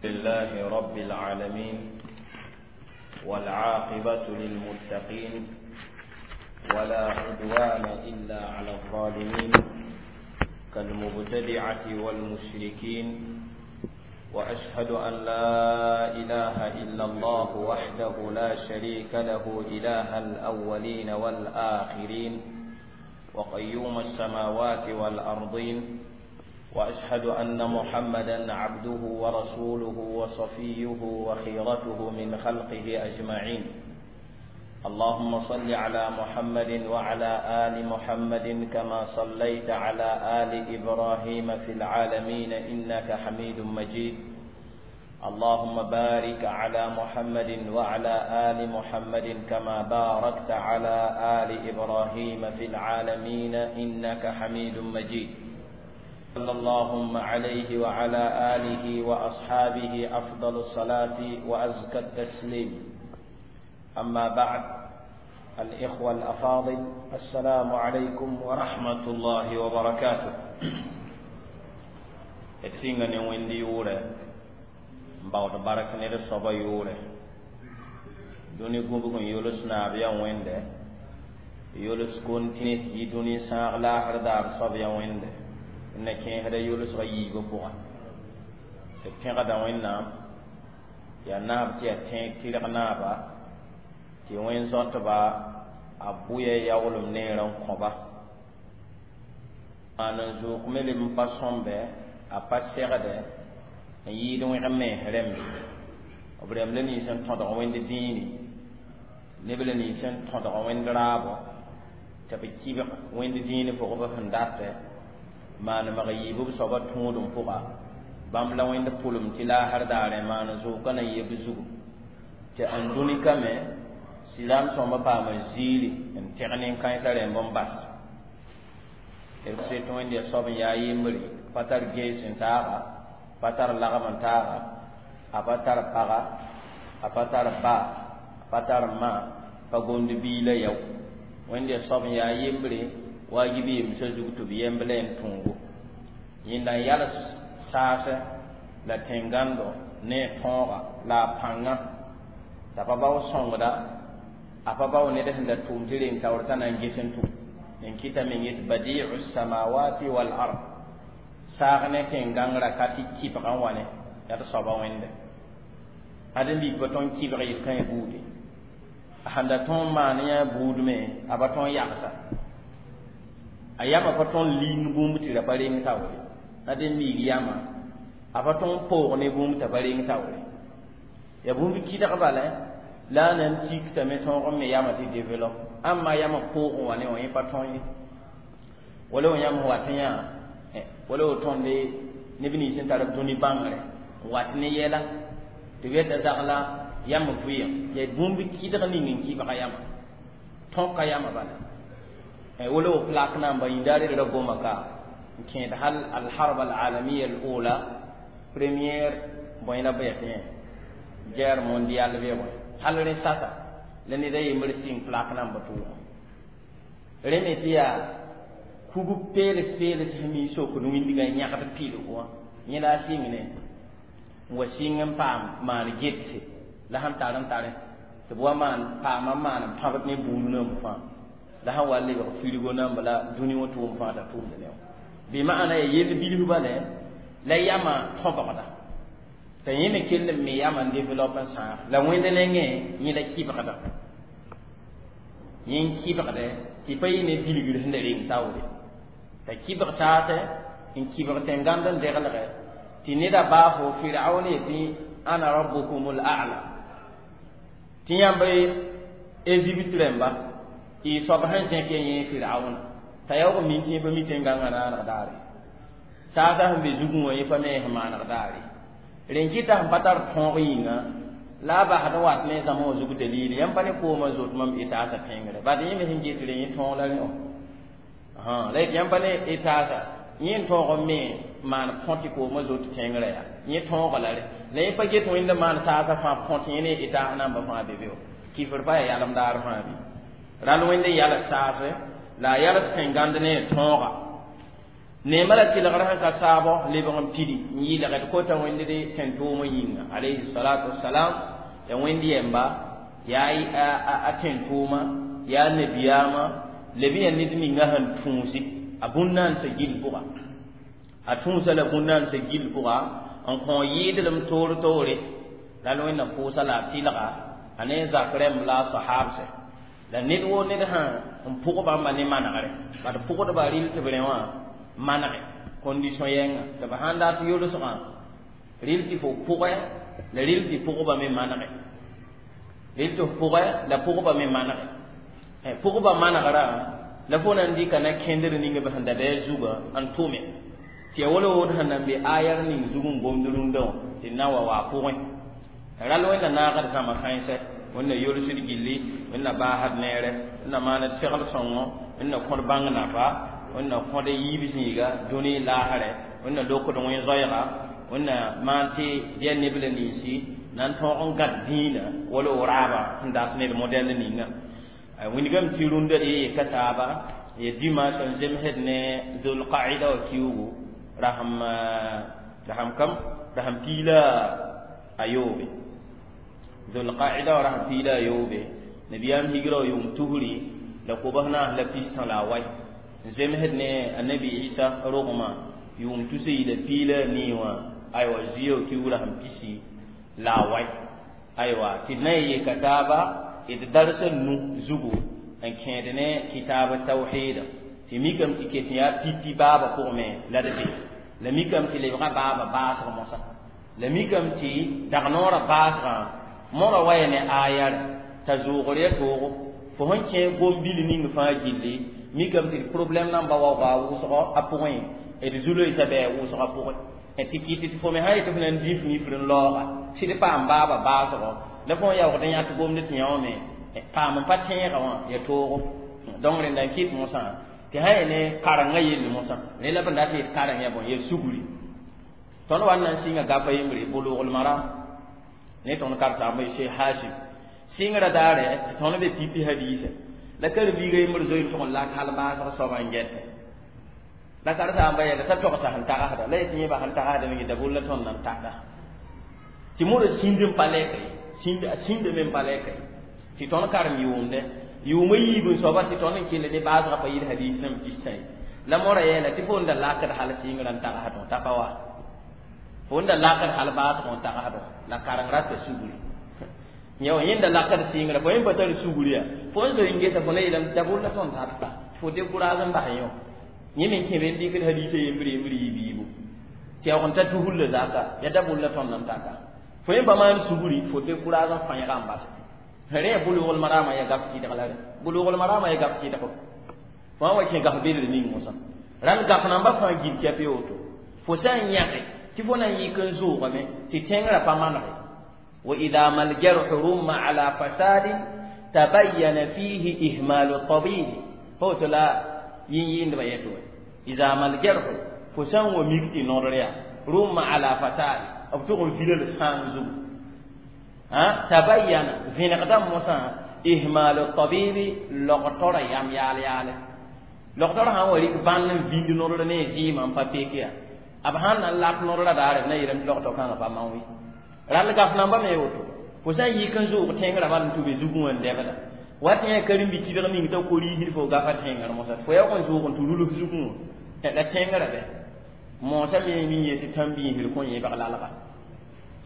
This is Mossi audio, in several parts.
لله رب العالمين والعاقبة للمتقين ولا عدوان إلا على الظالمين كالمبتدعة والمشركين، وأشهد أن لا إله إلا الله وحده لا شريك له إله الأولين والآخرين وقيوم السماوات والأرضين، وأشهد أن محمدا عبده ورسوله وصفيه وخيرته من خلقه أجمعين. اللهم صل على محمد وعلى آل محمد كما صليت على آل إبراهيم في العالمين إنك حميد مجيد. اللهم بارك على محمد وعلى آل محمد كما باركت على آل إبراهيم في العالمين إنك حميد مجيد. صلى اللهم عليه وعلى آله وأصحابه أفضل الصلاة وأزكى التسليم. أما بعد، الإخوة الأفاضل، السلام عليكم ورحمة الله وبركاته. D sɩnga ne Wẽnd yʋʋrɛ n baood bark ne d soaba yʋʋrɛ. Dũni gũbg n yols naab yaa Wẽnde, yols kontine tɩ yɩ dũni sãag laasr daar soab yaa Wẽnde, n na kẽesda yolsgã yiibã pʋga. Tɩ pẽgda Wẽnnaam yaa naab tɩ yaa tẽeg tɩrg naaba, tɩ wẽn zoatba a bʋya yaoolem neerã n kõba maan n zook me leb n pa sõmbe, a pa segdɛ n yɩɩd wẽg mens rẽmbe. B rẽmb la nins n tõdg Wẽnd dĩini, neb la nins n tõdg Wẽnd raabo, tɩ b kɩbg Wẽnd dĩin pʋgb sẽn datɛ maan mag yiib b soabã tũudem pʋga. Bãmb la Wẽnd pʋlem tɩ laasr daarẽ maan zookã na yeb zugu tɩ n dũni ka me sɩdam sõmba paama ziiri n tẽg nin-kãensã rẽmb n bas. D set Wẽnd yaa soab n yaa yembre, pa tar gees n taaga, pa tar lagm n taaga, a pa tar paga, a pa tar ba, a pa tar ma, pa gomd bii la yao. Wẽnd yaa soab n yaa yembre waagib yemsã zug tɩ b yemb la n tõogo. Yẽnda n yals saasɛ la tẽn-gãndo ne a tõoga la a pãngã t'a pa bao sõngda, a pa bao ned sẽn da tʋʋm tɩ reng taoor t'a na n ges n tʋm n kɩta meng yet badiu samawati wal ard. Saag ne tẽn-gãngrã ka tɩ kɩbgã wã ne yaa d soaba Wẽnde. Ad n bik pa tõnd kɩbg yel kãe buude, a sẽn da tõnd maan yã buud me a pa tõnd yagsa, a yama pa tõnd ling bũmb tɩ ra pa reng taoore. Ad n miig yama a pa tõnd poog ne bũmb t'a pa reng taoore, yaa bũmb kɩdg bala la a na n tiktame tõog n me yama tɩ develop. Ãmba yama poogẽ wã ne wã yẽ pa tõe ye, wala wã yãmb wat yã, wala wo tõnde neb nins sẽn tar b dũni bãngrɛ n wat ne yɛla tɩ b yeta zagla yam vɩɩm yaa bũmb kɩdg ning n kɩbga yama tõka yama bala. Wala wo plak namba yĩnda red ra goma ka n kẽed hal alharb alalamiya al ula, première bõe la bɩ yã guerre mondiale bɩ bõe hal rẽ sasa la ned a yembr sɩng plak namba tʋʋgã rẽ me tɩ yaa kug peels peels sẽn mi sokd wĩndgã yãgd pilgu wã yẽ la a sɩng ne n wa sɩng n paam maan getse la sẽn tar n tare tɩ b wa maan paama maan n pãbd ne buud namb fãa la sẽn wa lebg firgo namba la dũni wã tʋʋm fãa t'a tʋʋmd ne wã bɩ maana ya yell bilf bala la yama tõbgda t'a yẽ me kell n me yama n développe n sãag la Wẽnd nengẽ yẽ la kɩbgda yẽ n kɩbgdɛ tɩ pa yɩ ne bilgr sẽn da reng taoore t'a kɩbg taasɛ n kɩbg tẽn-gãnd n deglgɛ tɩ neda baafo Firaun yetɩ ana rabbukum l a'la, tɩ yãmb Ezipte rẽmba y soab sẽn zẽk ya yẽ Firauna t'a yaoog min tɩ pa mi tẽn-gãngã naaneg daare saasã sẽn be zugẽ wã yẽ pa me sẽn maaneg daare rẽn kɩta sẽn pa tar tõog yĩnga la a basd n wat ne zãma wã zug dalil yãmb pa ne koomã zoet mam etaasã pẽngre bad yẽ me sẽn get rẽ yẽ tõog la rẽ wã la yet yãmb pa ne etaasã yẽ n tõog n me maan põ tɩ koomã zoet tẽngrã yaa yẽ tõoga la rẽ la yẽ pa get Wẽnd maan saasã fãa põ tɩ yẽ ne etaas namba fãa be be wã kifr pa yaa yalem daar fãa bɩ rall Wẽnd n yals saase la a yals tẽn-gãnd ne tõoga. Neema la tɩlgr sẽn ka taabɔ lebg n pidi n yɩlgd kota wẽnd d tẽn-tʋʋmã yĩnga alayhi salatu wasalam. Ya wẽnd yɛmba, yaa a tẽn-tʋʋma, yaa nabiyaamã leb n yaa ned ninga sẽn tũusi a bũn-naansã gill pʋga, a tũusa la bũn-naansã gill pʋga n kõ yɩɩdlem toor toore. La wẽnnaam pʋʋsa la a tɩlga a ne zak rẽmb la a sahabsɛ la ned woo ned sã n pʋg bãmba ne manegre bad pʋgdba rɩl tɩ b rẽ wã manege condition yɛnga tɩ b sãn dat yolsgã rɩl tɩ fo pʋgɛ la rɩl tɩ pʋgba me manege, rɩl tɩ f pʋgɛ la pʋgba me manege. Pʋgba manegrã la fo na n dɩka na kẽndr ning b sẽn da bɩ a zugã n tʋme tɩ ya wala wood sẽn nan be ayar ning zug n gomd rũndã wã tɩ na wa wa a pʋgẽ. Ral wẽnna naagd zãma kãensɛ, wẽnna yolsd gilli, wẽnna baasd neere, wẽnna maand segl sõngo, wẽnna kõd bãng nafa, wẽnna kõd yiib zĩiga dũni laasrɛ, wẽnna lokd wẽn-zoɛɛga, wẽnna maan tɩ yaa neb la ninsi na n tõog n gãd dĩinã wala o raabã sẽn dat ned modɛl ninga. Wingame tɩ rũndã d ye yeka taaba ya dimanche n zemsd ne zulqaida wã kiugu rasem rasem kam rasem piila a yoobe, zulqaida wã rasem piila a yoobe, nabiyaam higra wã yʋʋm tusri la kobs naas la pistã la a wai n zemsd ne annabi Isa rogmã yʋʋm tus yi la piila a nii wã aywa zio kiugu rasem pisi la a wai. Aywa tɩ d na n yeka taaba d darsa nu zugu n kẽed ne kitaab tawhida tɩ mikame tɩ ket yaa pipi baaba pʋgme la d be la mikame tɩ lebga baaba baasg mosã la mikame tɩ dag noorã baasgã mora waya ne ayar t'a zʋʋgr ya toogo fo sẽn kẽ gom-bil ning fãa gilli mikame tɩ problɛm namba waooga a wʋsgɔ a pʋgẽ d zu-loeesã bɩ a wʋsgã pʋgẽ tɩ kɩt tɩ fo me sã yetɩ fo na n dĩf mifr n laooga sɩd paam baaba baasgɔ la fo yaoogd n yãk gomd tɩ yã wã me paam n pa tẽegã wã ya toogo. Donc rẽnda n kɩt mosã tɩ sã ya ne karengã yell mosã rẽ la b n dat yet kareng ya bõe ya sugri. Tõnd wa n na n sɩnga gafa yembre Bulugl Maram ne tõnd karsaambã Sheikh Hashim sɩngrã daare tɩ tõnd be pipi hadiisa la karen-biiga yembr zoe n tʋg n lak hal baasg soaba n gɛtɛ la karsaambã yɛla t'a togsa sẽn tagsda la yetɩ yẽba sẽn tagsda me da bol la tõnd na n tagda tɩ modã sĩnd n pa lɛka ye sĩnd a sĩnda me n pa lɛka ye tɩ tõnd karem yʋʋmdɛ yʋʋma yiib n soaba tɩ tõnd n kell ne baasgã pa yɩl hadiis nãmb pistã ye la mora yɛɛla tɩ fo n da lakd hal sɩngrã n tagsdõ t'a pa wa fo n da lakd hal baasgõ n tagsdõ la kareng rata sugri yã wã yẽnda lakd sɩngrã fo yẽ pa tar sugri ya fo n zoe n gesa fo na yeelame da bol la tõnd tat fo décourage n bas yõ yẽ me kẽ be n dɩkd hadiisã yembr yembr yɩ biibu tɩ yaoog n ta tuhulla zaka ya da bol la tõnd n taka fo yẽ pa maan sugri fo décourage n fãẽga n bas rẽ. Bulugl Marama ya gaf tɩdg la rẽ Bulugl Marama ya gaf tɩdg fo wa kẽ gaf belr ning mosã rãnd gaf namba fãa gil kɛp ye woto fo sã n yãge tɩ fo na n yik n zʋʋgame tɩ tẽngrã pa manege. Wa ida mal jarhu rumma ala fasadin tabayyana fihi ihmalu tabibi pa woto la yĩn-yɩɩndbã yɛtɩ wã ida mal jarhu fo sã n wa mik tɩ nodr yaa rumma ala fasad b tʋg n vila la sãang zugu tabayyana vẽnegdã mosã ihmalu tabibi logtora yam yaal yaale logtora sãn wa rɩk bãnd n vĩnd nodr ne zɩɩmã n pa pek yaa b sãn na n lak nodrã daare b na yeelame tɩ logto kãngã pa maoẽ rall gaf namba me woto fo sã n yik n zʋʋg tẽngrã bal n tʋ be zugẽ wã n dɛbda wat yã karen-bi tɩdg ning t'a ko-riisd fo gafa tẽngr mosã fo yaoog n zʋʋg n tɩ rulg zugẽ wã la tẽngrã bɛ moosã me nin yetɩ tãn-biisd kõ yẽbg lalga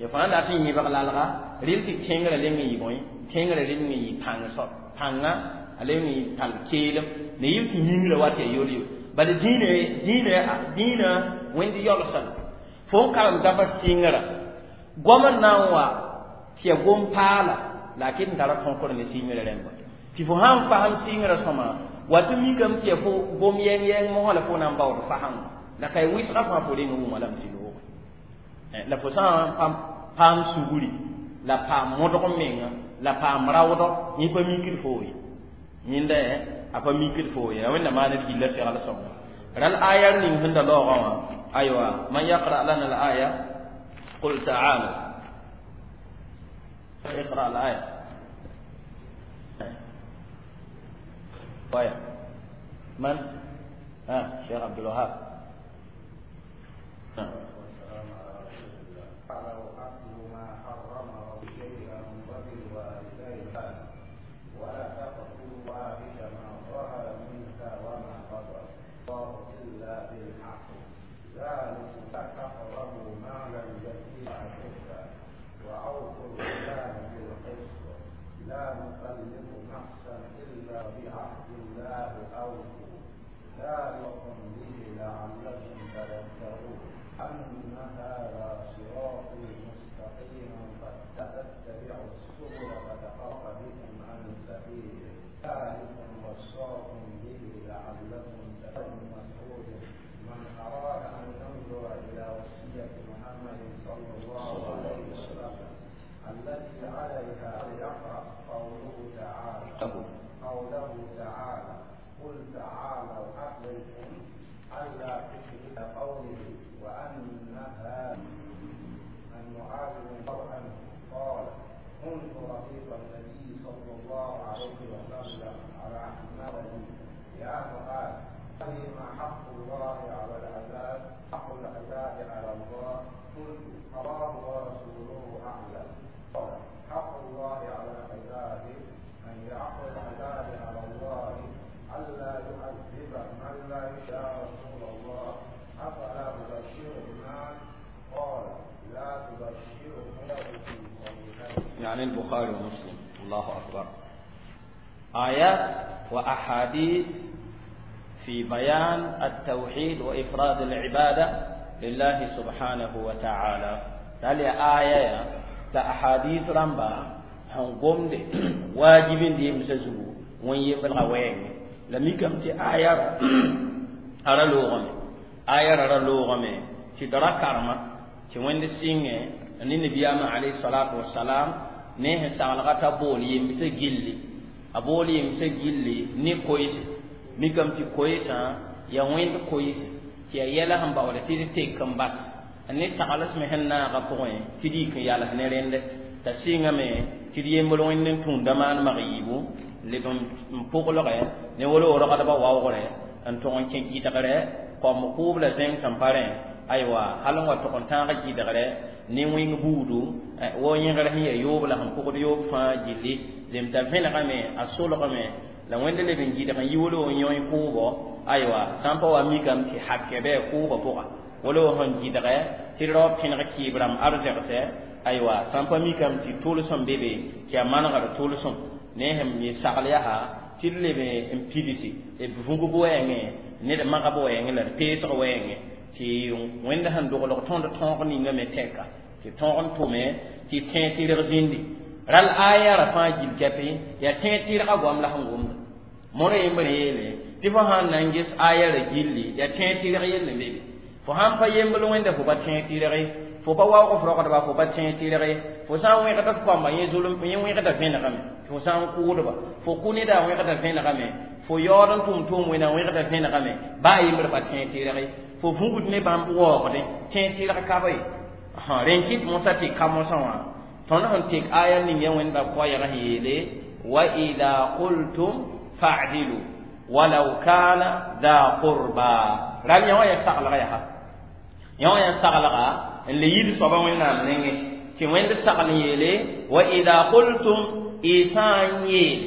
ya fãa dat n yẽbg lalga rɩl tɩ tẽngrã leng n yɩ bõe tẽngrã leng n yɩ pãng soab pãnga a leng n yɩ tall keelem la yɩl tɩ yĩngrã wat ya yol-yo bala dĩinã dĩinã dĩinã wẽnd yaolsã fo n karem gafa sɩngrã goam n na n wa tɩ ya gom-paala la a ket n tara tõkr ne sɩngrã rẽmba tɩ fo sãn fasem sɩngrã sõma wa tɩ mikame tɩ ya fo gom yɛng-yɛng mosã la fo na n baood fasem la ka wɩsgã fãa fo reng wʋma lame tɩ looge la fo sã n paam sugri la paam modg menga la paam raoodɔ yẽ pa mikd foo ye yẽnda a pa mikd foo ye wẽnna maan d gilla segl sõnga ral ayar ning sẽn da laoogã wã aywa man yaqra lana al aya qul ta'alu اقرأ الآية طيب من؟ ها شيخ عبد الوهاب. شيئا وبالوالدين ولا تقتلوا الفواحش ما ظهر منها وما بطن الله إلا بالحق ذلكم لا تقربوا مال اليتيم حتى وأوفوا الميزان بالقسط لا نكلف نفسا إلا بعهد الله أوفوا ذلكم به لعلكم تذكرون أن هذا صراطي مستقيما فاتبعوا السبل فتفرق بكم عن سبيله ذلكم وصاكم به لعلكم تتقون. مسعود من أراد أن ينظر إلى وصية محمد صلى الله عليه وسلم التي عليها ليقرأ قوله تعالى قل تعالوا أتلكم ألا تشرك قوله وأنها أن معاذ بن عنه قال كنت رفيق النبي صلى الله عليه وسلم على حماره يا معاذ ما حق الله على العباد حق العباد على الله قلت الله ورسوله أعلم قال حق الله على العباد أن يحق العباد على الله ألا يعذب من لا يشاء رسول الله أفلا أبشر الناس قال لا تبشرهم في يعني البخاري ومسلم. الله أكبر. آيات وأحاديث في بيان التوحيد وإفراد العبادة لله سبحانه وتعالى. تالي آية تأحاديث رمبا هنقوم دي واجبين دي مسزو وين يبلغ وين لم يكن تي آية أرى لغمي آية أرى لغمي تدرى كرمة تي وين دي سيني أن النبي عليه الصلاة والسلام نه سالغة بولي مسجلي أبولي مسجلي ني كويس mikam ti koysa ya wẽnd koyse tɩ ya yɛla sẽn baoole tɩ d tek n bas ne sagls me sẽn naaga pʋgẽ tɩ d yik n yals ne rẽnde t'a sɩngame tɩ d yembr wẽnd n tũunda maan mag yiibu leb n pʋglgɛ ne wolo rogdbã waoogrɛ n tʋg n kẽ gɩdgrɛ kom kʋʋb la zẽng sẽn pa rẽ aywa hal n wa tʋg n tãag gɩdgrɛ ne wĩng buudu wo yẽgr sẽn ya yoob la sẽn pʋgd yoob fãa gilli zemta vẽnegame a solgame la wẽnd leb n gɩdg n yi wolo n yõe kʋʋbɔ aywa sã n pa wa mikame tɩ hakɛ bɩ kʋʋbã pʋga wolo sẽn gɩdgɛ tɩ raood pẽneg kɩɩb rãmb arzɛgsɛ aywa sã n pa mikame tɩ tʋlsem be be tɩ yaa manegd tʋlsem ne sẽn yẽ sagl yaa tɩ d leb n pidsi b vũgb wɛɛngẽ ned magb wɛɛngẽ la d peesg wɛɛngẽ tɩ wẽnd sẽn doglg tõnd tõog ninga me tɛka tɩ tõog n tʋme tɩ tẽeg tɩrg zĩndi ral aya ra fãa gil kɛpɩ yaa tẽeg tɩrgã goam la sẽn gomda mora yembr yeele tɩ fo sãn na n ges aya ra gilli yaa tẽeg tɩrg yell n be be fo sãn pa yembl wẽnda fo pa tẽeg tɩrge fo pa waoog f rogdba fo pa tẽeg tɩrge fo sã n wẽgda f kamba yẽ zulum yẽ wẽgda vẽnegame fo sã n kʋʋdba fo kʋ neda wẽgda vẽnegame fo yaood n tʋm tʋʋm wẽna wẽgda vẽnegame baa yembr pa tẽeg tɩrge fo vũgd ne bãmb waoogdẽ tẽeg tɩrg ka be rẽn kɩt mosã tɩ ka mosã wã tõnd sẽn tek aya ning ya wẽnda koɛɛg sẽn yeele wa ida qultum fa'dilu walau kana dha qurba ral yã wã yaa saglga yaa yã wã yaa saglga n le yid soaba wẽnnaam nengẽ tɩ wẽnd sagl n yeele wa ida qultum y sã n yeel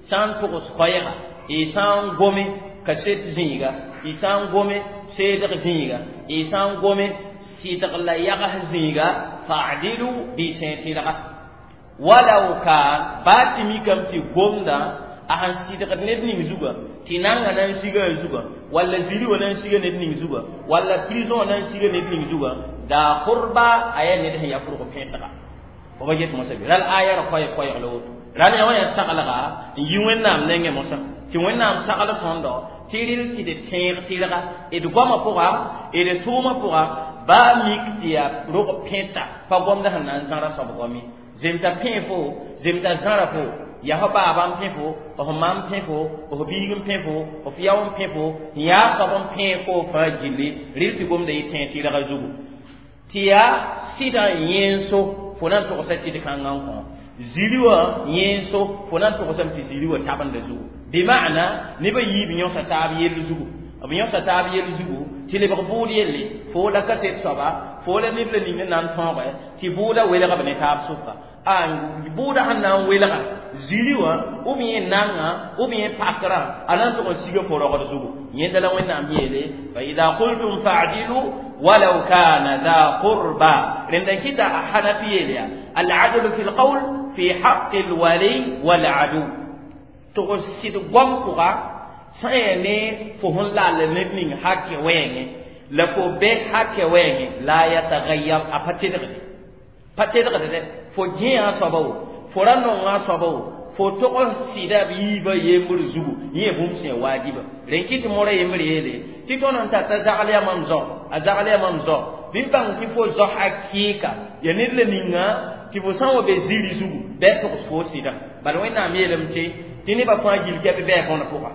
sã n togs koɛɛga y sã n gome kaset zĩiga y sã n gome seedg zĩiga y sã n gome sɩdg la yags zĩiga fa'dilu bɩ tẽeg tɩrga walau kan baa tɩ mikame tɩ gomda a sẽn sɩdgd ned ning zuga tɩ nanga na n siga a zuga walla ziri wã na n siga ned ning zuga walla prison wã na n siga ned ning zuga daa qurba a yaa ned sẽn yaa fʋrg pẽtga fo pa get mosã be ral aya ra koɛɛg la woto ral yã wã yaa saglga n yi wẽnnaam nengẽ mosã tɩ wẽnnaam sagl tõndo tɩ rɩl tɩ d tẽeg tɩrga d goamã pʋga d tʋʋmã pʋga baa mik tɩ yaa rog pẽta pa gomda sẽn na n zãra soab goame zemta pẽ fo zemta zãra fo yaa fo baaba n pẽ fo f ma n pẽ fo f biig n pẽ fo f yao n pẽ fo n yaa soab n pẽ fo fãa gilli rɩl tɩ gomda yɩ tẽeg tɩrga zugu tɩ yaa sɩdã yẽnso fo na n togsa tɩd kãngã n kõ ziri wã yẽnso fo na n togsame tɩ ziri wã tabenda zugu bɩ maana nebã yiib yõsa taab yell zugu b yõsa taab yell zugu tɩ lebg bʋʋd yelle fo la kaset soaba fo la ned la ning n na n tõoge tɩ bʋʋda welga b ne taab sʋka a bʋʋda sẽn na n welga ziri wã ou bien nanga ou bien pakrã a na n tʋg n siga fo rogd zugu yẽnda la Wẽnnaam yeele fa ida qultum fa'dilu walaw kana dha qurba rẽnda kɩta a Hanafi yeel yaa al-adlu fi l-qawl fi haqqi l-wali wal-adu tʋg sɩd goam pʋga sã n yaa ne fo sẽn lall ned ning hakɛ wɛɛngẽ la fo bɛ hakɛ wɛɛngẽ la yatagayyar a pa tedgde pa tedgde dɛ fo gẽa soaba wo fo ra nonga soaba wo fo tog n sɩda b yiibã yembr zugu yẽ bũmb sẽn waajiba rẽn kɩ tɩ mora yembr yeele tɩ tõnd n tar t'a zagl yaa mam zao a zagl yaa mam zao bɩ bãng tɩ fo zao hakɩɩka ya ned la ninga tɩ fo sã n wa be ziri zugu bɩ a togs fo sɩda bala Wẽnnaam yeelame tɩ nebã fãa gill kɛ bɩ bɩ bõn pʋga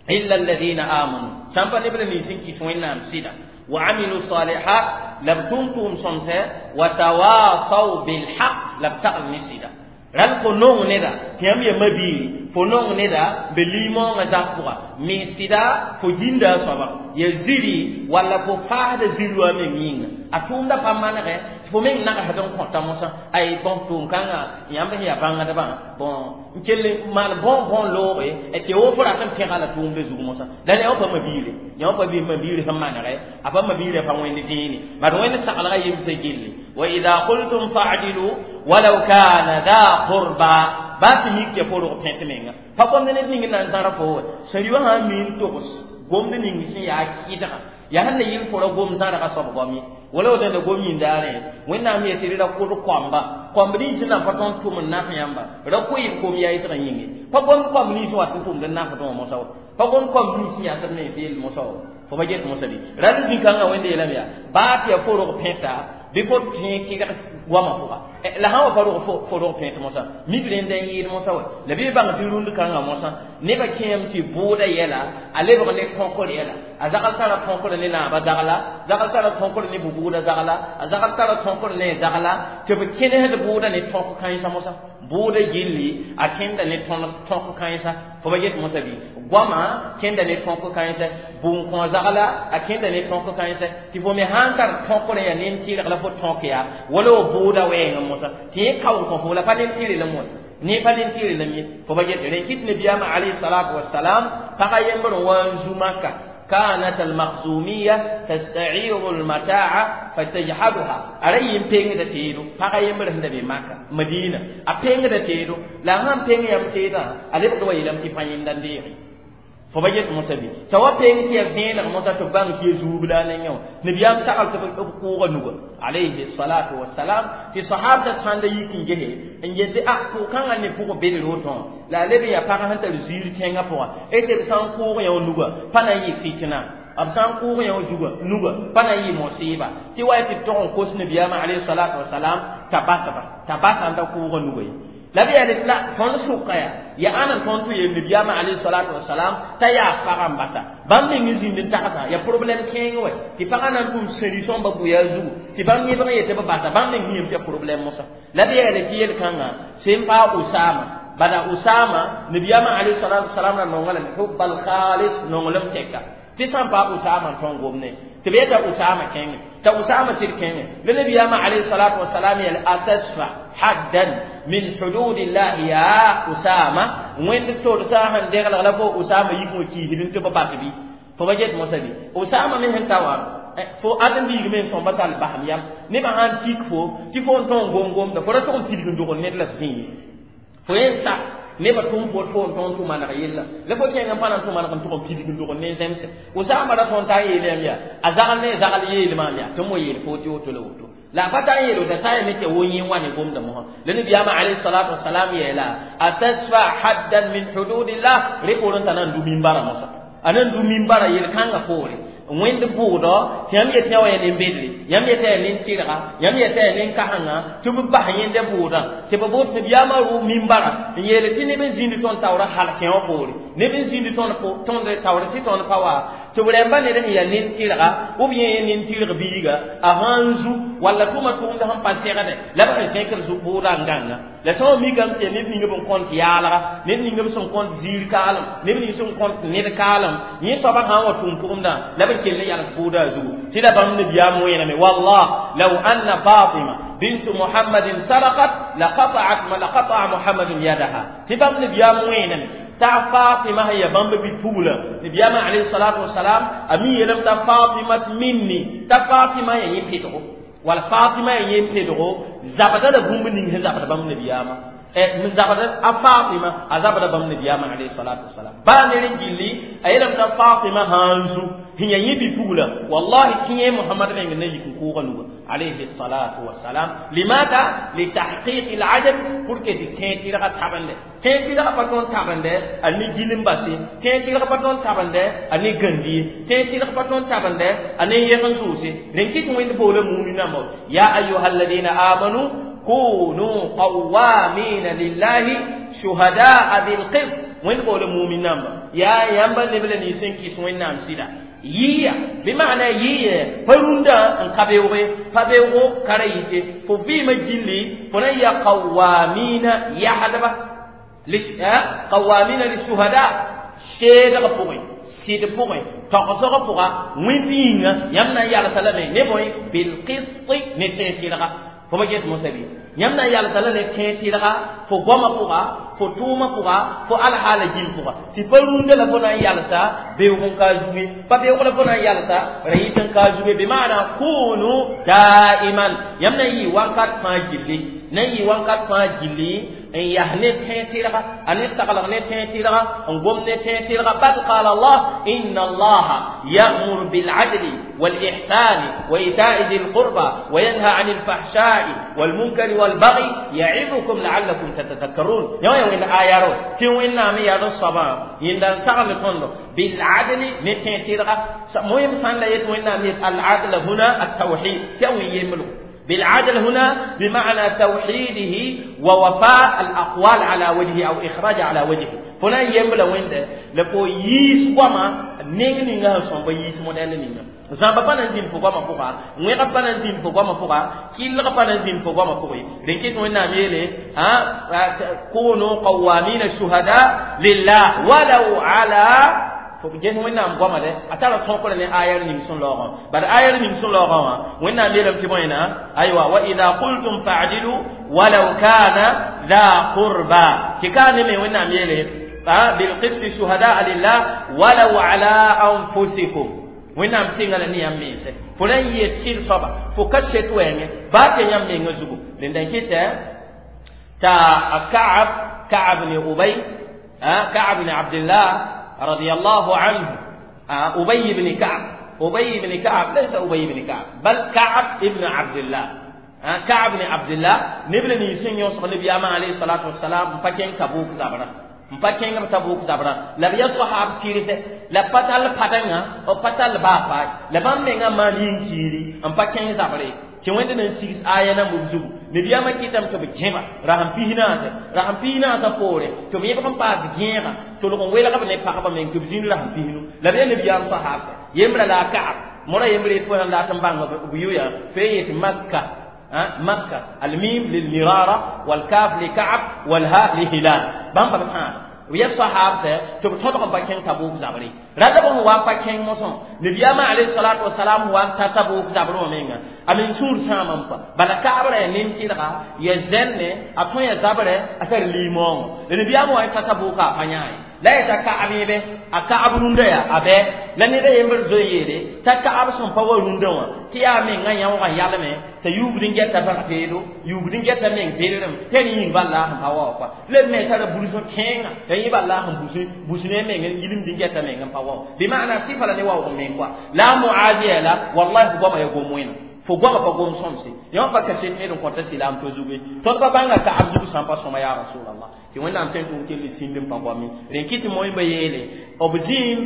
illa alladhina amanu sã n pa neb la nins n kɩs Wẽnnaam sɩda wa amilu salihat la b tʋm tʋʋm sõmsɛ wa tawasaw bilhaq la b sagl ne sɩda rãl fo nong neda tɩ yãmb ya mabiiri fo nong neda be limõongã zak pʋga me sɩda fo ginda a soaba ya ziri walla fo faasda ziri wã meng yĩnga a tʋʋmda pa manegɛ tɩ fo meng nagsd n kõta mosã ay bõn tʋʋm-kãngã yãmb sẽn yaa bãngdbã bõn n kell n maan bõn looge tɩ wo fo rat n pẽga la tʋʋmda zug mosã la yã pa mabiire yã pa bɩ mabiir sẽn manegɛ a pa mabiirã pa wẽnd dẽene bad wẽnd saglga yemsã gilli wa ida qultum fa'dilu walaw kana dha qurba baa tɩ mik tɩ fo rog pẽt menga pa gomd ned ning n na n zãra fo wa sẽn rɩ wã sã n mi n togs gomd ning sẽn yaa kɩdga yaa sẽn na yɩl fo ra gom zãrga soab goam ye wala woto la gom yĩndaarẽ Wẽnnaam yetɩ ra kʋd koamba koamb nins sẽn na n pa tõnd tʋm n naf yãmba ra koɩɩb kom yaa yɩsgã yĩnge pa gomd koamb nins wat n tʋmd n nafdẽ wã mosã wa pa gomd koamb nins sẽn yaa sb mens yell mosã wa fo pa get mosã bɩ ral zĩ-kãngã Wẽnde yeelame yaa baa tɩ yaa fo rog pẽta bɩ fo tẽ kɩdg goamã pʋga la sã wa pa rog fo rog pẽt mosã mik rẽnd n yɩɩd mosã wa la bɩ bãng tɩ rũnd kãngã mosã nebã kẽem tɩ bʋʋda yɛla a lebg ne kõkr yɛla a zagl tara tõkr ne naabã zagla zagl tara tõkr ne bʋ-bʋʋda zagla a zagl tara tõkr ne zagla tɩ b kẽnesd bʋʋda ne tõk kãensã mosã bʋʋda gilli a kẽnda ne tõk kãensã fo pa get mosã bɩ goamã kẽnda ne tõk kãensã bũn-kõ zagla a kẽnda ne tõk kãensã tɩ fo me sã n tar tõkr yaa nen-tɩrg la fo tõk yaa wala wa bʋʋda wɛɛngã mosã tɩ yẽ kaoog kõ fo la pa nen-tɩrg la moe ne pa nen-tɩrg la ye fo pa get rẽn kɩt nabiyaamã alayhi salatu wasalam pagã yembr n wa n zu Maka كانت المخزومية تستعير المتاع فتجحدها أرأي بينغ تيرو باغا يمر هند بمكة مدينة أبينغ تيرو لا هم بينغ يم تيرا ألي بدو يلم تفاين دنديري فبجت مسبي توا بينغ تي بين موسى تبان كي زوبلا نيو نبيام سأل تبقوا نوغ عليه الصلاة والسلام في صحابة ساند يكين جه إن يد أكو كان أن يفوق بين روتون لا لبي يا باغا هنت زير تينغا بوا إيه سان كو يا نوغ بانا يفتنا b sã n kʋʋg yã zuga nuga pa na n yɩ mosiiba tɩ wa tɩ tog n kos nabiyaamã alayhi salatu wasalam t'a basba t'a basa n ta kʋʋga nuga ye la b yaa la tõnd sʋka yaa yaa ãn n tõnd tɩ yel nabiyaamã alayhi salatu wasalam t'a yaa pagã n basa bãmb meng zĩnd n tagsã yaa problɛm kẽeng wɛ tɩ pagã na n tʋm sẽri sõmba bʋya zugu tɩ bãmb yẽbg n yetɩ b basa bãmb meng yĩm tɩ ya problɛm mosã la b yaa tɩ yel-kãngã sẽn paa Usama bala Usama nabiyaamã alayhi salatu wasalam ra nonga lame hubbal khalis nonglem tɛka tɩ sã n paa Usama n tõn gomne tɩ b yeta Usama kẽngẽ t'a Usama sɩd kẽngẽ la nabiyaamã alayhi salatu wasalam yel atasfa haddan min hududillahi ya Usama wẽnd todsa sẽn deglg la fo Usama yik wã kiisd n tɩ b bas bɩ fo ba get mosã bɩ Usama me sẽn ta wã fo ãdem-biig me n sõmba tall basem yam nebã sãn tik fo tɩ fo n tõn gom-gomda fo ra tʋg n tilg n dogl ned la f zĩ ye fo yẽn sak nebã tʋm fo fo n tõn tʋ maneg yella la fo kẽng n pa na n tʋ maneg n tʋg n pidg n dogl ne zẽmse Usama ra tõn t'a n yeelame yaa a zagl ne zagl yeelmaam yaa tɩ m wa yeel fo tɩ woto la woto la pa ta n yeel woto t'a yame tɩ wo yẽ wa ne gomda mosã la nabiyaamã alayhi salatu wasalam yeela atasfa haddan min hududillah rẽ poorẽ t'a na n du mimbara mosã a na n du mimbara yel-kãngã poore wẽnd bʋʋdɔ tɩ yãmb yetɩ yã wa yaa nin-bedre yãmb yetɩ yaa nin-tɩrga yãmb yetɩ yaa nin-kasengã tɩ b bas yẽnda bʋʋdã tɩ b boot nabiyaamã rʋ mimbara n yeele tɩ neb n zĩnd tõnd taoorã hal kẽ wã poore neb n zĩnd tõnd taoor tɩ tõnd pa wa tɩ Tɩ b rẽmba ned sẽn yaa nin-tɩrga ou bien nin-tɩrg biiga a sãn zu walla tʋma tʋʋmd sẽn pa segde la b sẽn zẽkr bʋʋda n gãnga la sã n mikame tɩ yaa neb ning b n kõnt yaalga neb ning b sẽn kõnt ziir kaalem neb ning sẽn kõnt ned kaalem yẽ soaba sã n wa tʋʋm tʋʋmdã la b kell n yals bʋʋda zugu tɩ la bãmb nabiyaam wẽename wallah law anna fatima بنت محمد سرقت لقطعت لقطع محمد يدها تبام نبيام وينم تا فاطمة هي بامب بفولا نبيام عليه الصلاة والسلام أمي يلم تا فاطمة مني تا فاطمة هي يمحيطه ولا فاطمة هي يمحيطه زبدة لبوم نينه زبدة بام نبيام من زبدة فاطمة أزبدة بام نبيام عليه الصلاة والسلام بانيرين جلي أيلم تا فاطمة هانزو هي يبي والله كي محمد بن النبي كوغا عليه الصلاة والسلام لماذا؟ لتحقيق العدل porque تين تيرا تابند تين تيرا باتون تابند أني جيلم باسي تين تيرا باتون تابند أني غندي تين تيرا باتون تابند أني يغن سوسي رنكي كوين بولا مؤمنا مو يا أيها الذين آمنوا كونوا قوامين لله شهداء بالقسط وين بولا مؤمنا يا يامبا نبلا نيسن كيس وين نام سيدا yiya bi ma'ana yiya parunda n ka beoogẽ pa beoogo kara yite fo vɩɩmã gilli fo na n yaa qawamina yagsdba qawamina lishuhada seedg pʋgẽ sɩd pʋgẽ togsg pʋga wẽnd yĩnga yãmb na n yalsa lame ne bõe bilqisti ne tẽeg tɩrga fo pa get mosã bɩ yãmb na n yalsa la ne tẽeg tɩrga fo goamã pʋga fo tʋʋmã pʋga fo alhaala gil pʋga tɩ pa rũndã la fo na n yalsa beoog n ka zuge pa beoog la fo na n yalsa ra yɩt n ka zuge bɩ maana kunu daiman yãmb na n yɩ wakat fãa gilli na n yɩ wakat fãa gilli n yas ne tẽeg tɩrga a ne saglg ne tẽeg tɩrga n gom ne tẽeg tɩrga bal qala allah inna allaha ya'muru bil'adli والإحسان وإيتاء ذي القربى وينهى عن الفحشاء والمنكر والبغي يعظكم لعلكم تتذكرون يوم وين آيارو تي وين نامي يا الصبا يندان سغل تندو بالعدل نتين تيرغا مهم سان لا يت وين نامي العدل هنا التوحيد تي يملو بالعدل هنا بمعنى توحيده ووفاء الأقوال على وجهه أو إخراج على وجهه فلان يملا وين ده لفو يس وما نين نين سون يس موديل نين zãmba pa na n zĩnd fo goamã pʋga wẽgb pa na n zĩnd fo goamã pʋga kɩllg pa na n zĩnd fo goamã pʋgẽ rẽn kɩt wẽnnaam yeele kunu qawamina shuhada lillah walau ala fo ges wẽnnaam goamã dɛ a tara tõkre ne ayar ning sẽn laoogã bad ayar ning sẽn laoogã wã wẽnnaam yeelame tɩ bõena aywa wa ida qultum fa'dilu walau kana dha qurba tɩ ka ne me wẽnnaam yeele bilqisti shuhadaa lillah walau ala anfusikum wẽnnaam sɩnga la ne yãmb mense fo na n yɩ sɩd soaba fo ka set wɛɛngẽ baa tɩ yãmb menga zugu rẽnda n kɩtɛ t'a Ka'ab Ka'ab ni Ubay Ka'ab ni Abdullah radiyallahu anhu Ubay ibn Ka'ab Ubay ibn Ka'ab laysa Ubay ibn Ka'ab bal Ka'ab ibn Abdullah Ka'ab ibn Abdullah neb la nins sẽn yõsg nabiyaamã alayhi salatu wassalam n pa kẽng Tabuk zabrã n pa kẽng b Tabuk zabrã la b yaa soahaab kɩrse la pa tall padengã b pa tall baa paay la bãmb mengã maan yĩn-kiiri n pa kẽng zabre tɩ wẽnd na n sigs aya nambb zugu nabiyaamã kɩtame tɩ b gẽba rasem pisnaase rasem pisnaasã poore tɩ b yẽbg n paas gẽega tʋlg n welg b ne pagba meng tɩ b zĩnd rasem pisnu la b yaa nabiyaam soahaabsã yembra la a Ka'ab mora yembre tɩ fo sãn dat n bãng b yʋya fo yet Makka مكة الميم للمرارة والكاف لكعب والهاء لهلال بام بام خان ويا صحابة تبتدق بكين تبوك زبري رجب هو بكين موسون نبي ما عليه الصلاة والسلام هو تبوك زبرو مينغا أمين سور سامم با بلا كعبر نيم سيرغا يزن أتون يزبر أثر ليمون نبي ما هو تبوك أفنياي la ya ta ka'ab yẽbe a ka'ab rũndã yaa a bɛ la ned a yembr zoe yeele t'a ka'ab sẽn pa wa rũndã wã tɩ yaa mengã yãoogã yalme t'a yuubd n gɛta bãg peelo yuubd n gɛta meng pererem t'a rẽ yĩng bal la a sẽn pa wa wã koa la b me tara bursẽ kẽenga t'a yẽ bal la a sẽn bus ne meng n yilimd n gɛta meng n pa wa wã bɩ maana sɩfa la ne waoog meng koa la a Muaz yeela wallahi fo goamã ya gom wẽna fo goamã pa gom sõmse yãmb pa kaset ned n kõta silaam to zugu tõnd pa bãnga Ka'ab zug sã n pa sõma ya Rasulallah tɩ wẽnnaam tõe n tʋg kell sĩnd n pa goame rẽn kɩ tɩ moẽmba yeele b zĩ n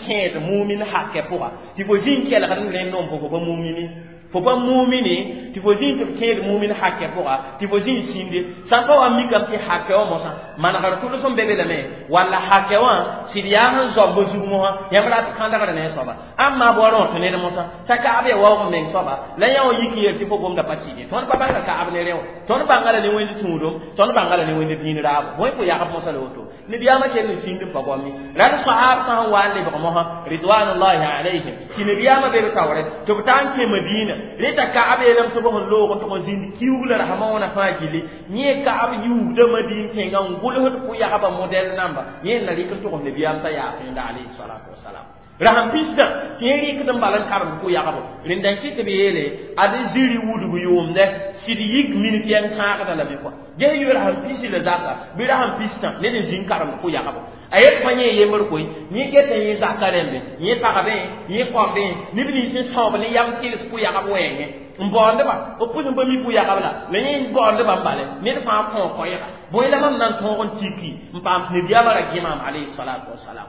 kẽed mumin hakɛ pʋga tɩ fo zĩ n kelgd n rẽnd n fo pa mumini Fo pa mumini tɩ fo zĩig tɩ b kẽed mumin hakɛ pʋga tɩ fo zĩig sĩnde sã n pa wa mikame tɩ hakɛ wã mosã manegr tʋls n be be lame walla hakɛ wã sɩd yaa sẽn zoab b zug mosã yãmb rat kãndgr ne a soaba ãmma b wa rõt ned mosã t'a kaab ya waoog meng soaba la yã wã yik n yel tɩ fo gomda pa sɩd ye tõnd pa bãnga kaab ne rẽ wã tõnd bãnga la ne wẽnd tũudum tõnd bãnga la ne wẽnd dĩin raabo bõe fo yagb mosã la woto nabiyaamã kell n sĩnd n pa goame rad sahaab sã n wa n lebg mosã ridwanullahi alayhim tɩ nabiyaamã be b taoore tɩ b ta n kẽ Madina reta kaab yeelame tɩ b sẽn loog n tʋg n zĩnd kiuug la rasmã wãna fãa gilli yẽ kaab yuugda Madin tẽngã n gʋlsd pʋ-yagba modɛl namba yẽ n na rɩk n tʋgs nabiyaam t'a yaa tẽnda alayhi salatu wasalam rasam pistã tɩ yẽ rɩkd n bal n karemd pʋ-yagbo rẽnda n kɩt tɩ b yeele ad zĩri wudg yʋʋmdɛ sɩd yik minit yɛng sãagda la bɩ kɔa ges yʋ rasam pisi la zaka bɩ rasam pistã ned n zĩnd karemd pʋ-yagbo a yet fã yẽ yembr koe yẽ geta yẽ zaka rẽmbe yẽ pagdẽ yẽ kõmbẽ neb nins n sãoob ne yam tɩls pʋ-yagb wɛɛngẽ n baoondba b pʋs n pa mi pʋ-yagb la la yẽ baoondba n bale ned fãa kõo koɛɛga bõe la mam na n tõog n tiki n paam tɩ nabiyaamã ra gẽ maam alayhi salatu wasalam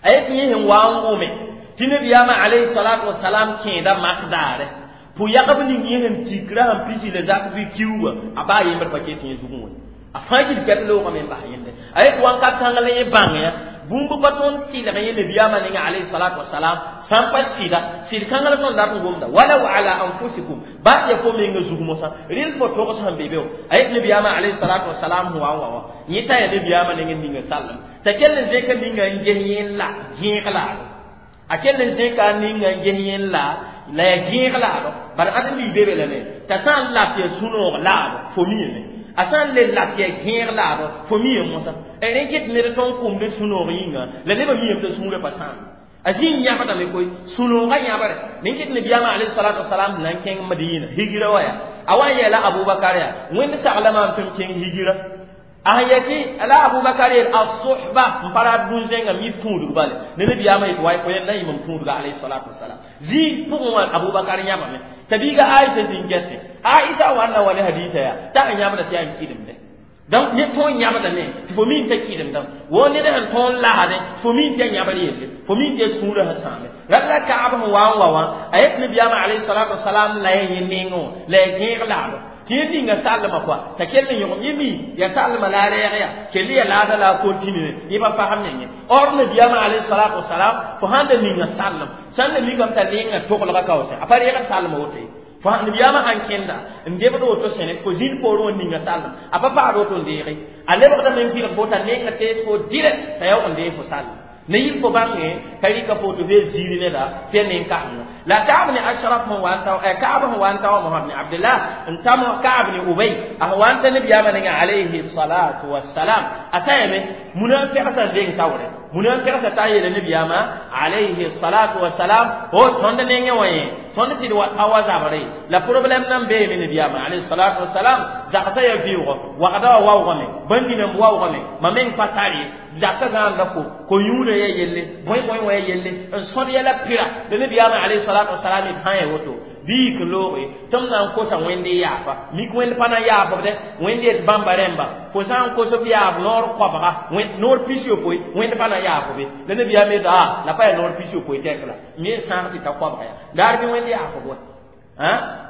a yet yẽ sẽn wa n wʋme tɩ nabiyaamã alayhi salatu wasalam kẽeda mak daare pʋ-yagb ning yẽ sẽn tik rasam pisi la zak bɩ kiuugã a baa yembr pa ket yẽ zugẽ wã a fãa gil kɛt loogame n bas yẽnde a yet wãnkat kãng la yẽ bãng ya bũmb pa tõnd tɩlg yẽ nabiyaamã ninga alayhi salatu wasalam sã n pa sɩda sɩd kãng la tõnd dat n gomda walaw ala anfusikum baa ya fo menga zug mosã rel fo togs sẽn be be a yet nabiyaamã alayhi salatu wasalam sẽn wa n wa wã yẽ t'a ya nabiyaamã ning n ninga sallem t'a kell n zẽka ninga n ges yẽ la gẽeg laado a kell n zẽka ninga n ges yẽ la la ya gẽeg laado bala ad n lii be be lame t'a sã n lat ya sũ-noog laado fo miime a sã n le lat ya gẽeg laado fo miime mosã rẽ ket ned tõnd kʋmd sũ-noog yĩnga la nebã miime t'a sũurã pa sãam a zĩig yãbdame koe sũ-noogã yãbre nin ket nabiyaamã alayhi salatu wasalam na n kẽng Madina higira wa ya a wa n yeela Abubakar yaa wẽnd sagla maam tɩ m kẽng higira a yeti la Abubakar yel as-suhba n pa rat bũn-zẽngã mi tũudg bale ne nabiyaamã yet wa fo yẽnd na yɩm n tũudga alayhi salatu wasalam zĩig pʋgẽ wã Abubakar yãbame t'a biiga Aisha zĩn gɛsẽ Aisha wa n na wa ne hadiisa yaa t'a n yãbda tɩ yaa n kɩdemde donc ne tõog yãbdame tɩ fo min t'a kɩdemdame wo ned sẽn tõog lasdẽ fo min tɩ ya yãbr yelle fo min tɩ ya sũurã sẽn sãame rat la kaab sẽn wa n wa wã a yet nabiyaamã alayhi salatu wasalam la ya yẽ nengẽ wã la ya gẽeg laado tɩ yẽ ninga sallmã kɔa t'a kell n yõgem yẽ mi ya sallmã la a rɛɛg ya kell ya laada la a continue yẽ pa fasem nengẽ or nabiyaamã alayhi salatu wasalam fo sãn da ninga sallem sãn da mikame t'a lenga toglga kaoosẽ a pa reegd sallmã woto ye fo nabiyaamã sãn kẽnda n debd woto sẽne fo zĩnd poorẽ wã ninga sallem a pa paad woto n deege a lebgdame n kɩlg fo t'a lenga tees fo direct t'a yaoog n deeg fo sallem ne yik fo bãnge t'a rɩka foto fo ziiri neda tɩ ya nen-kãsenga la Kaab ne Ashraf sẽn wa n ta Kaab sẽn wa n ta wa Mohamad ne Abdullah n ta Kaab ne Ubay a sẽn wa n ta nabiyaamã ninga alayhi salatu wassalam a ta yame munafiqsa n deng taoore munafiqsa t'a yeela nabiyaamã alayhi salatu wassalam o tõnd nengẽ wã yẽ tõnd sɩd wa pa wa zabre la problème nan beeme nabiyaamã alayhi salatu wassalam zagsã ya vɩʋgɔ wagda wã waoogame bãn-ninam waoogame mam meng pa tar ye zakã zãanda ko ko-yũudã ya yelle bõe bõe wã ya yelle n sõd yɛla pɩra la nabiyaamã alayhi salatu wasalam d sã n ya woto bɩ yik n looge tɩ m na n kosa wẽnd n yaafa mik wẽnd pa na yaafb dɛ wẽnd yet bãmba rẽmba fo sã n kos b yaaf noor koabga noor pis-yopoe wẽnd pa na yaafb la nabiyaam yeta a la pa yaa noor pis-yopoe tɛk la me n sãag tɩ ta koabga ya daar bɩ wẽnd yaafb wa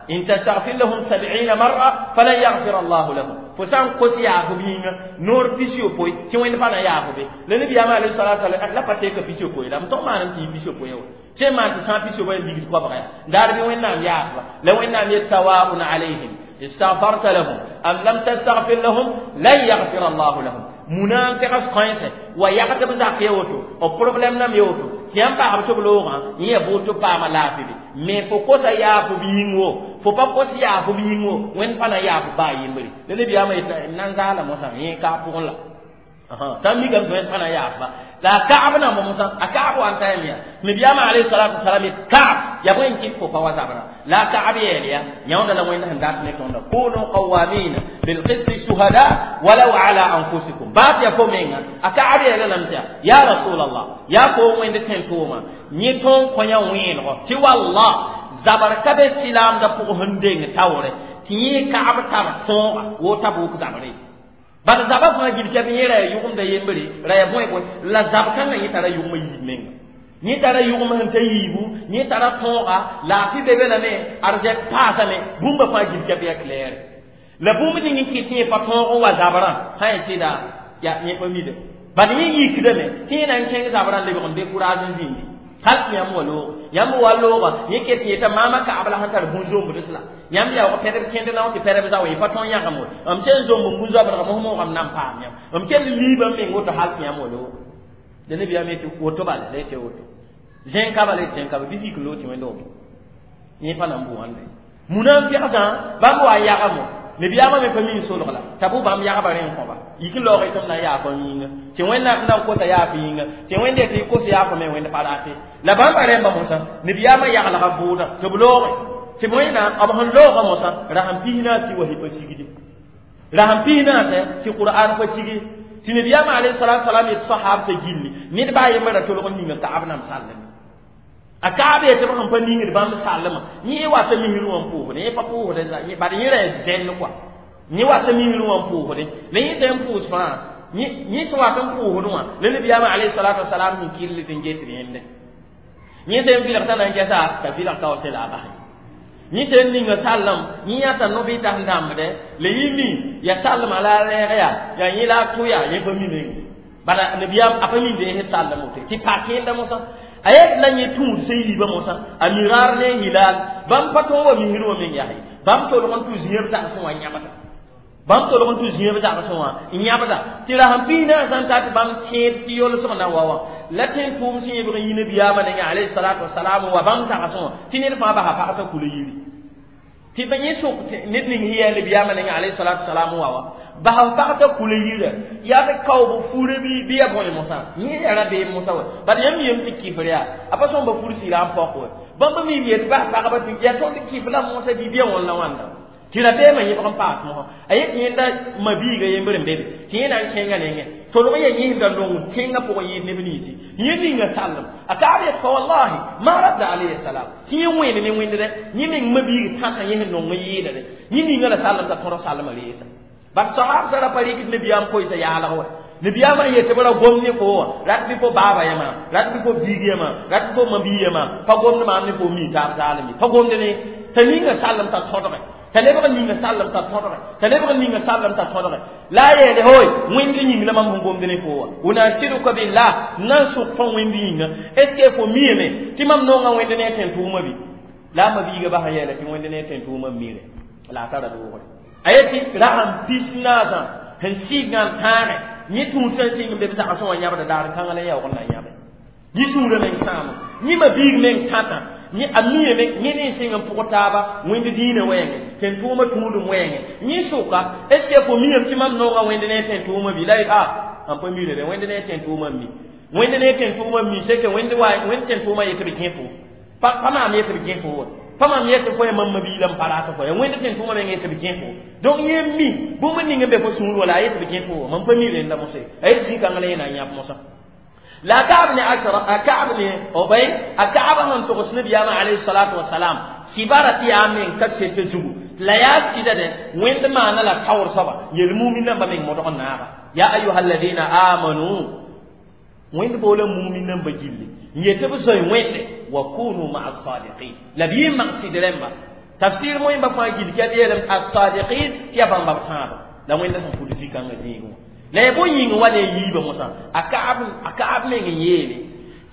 in tastaghfir lahum 70 marra falan yaghfir Allahu lahum fo sã n kos yaafb yĩnga noor pis-yopoe tɩ wẽnd pa na yaafb la nabiyaamã alayhi salatu wasalam la pa teka pis-yopoe la m tõg maanam tɩ yɩ pis-yopoe wã tɩ maan tɩ sã n pis-yopoe n ligd koabga yaa daar bɩ wẽnnaam yaafba la wẽnnaam yet sawaun alayhim istaghfarta lahum am lam tastaghfir lahum lan yaghfir Allahu lahum munafiqa sõense wa yagdb zak ya woto o problème nam ya woto tɩ yãmb pagsb tɩ b loogã yẽ ya boot tɩ b paama laafɩ be mais fo kosa yaaf b yĩng wo fo pa kos yaaf b yĩng wo wẽnd pa na yaaf baa yembre la nabiyaamã yetɩ n na n zaala mosã yẽ ka pʋgẽ la sã n mikame tɩ wẽnd pa na yaafba la a Kaab namba mosã a Kaab wa n ta yame yaa nabiyaamã alayhi salatu wasalam yet Kaab ya bõe n kɩt fo pa wa zabra la a Kaab yeel ya yãonda la wẽnd sẽn dat ne tõnda kunu qawamina bilqisti shuhada walau ala anfusikum baa tɩ ya fo menga a Kaab yeela lame tɩ ya rasulallah yaa fo wẽnd tẽn-tʋʋma yẽ tõn kõ yã wẽenego tɩ wallah zabr ka be silaamdã pʋgẽ sẽn deng taoore tɩ yẽ Kaab tar tõoga wo Tabuk zabre bala zaba fãa gil tɩ b yẽ ra ya yʋgemda yembre ra ya bõe bõe la zab kãngã yẽ tara yʋgmã yiib menga Yẽ tara yʋgem sẽn ta yiibu, yẽ tara tõoga, laafɩ be be lame, arzɛk paasame, bũmba fãa gil kɛp yaa clair. La bũmb ning n kɩt tɩ yẽ pa tõog n wa zabrã, sã n sɩda yaa yẽ pa mide. Bad yẽ yikdame tɩ yẽ na n kẽng zabrã lebg n décourage n zĩndi. Hal tɩ yãmb wa looge. Yãmb wa looga, yẽ ket yeta maama kaab la sẽn tar bũn-zombds la. Yãmb yaoog pɛdb kẽnd nao tɩ pɛdb zao, yẽ pa tõe n yãgem we. M sẽn zomb n bũn-zoabdga mos moogame na n paam yãmb. M kell liibã n meng woto hal tɩ yãmb wa looge. La nabiyaam yetɩ woto bala, la yetɩ woto. Zẽn ka bala, yetɩ zẽn ka bala, bɩ zik loog tɩ wẽnd wame. Yẽ pa na n bʋ wãnda ye. Munafɩgsã bãmb wa n yagame. Nabiyaamã me pa mi n solg la t'a bʋ bãmb yagba rẽ n kõba. Yik n laoog tɩ m na n yaa fo yĩnga. Tɩ Wẽnnaam na n kosa yaa fo yĩnga. Tɩ Wẽnd yetɩ kos yaa fo me Wẽnd pa rate. La bãmba rẽmba mosã, nabiyaamã yaglga bʋʋda tɩ b looge. Tɩ Wẽnnaam b sẽn looga mosã, rasem 14 tɩ wa pa sigdi. Rasem 14 tɩ Qur'an pa sigi. Tɩ nabiyaamã alayhi salatu wasalam yet sahabsã gilli. Ned baa yembra tolg n ninga Kaab nam sallame. A Kaab yetɩ b sẽn pa ningd bãmb sallmã, yẽ wata misrẽ wã n pʋʋsdẽ, yẽ pa pʋʋsdẽ, bad yẽ ra zẽnd kɔa. Yẽ wata misrẽ wã n pʋʋsdẽ, la yẽ sẽn pʋʋs fãa, yẽ sẽn wat n pʋʋsdẽ wã, la nabiyaamã alayhi salatu wasalam sẽn kɩll tɩ n ges rẽndẽ. Yẽ sẽn vɩlg t'a na n gɛsa, t'a vɩlg kaoosẽ la a basẽ. Yẽ sẽn ninga sallem, yẽ yãta no-bɩtas n dãmbdɛ, la yẽ mi, yaa sallmã la a rɛɛg yaa, yaa yẽ la a tʋ yaa, yẽ pa mi meng. Bala nabiyaam a pa mi deesd sallem woto, tɩ pa kẽenda mosã. A yet la yẽ tũud sẽn yiibã mosã, a miraar ne hilal, bãmb pa tõog wa misrẽ wã meng yaa ye. Bãmb tolg n tʋ zĩeb zagsẽ wã n yãbda. Bãmb tolg n tʋ zĩeb zagsẽ wã n yãbda. Tɩ rasem 14 n ta tɩ bãmb tẽed tɩ yolsg na wa wã. La tẽn-tʋʋm sẽn yẽbg n yi nabiyaamã nengã alayhi salatu wasalam n wa bãmb zagsẽ wã, tɩ ned fãa basa pag t'a kula yiri. Tɩ ba yẽ sok ned ning sẽn yaa nabiyaamã nengã alayhi salatu wasalam n wa wã, basa pag t'a kula yira, yaa tɩ kaoob fure bɩ yaa bõe mosã, yẽ yaa rabeem mosã wa. Bad yãmb yem tɩ kifr yaa, a pa sõmba fur sɩɩra n pɔk we. Bãmb mi yet bas pagba tɩ yaa tõnd kif la mosã bɩ bɩa wãn la wãnda. Tɩ rabeemã yẽbg n paas mosã. A yet yẽnda mabiiga yembr n be be, tɩ yẽ na n kẽngã nengẽ. Tolg n yaa yẽsda nong tẽngã pʋgẽ yɩɩd neb ninsi. Yẽ ninga sallem. A Kaab yet fa wallahi, ma radda alayhi salam. Tɩ yẽ wẽene ne wẽndrɛ, yẽ meng mabiig tãta yẽ sẽn nong n yɩɩda dɛ. Yẽ ninga la sallem t'a tõd sallmã reesa. Bad sahab sara pa rɩkd nabiyaam koɛɛsã yaalg wa. Nabiyaamã n yetɩ b ra gom ne fo wã, rat bɩ fo baaba yãma, rat bɩ fo biig yãma, rat bɩ fo mabii yãma, pa gomd maam ne fo mi taab zaalem ye. Pa gomd ne, t'a ninga sallem t'a tõdge. T'a lebg n ninga sallem t'a tõdge. T'a lebg n ninga sallem t'a tõdge. La a yeele hoy, wẽnd yĩng la mam sẽn gomd ne fo wã. Unasiduka billah, n na n sʋk fõ wẽnd yĩnga. Est ce que fo miame tɩ mam nonga wẽnd ne tẽn-tʋʋmã bɩ? La a mabiiga basa yeela tɩ wẽnd ne tẽn-tʋʋmã mire. La a tara doogre. A yetɩ rasem 14 sẽn sɩɩgã n tãage, yẽ tũud sẽn sɩng n be b zagsẽ wã yãbda daar kãngã la yaoog n na n yãbe. Yẽ sũurã meng sãamo, yẽ mabiig meng tãtã, yẽ a miame yẽ ne n sɩng n pʋg taaba wẽnd dĩinã wɛɛngẽ, tẽn-tʋʋmã tũudum wɛɛngẽ. Yẽ sʋka, est ce que fo miame tɩ mam nonga wẽnd ne tẽn-tʋʋmã bɩ? La yet a n pa mire dɛ, wẽnd ne tẽn-tʋʋmã n mi. Wẽnd ne tẽn-tʋʋmã n mi, c'est que wẽnd tẽn-tʋʋmã yetɩ b kẽ fo. Pa maam yetɩ b kẽ fo wa. Pa maam yetɩ fo ya mam mabiig la n pa rat fo ya. Wẽnd tẽn-tʋʋmã meng yetɩ b kẽ fo. Donc yẽ mi bũmb ning n be fo sũur wala a yetɩ b kẽ fo wa. Mam pa mi rẽnda mosã ye. A yetɩ zĩ-kãngã la yẽ na n yãb mosã. La Ka'b ne Ashraf, a Ka'b ne Ubay, a Ka'b sẽn togs nabiyaamã alayhi salatu wasalam, kibara tɩ yaa meng ka set zugu. La yaa sɩda dɛ, wẽnd maana la taoor soaba, yel-mumin nambã meng modg n naaga. Ya ayuha alladina amanu, wẽnd boola mumin nambã gilli. N yetɩ b zoe wẽnde, wa kunu ma'a as-sadiqin. La b yɩ mag sɩd rẽmba. Tafsir moẽmba fãa gill kɛ b yeelame as-sadiqin tɩ yaa bãmba b tãabã. La wẽnd sẽn pud zĩ-kãngã zĩigẽ wã. La ya bõe yĩng wa ne yiibã mosã, a Kaab meng n yeele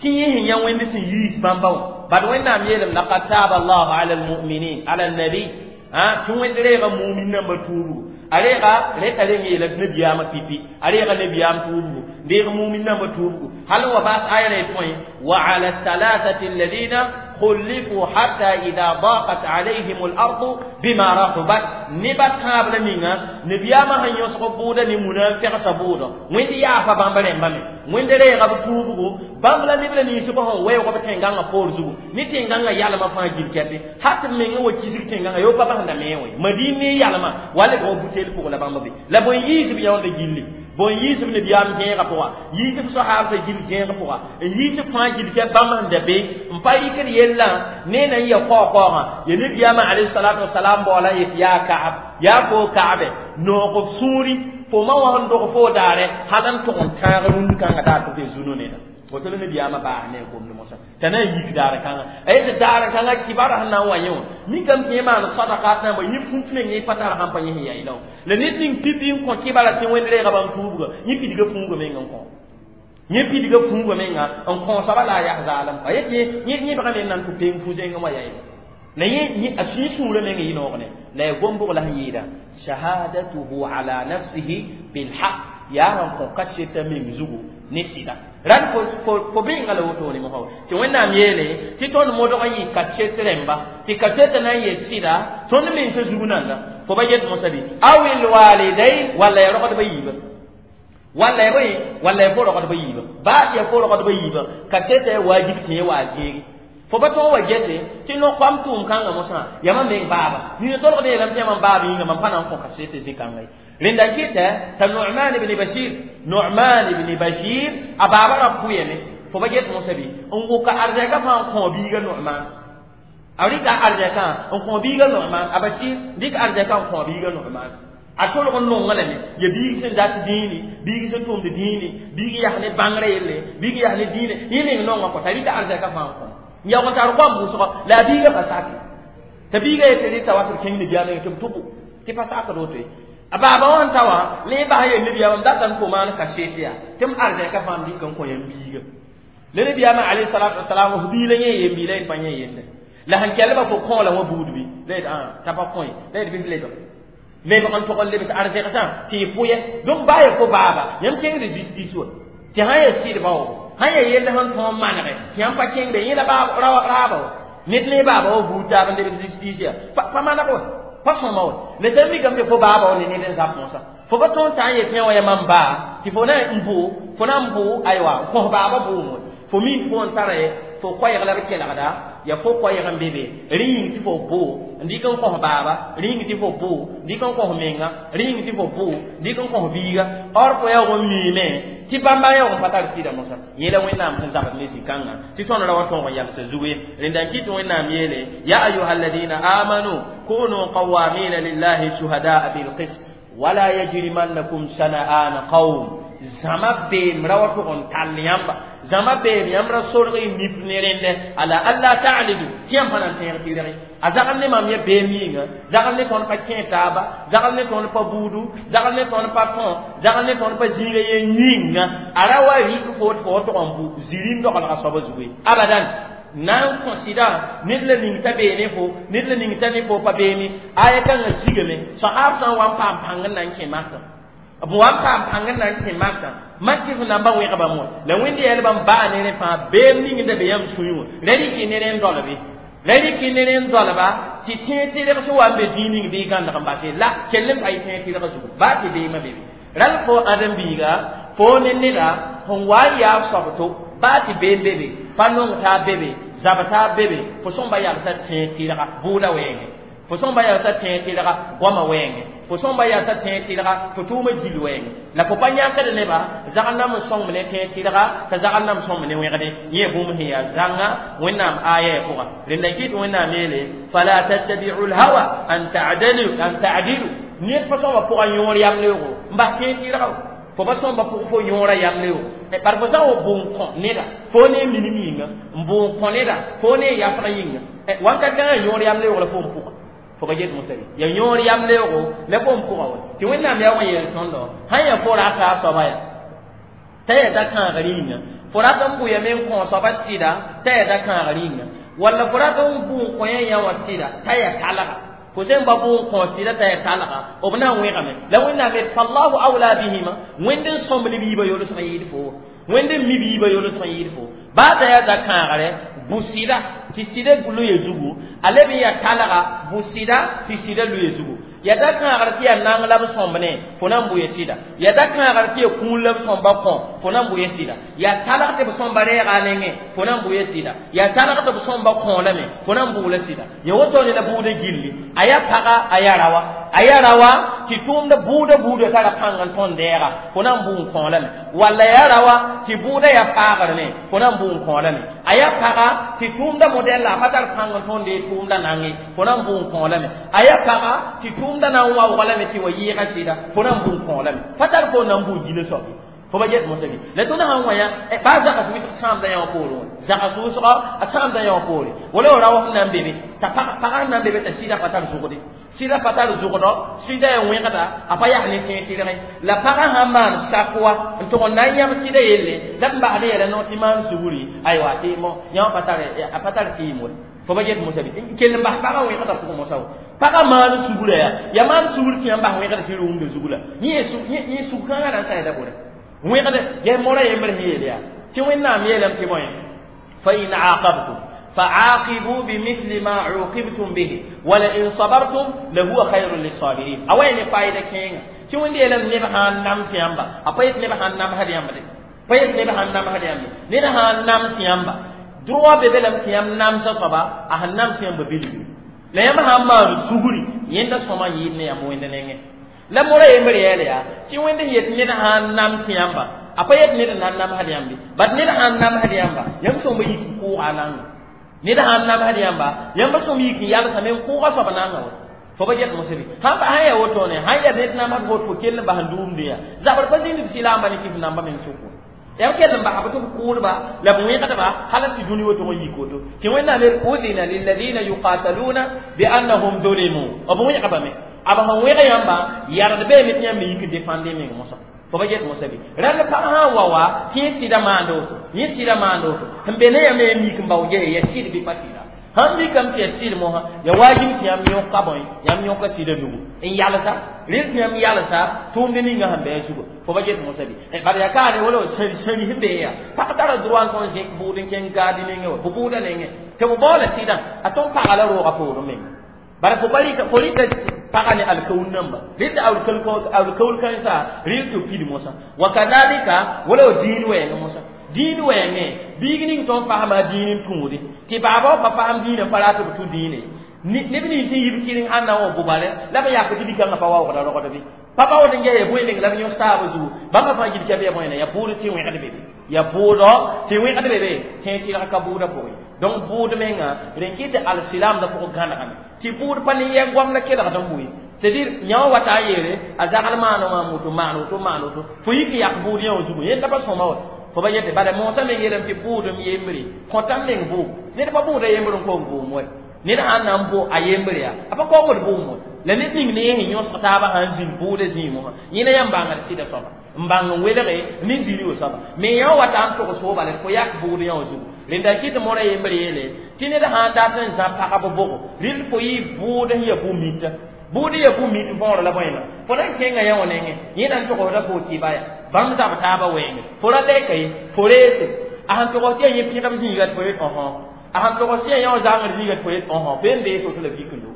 tɩ yẽ sẽn yã wẽnd sẽn yiis bãmba wã. Bad Wẽnnaam yeelame laqad taaba allahu ala almuminin ala alnabi, tɩ wẽnd reega mumin nambã tuubgo. A reega reta reng yeela nabiyaamã pipi, a reega nabiyaam tuubgo, n deeg mumin nambã tuubgo. Hal n wa baas aya la tõe wa ala thalathati alladina khulifu hatta idha daqat alayhim al-ardu bima rahubat. Neba tãab la ninga nabiyaamã sẽn yõsg bʋʋda ne munafɩgsã bʋʋdɔ, wẽnd yaafa bãmb rẽmba me. Wẽnd reega b tuubgo, bãmb la neb la ninsbã sẽn weoog b tẽn-gãngã poor zugu, ne tẽn-gãngã yalmã fãa gil kɛpe. Hat b meng n wa kisg tẽn-gãngã yo pa basẽnda me wẽ. Madin ne yalmã wa lebg b butel pʋg la bãmb be. La bõe yiis b yãonda gilli, bõe yiis b nabiyaam gẽegã pʋga, yiis b soahabsã gil gẽeg pʋga, n yiis b fãa gil kɛ bãmb sẽn da be n pa yikd yellã ne na n ya kaokaoogã. Ya nabiyaamã alayhi salatu wasalam baoola n yet yaa Kaab, yaa fo Kaabe, noog b sũuri, fo ma wã sẽn dog fo daare hal n tʋg n tãag rũnd kãngã daar tɩ be zũnu neda. Woto la nabiyaamã baas ne a gomd mosã t'a na n yik daar kãngã a yet daar kãngã kibara sẽn na n wa yẽ wã mikame tɩ yẽ maan sadakat na n yẽ fut meng yẽ pa tar sãn pa yẽ sẽn yaɩla wã la ned ning pipi n kõ kibara tɩ wẽnd reega bãmb tuubga yẽ pidga fuuga meng n kõ yẽ pidga fuuga menga n kõ soaba la a yas zaalem a yet yẽ yẽbga me n na n tʋ peng fu-zẽngẽ wã yaɩla la yẽ a sũy sũurã meng yɩ noog ne la ya gom-bʋg la sẽn yɩɩda shahadatuhu ala nafsihi bilhaq yaa sẽn kõ kaseta meng zugu ne sɩda rat fo bẽenga la wotone mosã tɩ wẽnnaam yeele tɩ tõnd modg n yɩ kaset rẽmba tɩ kasetã na n yel sɩda tõnd mensã zug nanda fo ba get mosã bɩ awil walidain walla ya rogdbã yiibã walla ya bõe walla ya fo rogdbã yiibã baa tɩ ya fo rogdbã yiibã kasetã ya wajib tɩ yẽ wa zẽegi fo pa tõog wa gete tɩ no-koam tʋʋm kãngã mosã yaa mam meng baaba nina tolgd yeelame tɩ yaa mam baab yĩnga mam pa na n kõ kasete zĩ-kãnga ye rẽnda n kɩtɛ t'a Nu'man ibn Bashir Nu'man ibn Bashir a baaba ra pʋyame fo pa get mosã bɩ n wʋka arzɛkã fãa n kõ biiga Nu'man a rɩka arzɛkã n kõ biiga Nu'man a Bashir rɩk arzɛkã n kõ biiga Nu'man a tolg n nonga lame ya biig sẽn dat dĩini biig sẽn tʋmd dĩini biig yas ne bãngrã yelle biig yas ne dĩine yẽ meng nonga kõ t'a rɩka arzɛkã fãa n kõ n yaoog n tar goam wʋsgɔ la a biiga pa sake t'a biiga yetɩ rɩta wa tɩ b kẽng nabiyaamã tɩ b tʋbo tɩ pa sakd woto ye a baaba wã n ta wã la yẽ bas yel nabiyaamã m data n fo maan kasete yaa tɩ m arzɛkã fãa m dɩk n kõ yãmb biiga la nabiyaamã alayhi salatu wasalam f biila yẽ yen biila yẽ pa yẽ yelle la sẽn kelba fo kõo la wã buud bɩ la yet t'a pa kõe la yet bɩ f lebg lebg n tog n lebs arzɛgsã tɩ y pʋyɛ donc baa ya fo baaba yãmb kẽngd justice wa tɩ sã ya sɩdba wa sã ya yell sẽn tõog n manege tɩ yãmb pa kẽngde yẽ la raaba wa ned ne baaba wa buud taab n lebd justice ya pa maneg wa pa sõma wa la t'a mikame tɩ fo baaba wa ne ned n zab mosã fo pa tõog n tã n yet yẽ wã yaa mam baa tɩ fo na n bʋ fo na n bʋ aywa n kõs baaba bʋʋm wa fo mi fo n tara ye fo koɛɛg la b kelgda ya fo koɛɛg n be be rẽ yĩng tɩ fo bʋ n dɩk n kõs baaba rẽ yĩng tɩ fo bʋ n dɩk n kõs menga rẽ yĩng tɩ fo bʋ n dɩk n kõs biiga or fo yaoog n miime tɩ bãmba yaoog n pa tar sɩda mosã yẽ la Wẽnnaam sẽn zabd ne zĩ-kãngã tɩ tõnd ra wa tõog n yalsa zugu ye rẽnda n kɩt Wẽnnaam yeele ya ayuha alladina amanu kunu qawamina lillahi shuhadaa bilqist wala yajrimannakum shana'ana qawm zãma beem ra wa tʋg n tall yãmba zãma beem yãmb ra sorg y nif ne rẽndɛ ala alla ta'dilu tɩ yãmb pa na n tẽeg tɩrg a zagl ne mam ya beem yĩnga zagl ne tõnd pa kẽ taaba zagl ne tõnd pa buudu zagl ne tõnd pa tõ zagl ne tõnd pa zĩiga yen yĩnga a ra wa rɩk fo tɩ fo wa tʋg n bʋ zirim dogelga soaba zugu ye abadan na n kõ sɩda ned la ning t'a bee ne fo ned la ning t'a ne fo pa beene aya kãngã sigame soaab sã n wa n paam pãng n na n kẽ makã b wa n paam pãng n na n kẽ makã mak tɩ f namba wẽg bãmb wã la wẽnd yɛl bãmb baa ne rẽ fãa beem ning n da be yãmb sũyẽ wã ra rɩk ne rẽ n dolbe ra rɩk ne rẽ n dolba tɩ tẽeg tɩrg sẽn wa n be zĩig ning bɩ gãndg n base la kell n pa yɩ tẽeg tɩrgã zugu baa tɩ beemã bebe rãl fo ãdem-biiga fo ne neda sẽn wa n yaa soab to baa tɩ beem bebe pa nong taab bebe zab taab bebe fo sõmba yalsa tẽeg tɩrga bʋʋda wɛɛngẽ fo sõmba yalsa tẽeg tɩrga goamã wɛɛngẽ fo sõmba yalsa tẽeg tɩrga fo tʋʋmã gil wɛɛngẽ la fo pa yãkd neba zagl nam n sõngme ne tẽeg tɩrga t'a zagl nam sõngme ne wẽgde yẽ bũmb sẽn yaa zãnga Wẽnnaam aya ya pʋga rẽnda n kɩt Wẽnnaam yeele fala tattabi'u lhawa an ta'dilu ned pa sõmba pʋga yõor yamleoogo n bas tẽeg tɩrga fo pa sõmba pʋg fo yõora yamleoogo par fo sã n wa bʋ n kõ neda fo ne minim yĩnga n bʋ n kõ neda fo ne yasg yĩnga wãnkat kãngã yõor yamleoog la fo n pʋga fo pa get mosã bɩ ya yõor yamleoogo la fo n pʋga wa tɩ Wẽnnaam yaa wa yeel tõndo sã n yaa fo rata a soaba ya t'a yaa da-kãagr yĩnga fo rat n bʋyame n kõ soaba sɩda t'a yaa da-kãagr yĩnga walla fo rat n bʋ n kõ yã yã wã sɩda t'a yaa talga fo sẽn ba bʋ n kõ sɩda t'a yaa talga b na n wẽgame la Wẽnnaam yet fallahu awla bihima Wẽnd n sõmb ne biibã yolsg n yɩɩd fo Wẽnd n mi biibã yolsg n yɩɩd fo baa t'a yaa da-kãagre bʋ sɩda tɩ sɩda loe zugu a leb n yaa talga bʋ sɩda tɩ sɩda loe zugu ya da-kãagr tɩ yaa nang la b sõmb ne fo na n bʋ ya sɩda ya da-kãagr tɩ yaa kũun la b sõmba kõ fo na n bʋ ya sɩda yaa talg tɩ b sõmba rɛɛga a nengẽ fo na n bʋ ya sɩda yaa talg tɩ b sõmba kõolame fo na n bʋʋla sɩda ya woto ne la bʋʋda gilli a yaa paga a yaa rawa a yaa rawa tɩ tʋʋmda bʋʋda buudã tara pãng n tõnd dɛɛga fo na n bʋ n kõolame walla yaa rawa tɩ bʋʋda yaa paagr me fo na n bʋ n kõolame a yaa paga tɩ tʋʋmda modɛl la a pa tar pãng n tõnd dee tʋʋmda nange fo na n bʋ n kõolame a yaa paga tɩ tʋʋmda na n waoog lame tɩ wa yɩɩga sɩda fo na n bʋ n kõolame pa tar fo na n bʋ gila soab Fo ba get mosabi la tõnd sã n wa yã baa zags wʋsg sãamda yã wã poorẽ wã zags wʋsga a sãamda yã wã poore wala rao sẽn na n be be t'a pagã sẽn na n be be t'a sɩda pa tar zʋgde sɩda pa tar zʋgdɔ sɩda ya wẽgda a pa yaa ne tẽeg tɩrgẽ la pagã sã n maan sak wa n tʋg n na n yãb sɩda yelle la b basd yɛla no tɩ maan sugri aywa tɩ yã wã a pa tar tɩɩm wa fo ba get mosabi kell n bas pagã wẽgda pʋgẽ mosa wa pagã maan sugrã yaa ya maan sugr tɩ yãmb bas wẽgda tɩ rʋʋmda zug la yẽ sug kãngã na n saɛda bore wẽgde ges mora yembr sẽn yeel yaa tɩ Wẽnnaam yeelame tɩ bõe fa in aqabtum فعاقبوا بمثل ما عوقبتم به ولئن صبرتم لهو خير للصابرين أوين فايدة كينغ تي وندي لم نبه نام سيامبا أبيت نبه نام هدي يامبا بيت نبه نام هدي يامبا نبه نام سيامبا droit bebe lam tɩ yãmb namsa soaba a sẽn nams yãmba bilgi la yãmb sã n maan sugri yẽnda sõma yɩɩd ne yãmb Wẽnd nengẽ la mora yembr yɛɛl yaa tɩ Wẽnd sẽn yet ned sã n nams yãmba a pa yet ned n na n namsd yãmbe bat ned sã n namsd yãmba yãmb sõmba yik n kʋʋga a nanga ned sã n namsd yãmba yãmba sõm yik n yalsame n kʋʋga soab nanga wa fo ba get mosebi sãn pa sã n yaa wotone sãn yaa ned namsd fo fo kell n bas n duumde yaa zabr pa zĩnd b sɩlaamba ne kɩf namba meng sʋk yãmb kell n basa b tɩ b kʋʋdba la b wẽgdba hal tɩ dũni woto n yik woto tɩ Wẽnnaam yel udina lilladina yuqataluna biannahum zulimu b wẽgbame a b sẽn wẽg yãmba yard beeme tɩ yãmb me yik n defãnde meng mosã fo ba get mosabi rãnd pag sã n wa wa tɩ yẽ sɩda maand woto yẽ sɩda maand woto sẽn be ne yãmb yã mik n bao gese ya sɩd bɩ pa sɩda sãn mikame tɩ ya sɩd mosã ya wajib tɩ yãmb yõka bõe yãmb yõka sɩda nugu n yalsa rel tɩ yãmb yalsa tʋʋmd ninga sẽn bɩ a zugu fo ba get mosabi bad yaa kaane wala sẽri sẽn bee yaa pag tara droit n tõn zẽk bʋʋd n kẽng gaadi nengẽ wa bʋ bʋʋda nengẽ tɩ b baoola sɩdã a tõn paga la roogã poorẽ menga bara fo pa rɩta paga ne alkaul namba rɩta alkaul kãensa rɩl tɩ b pid mosã wa kadalika wala wa dĩin wɛɛngẽ mosã dĩin wɛɛngẽ biig ning tõnd fasma dĩin n tũude tɩ baaba wa pa fasem dĩinã pa rat b tũ dĩine neb nins sẽn yib kɩreng ãnna wã bʋbale la b yak tɩ bikãngã pa waoogda rogd bɩ pa baood n ges ya bõe meng la b yõs taab zugu bãmba fãa gil kɛb ya bõena ya bʋʋd tɩ wẽgd be be ya bʋʋdɔ tɩ wẽgd be be tẽeg tɩrg ka bʋʋda pʋgẽ donc bʋʋd menga rẽn kɩ tɩ alsilaamdã pʋgẽ gãnegame tɩ bʋʋd pa ne yɛ goam la kelgd n bʋɩ c'est dire yã wã wata a yeele a zagl maan wã woto maan woto maan woto fo yik n yak bʋʋd yã wã zugu yẽnda pa sõma wa fo ba yete bala moosã meng yeelame tɩ bʋʋdem yembre kõtam meng vʋʋm ned pa bʋʋda yembr n koom vʋʋm wa ned sãn na n bʋ a yembre yaa a pa kaoongd vʋʋm wa la ned ning ne yẽ sẽn yõsg taabã sã n zĩnd bʋʋda zĩig wã yẽna yãmb bãngd sɩda soaba n bãng n welge ne zĩri wa soaba me yã wata n togs fo bala fo yak bʋʋd yã wã zugu rẽnda n kɩt mora yembr yeele tɩ ned sã n dat n zã pagb bʋgo rɩl fo yɩ bʋʋd sẽn ya bũ-mita bʋʋd ya bũ-mit võor la bõena fo na n kẽnga yã wã nengẽ yẽ na n togsda fo tɩ ba ya bãmb zab taabã wɛɛngẽ fo ra lɛka ye fo reese a sẽn togs tɩ ya yẽ pẽgb zĩiga tɩ fo yet ɔsõ a sẽn togs tɩ ya yã wã zãngd zĩiga tɩ fo yet ɔsõ fo yen bees woto la vik n do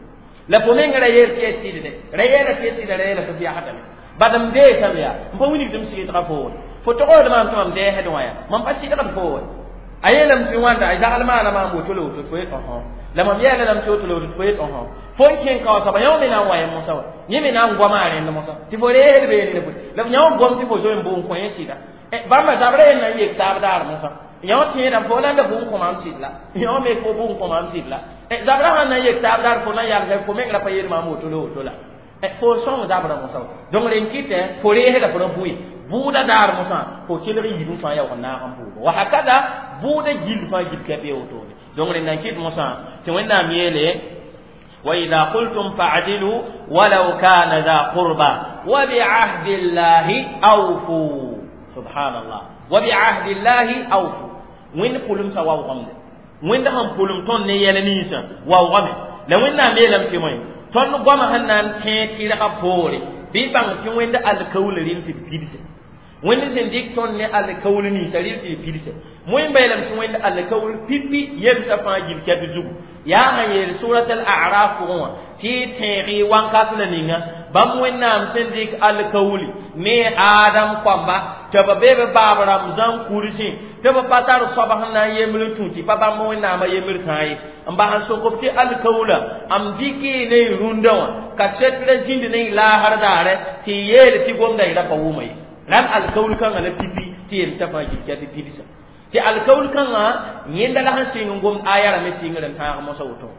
la fo meng ra yeel tɩ ya sɩdde ra yeela tɩ ya sɩda ra yeela tɩ f yagsdame bad m deesame yaa n pa wilg tɩ m sɩɩdga fo fo togsd maam tɩ mam dɛɛsd wã yaa mam pa sɩdgd fo wa a yeelame tɩ wãnda a zagl maana maam woto la woto tɩ fo yet ɔsõ la mam yɛɛla lame tɩ woto la woto tɩ fo yet ɔsõ fo n kẽng kao soaba yã wã me na n wa yẽ mosã wa yẽ me na n goama a rẽnd mosã tɩ fo reesd beene la bõe la yã wã gom tɩ fo zoe n bʋ n kõ yẽ sɩda bãmba zabra yẽ na n yek taab daar mosã yã wã tẽedã fo la n da bʋ n kõ maam sɩd la yã wã me fo bʋ n kõ maam sɩd la zabra sãn na n yek taab daar fo na n yalsa fo meng ra pa yeel maam woto la woto la fo sõng zabra mosã donc rẽn kɩtɛ fo reesda fo ra bʋɩ bʋʋda daar mosã fo kelg yibẽ fãa yaoog n naag n pʋʋga wa hakada bʋʋda gill fãa gil ka be wotone donc rẽn na n kɩt mosã tɩ Wẽnnaam yeele وإذا قلتم فاعدلوا ولو كان ذا قربى وبعهد الله أوفوا سبحان الله وبعهد الله أوفوا وين قلم سوا وغمد وين دهم قلم تون نيل نيسا وغمد لو وين نام يلم تموين تون غم هنان تي لغا بوري بي بان تي وين الكول رين في بيدس وين سن ديك تون ني الكول نيسا رين في بيدس موين بيلم تي وين الكول بيبي يمسا فا جيب كابي زوغ yaa sẽn yeel surat al-a'raf pʋgẽ wã tɩ y tẽeg wãnkat la ninga bãmb Wẽnnaam sẽn dɩk alkauli ne Adam koamba tɩ b be b baab rãmb zãn kursẽ tɩ b pa tar soab sẽn na n yembr n tũ tɩ pa bãmb Wẽnnaamã yembr tãa ye n bas n sok b tɩ alkaula m dɩk y ne y rũndã wã ka setra zĩnd ne y laasr daare tɩ y yeel tɩ gomda y ra pa wʋma ye rãnd alkaul kãngã la pipi tɩ yelsa fãa gil tɩ pidsa tɩ alkaul kãngã yẽnda la sẽn sɩng n gomd aya rame sɩngr n tãag mosã woto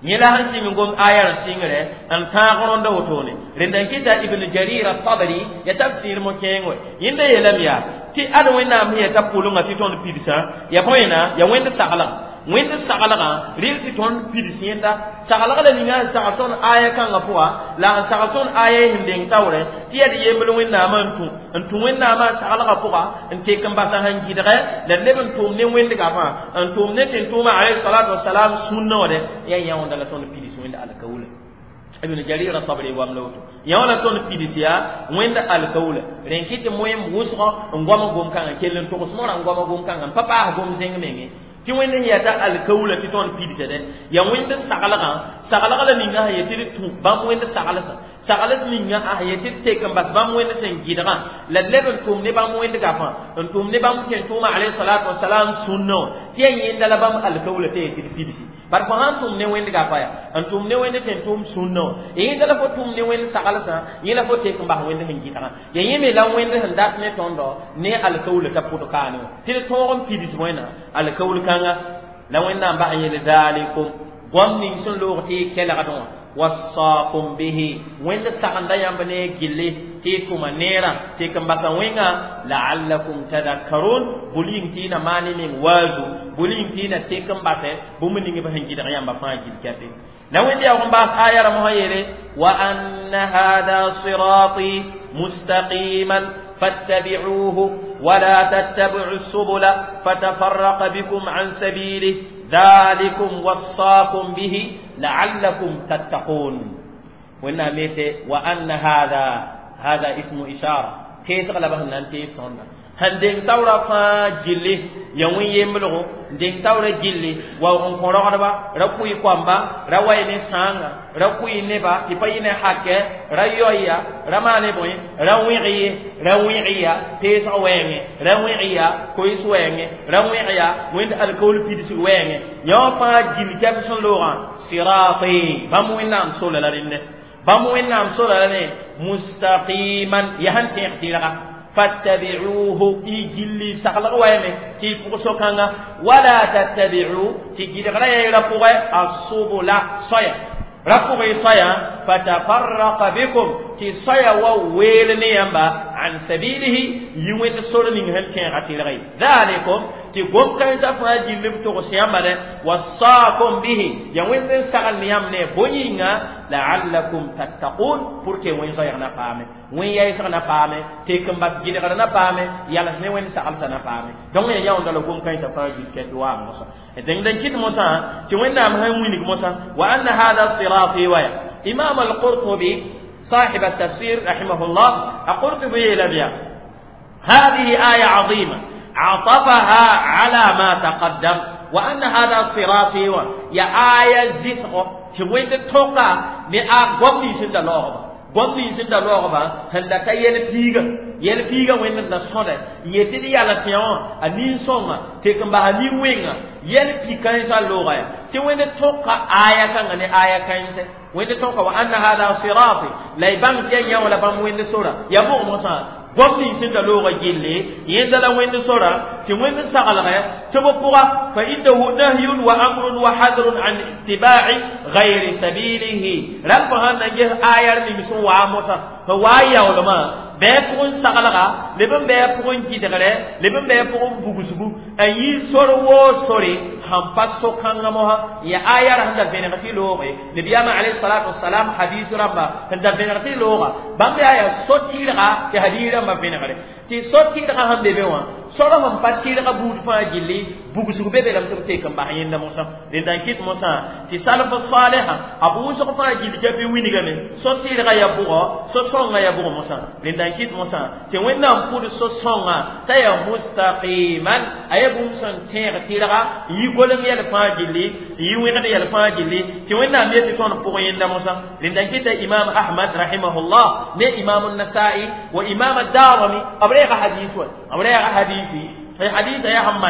Yẽla sẽn sɩng gom aya n sɩngre n tãag rõnda wotone rẽnda n kɩta Ibn Jarir at-Tabari ya tafsir mo kẽeng we yẽnda yeelame yaa tɩ ad Wẽnnaam sẽn yeta pʋlengã tɩ tõnd pidsã ya bõena ya wẽnd saglgã wẽnd saglgã rɩl tɩ tõnd pids yẽnda saglg la ninga sẽn sagl tõnd aya kãngã pʋga la n sagl tõnd aya sẽn deng taoorẽ tɩ yaa d yembl Wẽnnaamã n tũ n tũ Wẽnnaamã saglgã pʋga n tek n basa sẽn gɩdgɛ la d leb n tʋʋm ne wẽndgã fãa n tʋʋm ne tẽn-tʋʋmã alayhi salatu wasalam sũnna wã dɛ yaa yãonda la tõnd pids wẽnd alkawla Ibn Jarir at-Tabari wam la woto yã la tõnd pids yaa wẽnd alkawla rẽn kɩ tɩ moẽm wʋsgɔ n goam gom kãngã kell n togs mora n goama gom kãngã n pa paas gom zẽng menge tɩ wẽnd sẽn yata alkawla tɩ tõnd pidsdẽ yaa wẽnd saglgã saglg la ninga sẽn yetɩ d tũ bãmb wẽnd saglsã sagls ninga a sẽn yetɩ d tek n bas bãmb wẽnd sẽn gɩdgã la d leb n tʋm ne bãmb wẽnd gafã n tʋm ne bãmb tẽn-tʋʋmã alayhi salatu wasalam sũnnã wã tɩ yaa yẽnda la bãmb alkawla tɩ yetɩ d pidsi bar fo sãn tʋm ne wẽnd gafa ya n tʋm ne wẽnd tẽn-tʋʋm sũnnã wã yẽnda la fo tʋm ne wẽnd saglsã yẽ la fo tek n bas wẽnd sẽn gɩdgã ya yẽ me la wẽnd sẽn dat ne tõndo ne alkawla t'a pʋd kaane wã tɩ d tõog n pids wẽna alkawl kãnga la Wẽnnaam bas n yele dhalikum goam ning sẽn loog tɩ y kelgd wã wasaakum bihi wẽnd sagenda yãmb ne gilli tɩ y tʋma neerã tɩ k n basa wẽnga la'allakum tadakkarun bʋl yĩng tɩ y na maan y meng waazu bʋl yĩng tɩ y na tek n basɛ bũmb ning b sẽn gɩdg yãmba fãa gil kɛpe la wẽnd yaoog n baas aya rãmb sã yeele wa anna hada sirati mustaqiman فاتبعوه ولا تتبعوا السبل فتفرق بكم عن سبيله ذلكم وصاكم به لعلكم تتقون وإن ميت وأن هذا هذا اسم إشارة كيف غلبه أن تيسون هندين تورا فا جلي يوم يملغو دين تورا جلي وهم قراربا ركوي كوامبا رواي نسانغا ركوي نبا تبين حكة ريويا رماني بوي رويعي رويعيا تيس وين رويعيا كويس وين رويعيا وين الكول بيدس وين يوم فا جلي كابسون لورا صراطي باموين نام سولا لرنه باموين نام سولا لرنه مستقيما يهن تيغتيرا فاتبعوه إجلي سخلق ويمي تي فوق ولا تتبعوا تي غير رفوغ السبل صيا رفوغ صيا فتفرق بكم تي صيا وويل نيامبا عن سبيله يوين سور من هل كان غتيرغي ذلكم تي قوم كان تفا جلب تغسيامبا وصاكم به يوين سخل نيام ني بونينا لعلكم تتقون porque وين صيا na paame wẽn yaɩsg na paame tek n bas gɩdgr na paame yals ne wẽnd saglsã na paame donc ya yãonda la gom-kãensã fãa gil kɛt waa mosã dẽng d n kɩt mosã tɩ Wẽnnaam sẽn wilg mosã wa anna hada sirati waya Imam al-Qurtubi صاحب التفسير رحمه الله القرطبي يلبيا هذه آية عظيمة عطفها على ما تقدم وأن هذا صراطي يا آية زثغ تبوين توقع ni a gom ni sẽn da laoogba gom ning sẽn da laoogba sẽn da ka yɛl piiga yɛl piiga wẽnd da sõda n yetɩ d yala tẽ wã a nin-sõnga tek n basa nin-wẽnga yɛl pi-kãensã looga ya tɩ wẽnd tõka aya kãngã ne aya kãense wẽnd tõka wa anna hada sirati la y bãng tɩ yaa yã wã la bãmb wẽnd sora ya bʋg mosã gom ning sẽn da looga gilli yẽnda la wẽnd sora tɩ wẽnd saglgɛ tɩ b pʋga fa innahu nahyun wa amrun wa hadrun an ittiba'i gayri sabilihi rãmb sãn na ges ayar ning sẽn waa mosã sẽn waa yaoolmã bɩ pʋgẽ saglga leb n bɩ a pʋgẽ gɩdgre leb n bɩ a pʋgẽ bugsgu n yi sor woo sore sãn pa so-kãngã mosã ya ayar sẽn da vẽneg tɩ looge nabiyaamã alayhi salatu wasalam hadiis rãmba sẽn da vẽneg tɩ looga bãmb yaa yaa so-tɩrga tɩ hadiis rãmbã vẽnegre tɩ so-tɩrgã sẽn be be wã sor sẽn pa tɩrga buud fãa gilli bugsg be be lame tɩ b tek n bas yẽnda mosã rẽnda n kɩt mosã tɩ salf salha a bʋʋsg fãa gill ka bɩ wilgame so-tɩrgã yaa bʋgɔ so-sõngã yaa bʋg mosã rẽnda n kɩt mosã tɩ Wẽnnaam pʋd so-sõngã t'a yaa mustaqiman a yaa bũmb sẽn tẽeg tɩrga n yi golem yɛl fãa gilli n yi wẽgd yɛl fãa gilli tɩ Wẽnnaam yetɩ tõnd pʋg yẽnda mosã rẽnda n kɩta Imam Ahmad rahimahullah ne Imam Nasai wa Imam Darimi b reega hadis wa b reega hadisi في حديث يا هم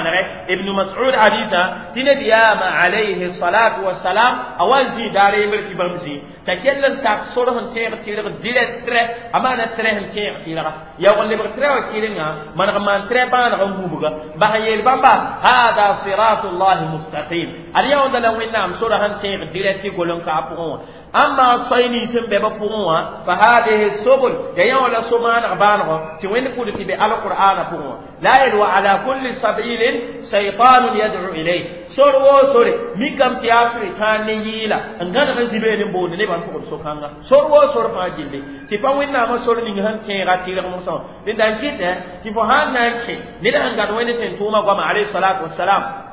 ابن مسعود حديثا تنبيام عليه الصلاة والسلام أول زي داري مرتي بمزي تكلم تاكسرهم تيغ تيغ ديلت تري أما نترهم تيغ تيغ يا ولي بغتري وكيلنا من غمان تري بان غمبوغا بهيل بامبا هذا صراط الله مستقيم اليوم ده لو إنام سورهم تيغ ديلت تيغولن كابون أما صيني سن بابا بقوا فهذه السبل يا ولا سمان غبانه توين كل تبي على القرآن بقوا لا يلو على كل سبيل شيطان يدعو إليه سور وسور ميكم تياسري تانيلا أنغانا نزيبين بون نبان فوق سوكانغا سور وسور فاجيلي تفاوين نام سور نيجان تيغا تيغا موسى لندن كده تفهان نانشي ندان غادوين تنتوما قام عليه الصلاة والسلام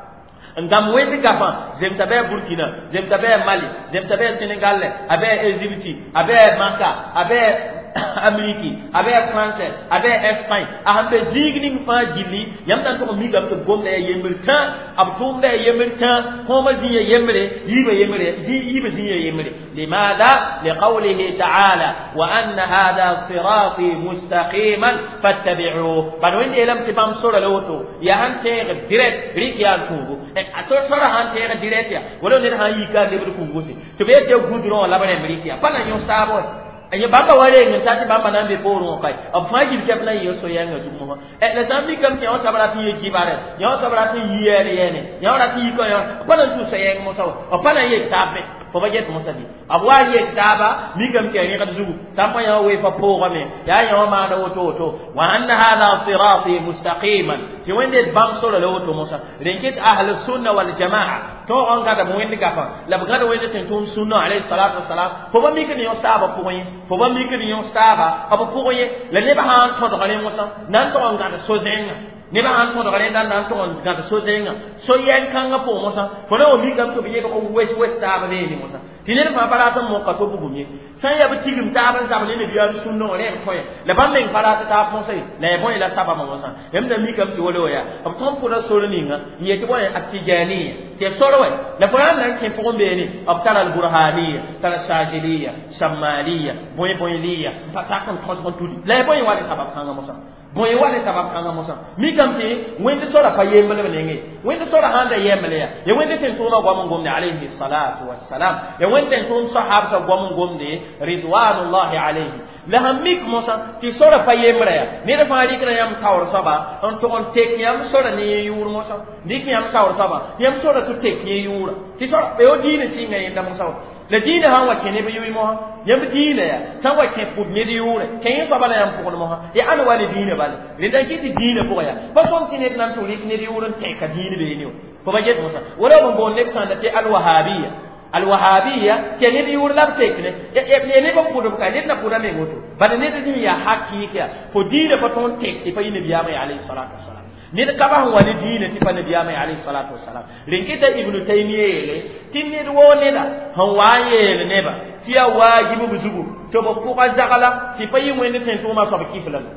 ngam wẽnd gafã zemta bɩ a Burkina zemta bɩ a Mali zemta bɩ a Senegal a bɩ a Égypte a bɩ a Maka a bɩ a Amérique a bɩ a France a bɩ a Espagne a sẽn be zĩig ning fãa gilli yãmb na n tʋg n mikame tɩ b gomda yaa yembr tã b tʋʋmda yaa yembr tã kõomã zĩ ya yembre yiibã yembre yiibã zĩ ya yembre limaada liqawlihi taala wa anna hada sirati mustaqiman fattabi'uhu bad wẽnd yeelame tɩ bãmb sora la woto yaa sẽn tẽeg direct rɩk yaa n tũubu a to sora sãn tẽeg direct ya wala ned sãn yika a lebd kũngose tɩ b yet tɩ gudrõ wã la b rẽmb rɩk yaa pa na yõ saabo ye bamba wale ngi tati bamba nan be poro kai ab fajir kep na yeso yanga zumo e la zambi kam ke o sabra ti ye kibare ya o sabra ti yere yene ya o ra ti ko ya pa nan tu so yeng mo saw o pa nan ye tabe fo ba get mo sabi abwa ye taba mi kam ke ni kad zugu sampa ya we pa poro me ya ya ma da woto woto wa anna hadha sirati mustaqiman ti wende bam solo le woto mo sa renkit ahlus sunna wal jamaa to on gada mo wende gafa la gada wende ten sunna alayhi salatu wassalam fo ba mi ke ni o saba pour fo ba mi ke ni o saba aba pour ye la ne ba han to do mo sa nan to on gada so zenga ne ba han to do le nan to on gada so zenga so yen kanga po mo sa fo na o mi kam to bi ye ko wes wes ta ba ne mo sa ti ne fa para ta mo ka to bugu mi san ya bi tigim ta ban sa ne bi ya sunno ne ko ye la ban men para ta ta mo sai la bon la saba mo sa em da mi kam ti wolo ya ab ton pura soro ni nga ye ti bon atijaniya te soro we la Qur'an nan ke fo be ni ab tara al burhaniya tara sajiliya shammaliya boy boyliya pa ta kon ton ton tudi la bon wa sabab kanga mo sa bon ye wale sabab kanga mo sa mi kam ti wende sora pa yembele nenge wende sora handa yembele ya ye wende ten tuma gwam ngomne alayhi salatu wassalam ye wende tun sahab sa gwam ngomne ridwanullahi alayhi la hamik mo sa ti sora pa yembele ya ne da faari kra yam tawr saba on to on tek yam sora ni yur mo sa ni yam tawr saba yam sora tu tek ni yura ti sora be o dine singa yenda mo sa la diine sãn wa kẽ neb yʋɩ mosã yãmb diinã yaa sãn wa kẽ pʋd ned yʋʋre kẽ yẽ soaba la yãmb pʋgd mosã ya ãn wa ne diinã bale rẽnda n kɩt tɩ diinã pʋgã yaa pa sõm tɩ ned nan tɩ rɩk ned yʋʋr n tẽka diin beene fo ba get mosã wala b n boond neb sãnda tɩ alwahabiya alwahabiya tɩ ned yʋʋr la b tekne ya neb n pʋdb ka ned na pʋda meng woto bala ned zĩ yaa hakɩɩk yaa fo diinã pa tõnd tek tɩ pa yɩ nabiyaamã ya alayhi salatu wasalam ned ka ba sẽn wa ne diinã tɩ pa nabiyaamã alayhi salatu wasalam rẽn kɩta ibnu taymiya yeele tɩ ned woo neda sẽn wa n yeel neba tɩ yaa waajib b zugu tɩ b pʋga zagla tɩ pa yɩ wẽnd tẽn-tʋʋmã soab kifla la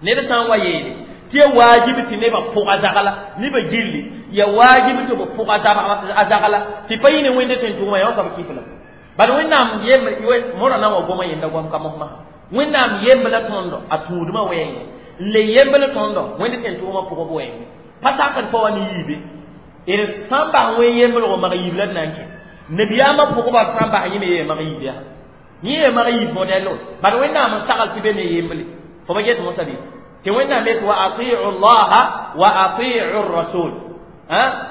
ned sã n wa yeele tɩ yaa waajib tɩ nebã pʋga zagla nebã gilli yaa waajib tɩ b pʋga a zagla tɩ pa yɩ ne wẽnd tẽn-tʋʋmã yaa soab kifla bala wẽnnaam yemb mora na n wa goma yenda goam ka mosmã wẽnnaam yembla tõndo a tũudmã wɛɛngẽ le yembl tõndo wẽnd tẽn-tʋʋmã pʋgb wɛɛngẽ pa sakd pa wa ne yiibe d sã n bas wẽn yemblgo mag yiib la d na n kẽ nabiyaamã pʋgba sã n bas yẽ me yee mag yiib yaa yẽ yee mag yiib modɛlo bad wẽnnaam n sagl tɩ be ne yemble fo ba get mosã bɩ tɩ wẽnnaam yet wa atiu llaha wa atiu rasul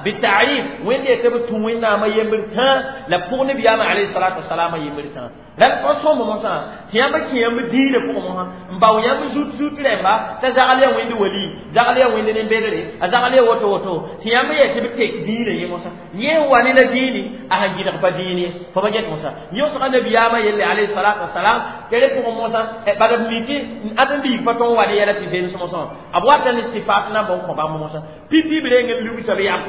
بالتعريف وين يتبع توين نام يمر تا لا بون بيام عليه الصلاة والسلام يمر تا لا فصوم موسى تيام كيام دين فوق موسى مباو يام زوت زوت لما تزعل وين ولي زعل وين نبيري أزعل وتو وتو تيام يتبع تك دين يا موسى يه واني لا ديني أهجي نقبل ديني فبجت موسى يوسف النبي يام يلي عليه الصلاة والسلام كده فوق موسى بعد ميتي أدم بيفتون واني يلا تزين موسى أبوات الصفات نبون خبام موسى بيبي برينغ لوبي سبيام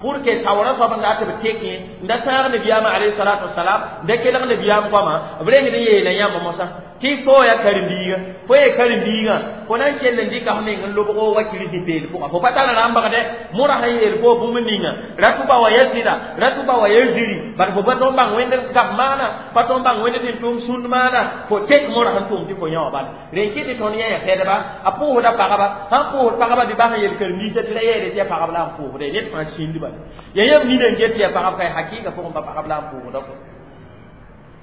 pour que tawra soab n dat b tek yẽ n da sãag nabiyaamã alayhi salatu wasalam n da kelg nabiyaam goamã b reng n yeela yãmb mosã tɩ fo ya karen-biiga fo ye karen-biigã Fo na n kell n dɩka f meng n lobg wa kirisi peel pʋga fo pa tar rãmbgdɛ morã sẽn yeel fo bũmb ninga ra tʋba wa ya sɩda ra tʋba wa ya ziri bad fo pa tõnd bãng wẽnd gap maana pa tõnd bãng wẽnd tɩ n tʋʋm sũnd maana fo tek morã sẽn tʋʋm tɩ fo yã wã bala rẽn kɩ tɩ tõnd yã ya pɛdba a pʋʋsda pagba sãn pʋʋsd pagba bɩ bas n yel karen-biisã tɩ ra yɛɛde tɩ ya pagb la n pʋʋsda ned fãa sĩnd bala ya yãmb nina n get tɩ ya pagb ka hakɩɩga pʋgẽ pa pagb la n pʋʋsda fo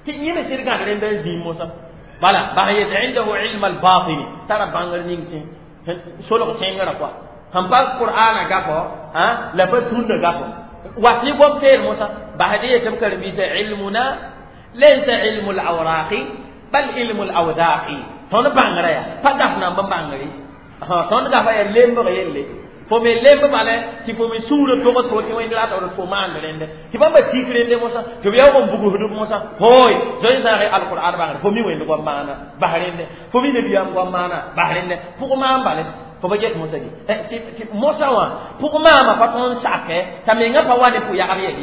tɩ yẽ me sɩd gãd rẽnda n zĩig mosã bala bas yet indahu ilm albatini tara bãngr ning sẽn solg tẽngrã kɔa sẽn pa qur'ana gafɔ la pa sũnna gafɔ wat ne gom teel mosã basd yetɩ b karen-biisã ilmuna laysa ilmu alawraqi bal ilmu alawdaqi tõnd bãngrã yaa pa gaf namba bãngre tõnd gafa yaa lembg yelle fo me lemb bala tɩ fo me sũurã togs fo tɩ wẽnd rata d fo maand rẽnde tɩ bãmba tik rẽnde mosã tɩ b yaoog n bugsdb mosã hooy zoe zãage alqur'an bãngre fo mi wẽnd goam maana bas rẽnde fo mi nabiyaam goam maana bas rẽnde pʋg maan bale fo pa get mosã tɩ mosã wã pʋg maama pa tõnd sakɛ t'a mengã pa wa ne pʋ-yagb yɛl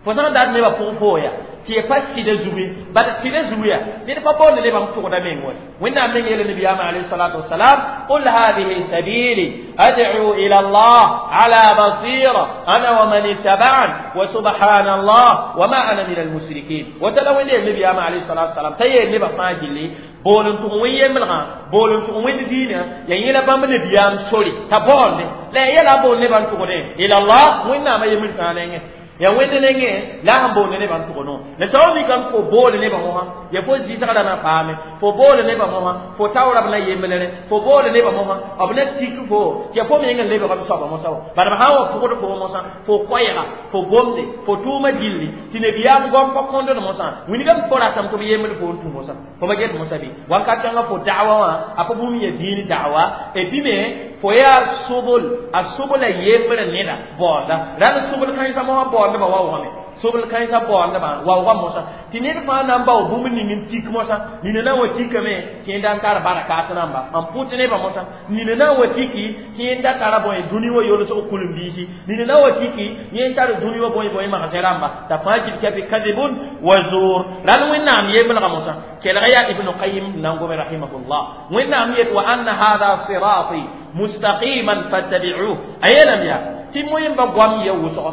fo sã n dat nebã pʋg foo ya tɩ ya pa sɩda zugu bad sɩda zugu ya ned pa boond nebã n tʋgda meng wa wẽnnaam meng yeela nabiyaamã alayhi salatu wasalam qul hadihi sabili ad'u ila allah ala basira ana wa man ittaba'an wa subhanallah wa ma ana min almushrikin wata la wẽnd yeel nabiyaamã alayhi salatu wasalam t'a yeel nebã fãa gilli bool n tʋg wẽn yemblgã bool n tʋg wẽnd diinã ya yẽla bãmb nabiyaam sore t'a baoonde la ya yɛla a boond nebã n tʋgdẽ ila allah wẽnnaamã yembr fãa nengẽ ya wẽnd nengẽ la sẽn boond nebã n tʋg no la tao mikame fo bool nebã mosã ya fo zɩsgrã na paame fo bool nebã mosã fo taoora b na yemblere fo bool nebã mosã b na tik fo tɩ ya fo meng n lebg b soaba mosã wa bad b sã n wa pʋgd fo mosã fo koɛɛga fo gomde fo tʋʋmã gilli tɩ nabiyaam gom pa kõndd mosã wilgame fo ratame tɩ b yembd fo n tũ mosã fo pa get mosã bɩ wakat kãngã fo da'wa wã a pa bũmb ya dĩin da'wa e bɩ me fo yaa sobl a sobla yembr neda baoonda rãnd sobl kãensã mosã baoondbã waoogame sobl kãensã baoondbã waoogã mosã tɩ ned fãa na n bao bũmb ning n tik mosã nina na n wa tikame tɩ yẽnda n tar barakat rãmba n pʋt nebã mosã nina na n wa tiki tɩ yẽnda tara bõe dũni wã yolsg kul-n-biisi nina na n wa tiki yẽn tar dũni wã bõe bõe magsẽ rãmba t'a fãa gil kabi kadibun wa zuur rãnd wẽnnaam yemblga mosã kelg yaa ibnu qayim n na n gome rahimahullah wẽnnaam yet wa anna hada sirati mustaqiman fattabi'uh a yeelame yaa tɩ moẽmba goam ya wʋsgo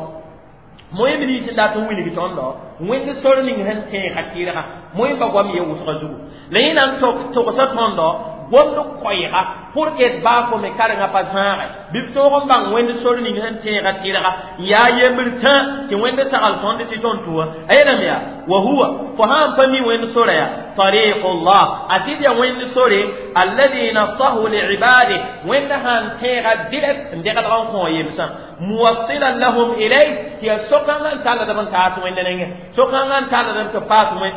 moẽmb nins n dat n wilg tõndo wẽnd sor ning sẽn tẽega tɩrga moẽmba goam ya wʋsga zugu la yẽ na n togsa tõndo gomd koɛɛga pour que d baa fo me karengã pa zãage bɩ b tõog n bãng wẽnd sor ning sẽn tẽega tɩrga n yaa yembr tã tɩ wẽnd sagl tõnd tɩ tõnd tʋa a yeelame yaa wa huwa fo sã n pa mi wẽnd sora yaa tariqullah a tɩd yaa wẽnd sore alladhi nasahu liibadih wẽnd sãn tẽega direct n degdg n kõ yemsã muwassilan lahum ilayh tɩ yaa so-kãngã n talld b n taas wẽnd nengẽ so-kãngã n talld b tɩ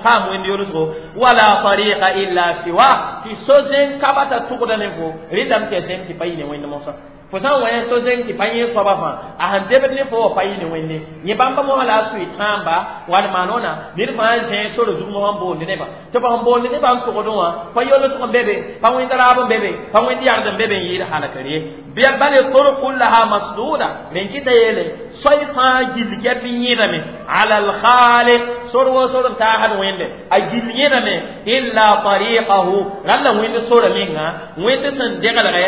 paam wẽnd yolsgo wala tariqa illa siwa tɩ so-zẽng ka bata tʋgda ne fo rɩtame tɩ ya zẽng tɩ pa yɩ ne wẽnd mosã fo sã n wa yã so-zẽng tɩ pa yẽ soaba fãa a sẽn debd ne fo wa pa yɩ ne wẽnde yẽ bãmba mosã la a sʋɩ tãamba wall maanona ned fãa zẽ sore zug mosã n boond nebã tɩ b sẽn boond nebã n tʋgdẽ wã pa yolsg n be be pa wẽnd raab n be be pa wẽnd yagd n be be n yɩɩd halkr ye bal turuq kullaha masduda rẽn kɩta yeele soay fãa gill kɛp n yẽdame ala alkhaliq sor wo sor n taasd wẽnde a gill yẽdame illa tariqahu rãnd la wẽnd sora menga wẽnd sẽn deglgɛ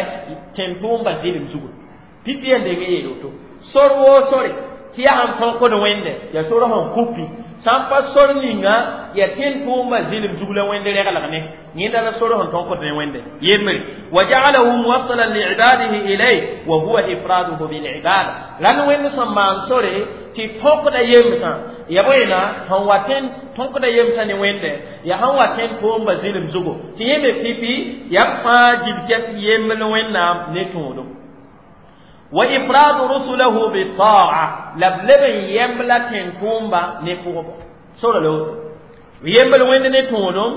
tẽn-tʋʋmba zɩlem zugu pipi n deng yeel woto sor woo sore tɩ yaa sẽn tõkd wẽnde yaa sor sẽn kupi sã n pa sor ninga yaa tẽn-tʋʋmba zɩlem zug la wẽnd reglg ne yẽnda la sor sẽn tõkd ne wẽnde yembre wa ja'alahu muwassalan liibadihi ilayh wa huwa ifraduhu bilibada rãnd wẽnd sẽn maan sore tɩ tõkda yemsã ya bõena sẽn wa tẽn tõkda yemsã ne wẽnde yaa sẽn wa tẽn-tʋʋmba zɩlem zugu tɩ yẽ me pipi yaa fãa gil kɛp yembl wẽnnaam ne tõodum wa ifradu rusulahu bita'a la b leb n yemb la tẽn-tʋʋmba ne pʋgbo sora la woto yembl wẽnd ne tõodum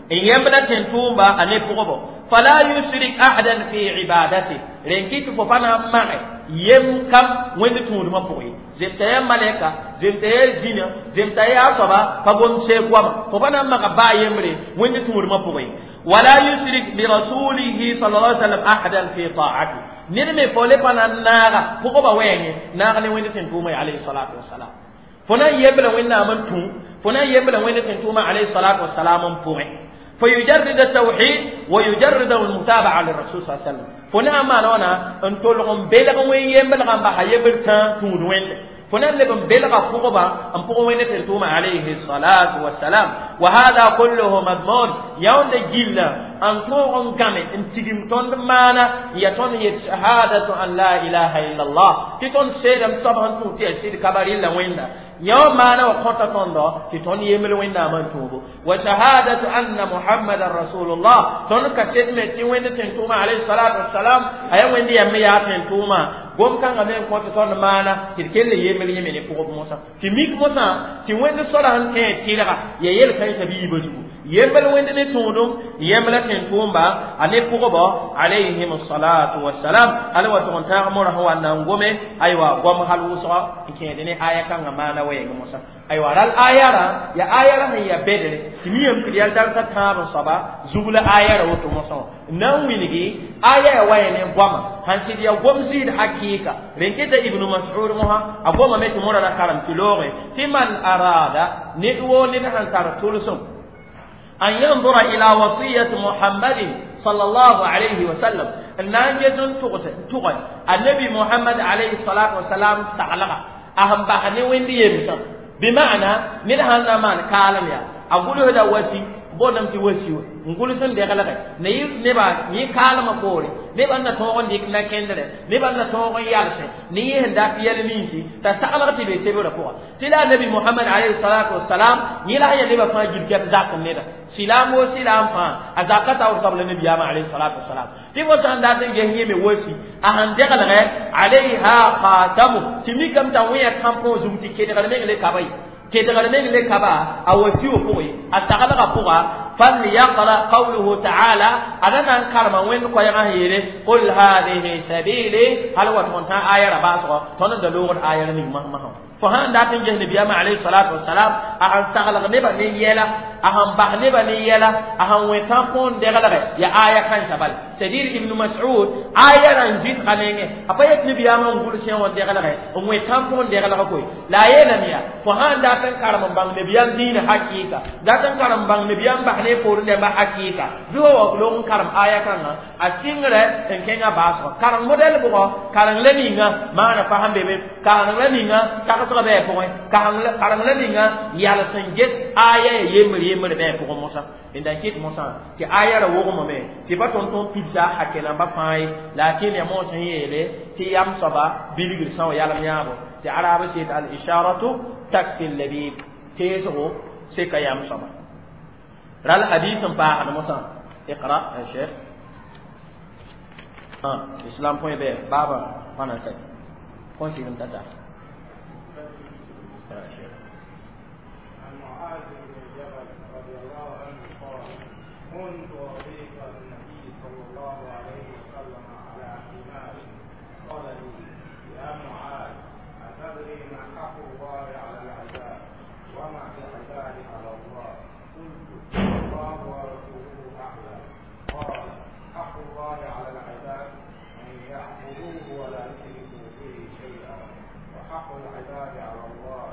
n yemb la tẽn-tʋʋmba a ne pʋgbo fala yushrik ahadan fi ibadati rẽn kɩ tɩ fo pa na n mage yem kam wẽnd tũudmã pʋgẽ ye zemta yaa malɛka zemta yaa zĩna zemta yaa soaba pa gom seeg goama fo pa na n maga baa yembre wẽnd tũudmã pʋgẽ ye wala yushrik birasulihi sal lla sallam ahadan fi taati ned me fo le pa na n naaga pʋgba wɛɛngẽ naag ne wẽnd tẽn-tʋʋma ye alayhi salatu wasalam fo na n yembla wẽnnaam n tũ fo na n yembla wẽnd tẽn-tʋʋma alayhi salatu wasalam n pʋgẽ فيجرد التوحيد ويجرد المتابعة للرسول صلى الله عليه وسلم. فنا ما نونا ان تولغم بلغ وين يمبلغ بها يبلتا تود وين فنا لبن بلغ فوقبا ان فوق وين تلتوم عليه الصلاة والسلام. وهذا كله مضمون يوم جيلا ان توغن غامي ان تيجم تون مانا يتون شهادة أن لا إله إلا الله تتون سيدم صبحن توتي سيد كباري لا وين يوم مانا وقتا تون تتون يمل وين من توبو وشهادة أن محمد رسول الله تون كسيد متي وين تنتوما عليه الصلاة والسلام أي وين يمي يا تنتوما قوم كان غامي قتا تون مانا تكل يمل يمل فوق موسى تميك موسى تي وين صلاة تيلغا ييل كان شبيه بجو يمل وين نتونم يمل تنتوما أني فوق عليهم الصلاة والسلام هل وتون تامر هو أن نقوم أيوة قوم هل وصل كأنني آية كان مانا وين موسى أيوة رال آية را يا آية را هي بدل تميم كريال دارس تام صبا زبل آية را وتو موسى نوينجي آية وين قوم هنسيد يا قوم زيد حقيقة رنكت ابن مسعود مها أقوم مت مرة كلام تلوغ في من أراد ندو ندهن ترتلسم أن ينظر إلى وصية محمد صلى الله عليه وسلم النانجز تغن النبي محمد عليه الصلاة والسلام سعلغا أهم بحني وين يمسا بمعنى ندهن مان كالم يا أقول هذا وسي بونم تي وسي نقول سن دغلغ ني نبا ني كالم بوري نبا نتوغن ديك نا كندره نبا نتوغن يالس ني هندا يال نيسي تا سعلغ تي بي سيبو رفوا تلا النبي محمد عليه الصلاة والسلام ني لا يا نبا فا جيب كيف زاك نيدا سلام وسلام فا ازاكتا او قبل النبي عليه الصلاة والسلام تي وسان دات جهني مي وسي اهان دغلغ عليها خاتم تمي كم تاويا كامبو زومتي كيدغل ميغ كاباي كيدغل ميغ كابا اوسيو فوي استغلغ فوغا فليقرأ قوله تعالى أنا كرما وين كويغا هيري قل هذه سبيلي هل هو تونتا آية رباسو تون دلوغ آية ني مهما فهان داتن جه نبي عليه الصلاة والسلام أهان تغلغ نبا نيلا أهان بح نبا نيلا أهان ويتامبون دغلغ يا آية كان شبال سدير ابن مسعود آية رنزيت خليني أبيت نبي أما نقول شيء ودغلغ ويتامبون دغلغ كوي لا يلميا فهان داتن كرم بان نبي دين حقيقة داتن كرم بان نبي بح نفور نبا حقيقة دو لون كرم آية كان أسينغ إن كنا باسو كرم موديل بقى كرم لنينا ما نفهم بيبي كرم لنينا تاكتر بيه بقى كرم لنينا يالسنجس آية يمر يمر بيه بقى موسى إن دكيت موسى كي آية روغم مي تبى تونتون بيتزا حكينا بفاي لكن يا موسى يلي تيام سبا بيلغ سان يالم يابو تعرف سيد الإشارة تكفي اللبيب تيزو سكا يام سبا رال حديث باع موسى اقرأ يا شيخ إسلام بوين بي بابا فانا سي كون سي نتا عن معاذ بن جبل رضي الله عنه قال كنت رفيق النبي صلى الله عليه وسلم على حمار قال لي يا معاذ أتدري ما حق الله على العباد وما العباد على الله؟ قلت الله ورسوله أعلم. قال حق الله على العباد أن يعبدوه ولا يشركوا به شيئا وحق العباد على الله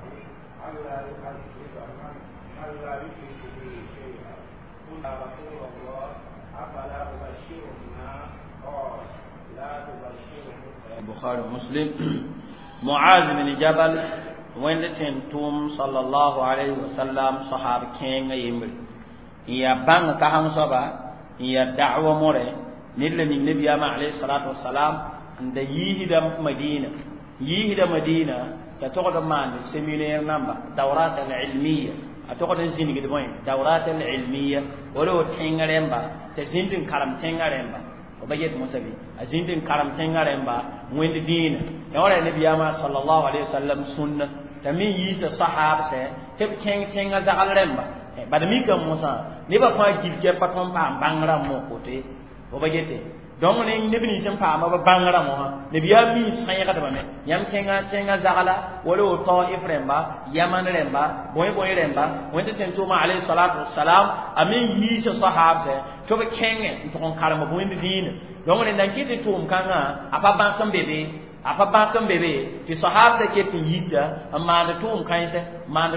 ألا يعذب من لا يشرك به شيئا. قلت يا رسول الله أفلا أبشر الناس؟ قال لا تبشرهم. البخاري ومسلم. معاذ بن جبل وين تنتم صلى الله عليه وسلم صحابة كين يمر يا بان كهان صبا يا دعوة مره نل من النبي عليه الصلاة والسلام عند يهد مدينة يهد مدينة تتقعد مع السيمينير نمبر دورات العلمية أتقعد زين قد بوين دورات العلمية ولو تينغرمبا تزين كرم تينغرمبا وبيت موسى أزين كرم تينغرمبا وين دين يورا النبي صلى الله عليه وسلم سنة تمين يس صحابة تب تين تين زعلرمبا بعد ميك موسى نبى كوا جيب جيب باتون بام بانغرا مو كوتي وبيت donc ne neb nins n paama b bãngrã mosã nabiyaam mi sãeegdbame yãmb kẽngã zagla wala wo Taif rẽmba Yaman rẽmba bõe-bõe rẽmba wẽnd tɩ tʋʋma alayhi salatu wasalam a me yiis sahaabsɛ tɩ b kẽngẽ n tʋg n karem bõend dĩinã donc rẽnda n kɩt tɩ tʋʋm kãngã a pa bãk n be be a pa bãk n be be tɩ sahaabsã ket n yita n maand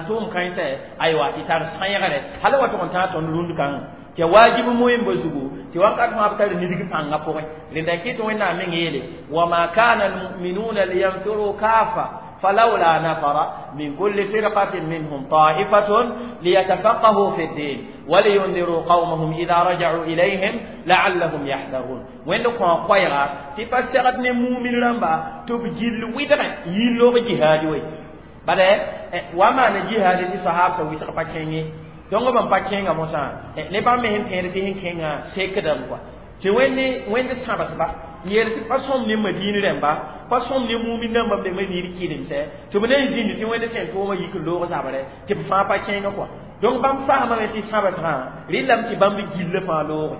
tʋʋm kãensɛ aywa tɩ tar sãeegre hal wa tʋg n tãag tõnd rũnd kãngã Tɩ waajib moẽmba zugu tɩ wakat fãa b tar nidg pãngã pʋgẽ rẽnda kɩt Wẽnnaam meng yeele wama kana almuminuna liyanfiru kafa فلولا نفر من كل فرقة منهم طائفة ليتفقهوا في الدين ولينذروا قومهم إذا رجعوا إليهم لعلهم يحذرون. وين لو قويرا تفسرت مؤمن رمبا تبجل ويدغ يلو جهاد وي بل وما نجهاد دي صحاب سوي سقا donc ban pa kẽnga mosã ne bãmb me sẽn tẽed tɩ sẽn kẽnga sekdame kɔa tɩ wẽnd sãbsba n yeel tɩ pa sõm ne Madin rẽmba pa sõm ne mumin rãmba b be Madin kɩremsɛ tɩ b na n zĩndi tɩ wẽnd sẽn tʋʋmã yik n loog zabrɛ tɩ b fãa pa kẽngã kɔa donc bãmb faamame tɩ sãbsgã rɩlame tɩ bãmb gillã fãa looge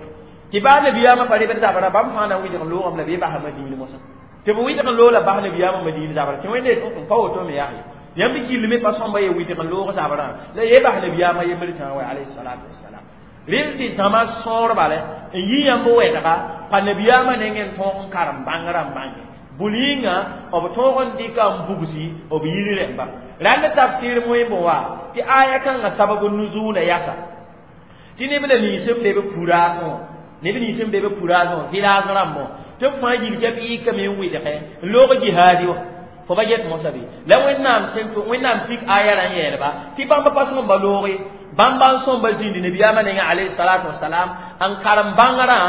tɩ baa nabiyaamã pa rebd zabrã bãmb fãa na n wɩdg n loogame la bɩ basa Madin mosã tɩ b wɩdg n loog la bas nabiyaamã Madin zabrã tɩ wẽnd n pa woto me yaa yãmb gill me pa sõmba ye wɩdg n loog zabrã la ye bas nabiyaamã yembr tã wa alayhi salatu wassalam rel tɩ zãma sõor bala n yi yãmb wɛdga pa nabiyaamã nengẽ n tõog n karem bãngrã n bãnge bul yĩnga b tõog n dɩka n bugsi b yiri rẽmba rãnd tafsir moẽmb wa tɩ aya kãngã sabab nuzuula yasa tɩ neb la nins n be b puraasẽ wã neb nins n be b puraasẽ wã village rãmbõ tɩ b fãa yilka b yɩkame n wɩdgẽ n loog jihaadi wã fo ba get mosã bɩ la Wẽnnaam sik aya rã n yeelba tɩ bãmb pa sõmba looge bãmba n sõmba zĩndi nabiyaamã nengã alayhi salatu wasalam n karem bãngrã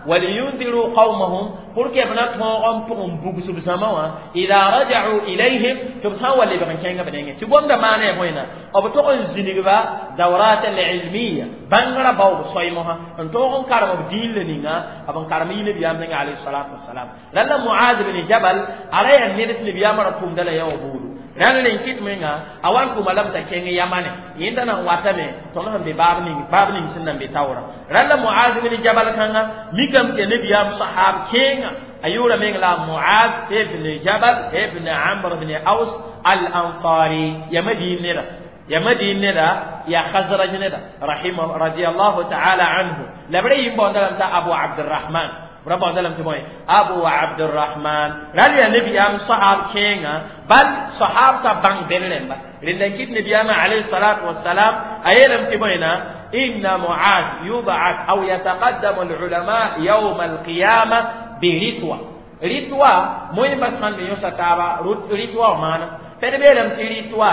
waliyundiru qawmahum pour que b na tõog n pʋg n bugs b zãma wã ida raja'u ilayhim tɩ b sã n wa lebg n kẽnga b nengẽ tɩ gomda maana ya bõena b tog n zĩnigba dawrat alilmiya bãngrã bao b soy mosã n tõog n karem b diin la ninga b n karem yi nabiyaam nengã alayhi salatu wasalam rãlla Muaz bin Jabal a ra yaa ned tɩ nabiyaamã ra tʋmda la yaoog buudu rãnd rẽn kɩt menga a wa n tʋma lame t'a kẽng yamane yẽnda na n watame tõnd sẽn be baab ning sẽn na n be taoorã rãlla Muaz bin Jabal kãnga mikame tɩ yaa nabiyaam sahab kẽenga a yʋʋra meng la Muaz ibn Jabal ibn Amr ibn Aus al-Ansari ya Madin neda ya Madin neda ya Khazraj neda rahimahu radiyallahu ta'ala anhu la b ra yɩ n baoonda lame t'a Abu Abdurrahman رب عندنا تبوي أبو عبد الرحمن رضي النبي أم صحاب كينا بل صحاب سبان بينهم لأن النبي أم عليه الصلاة والسلام أيلم تبوينا إن معاذ يبعث أو يتقدم العلماء يوم القيامة برتوى رتوى مهم بس من يوسف تابا رتوى مانا فنبيلم ترتوى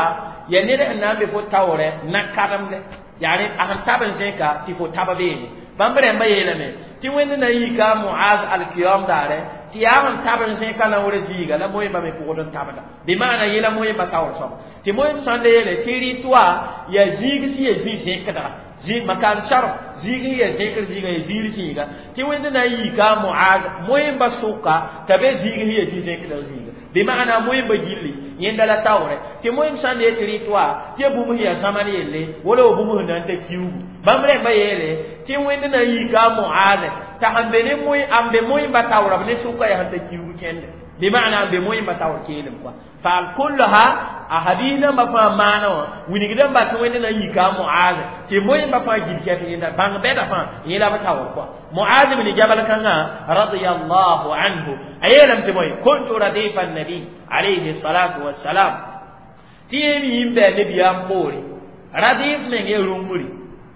يعني أن بفوت تاورة نكرم يعني أهم تابن زيكا تفوت تابا بيني bãmb rẽmba yeelame tɩ wẽnd na yika Muaz alkiyam daare tɩ yaa n tab n zẽka na wʋr zĩiga la moẽmba me pʋgd n tabda bɩ maana yela moẽmba taoor soaba tɩ moẽmb sã n le yeele tɩ rɩtwa yaa zĩig sẽn yaa zĩ zẽkdga makan sharf zĩig sẽn yaa zẽkr zĩiga yaa ziir zĩiga tɩ wẽnd na n yika Muaz moẽmba sʋka t'a be zĩig sẽn yaa zĩ zẽkdg zĩiga bɩ maana moẽmba gilli yẽnda la taoore tɩ moẽmb sã n le tɩ rɩtwa tɩ ya bũmb sẽn yaa zãman yelle wala wa bũmb sẽn na n ta kiuugu bãmb rẽmba yeele tɩ wẽnd na n yika Muaz t'a sẽn be ne n be moẽmba taoora b ne sʋka yaa sẽn ta kiuug kẽnde bɩ maana n be moẽmba taoor keelem kɔa faal kullaha a hadiis nambã fãa maana wã wilgdãmba tɩ wẽnd na n yika Muaz tɩ moẽmba fãa gil kɛf yẽnda bãng bɛda fãa yẽla b taoor kɔa Muaz bin Jabal kãngã radiyallahu anhu a yeelame tɩ bõe kuntu radifa nabi alayhi salatu wassalam tɩ yẽ me yĩm bɩ a nabiyaam poore radif meng yaa rũngri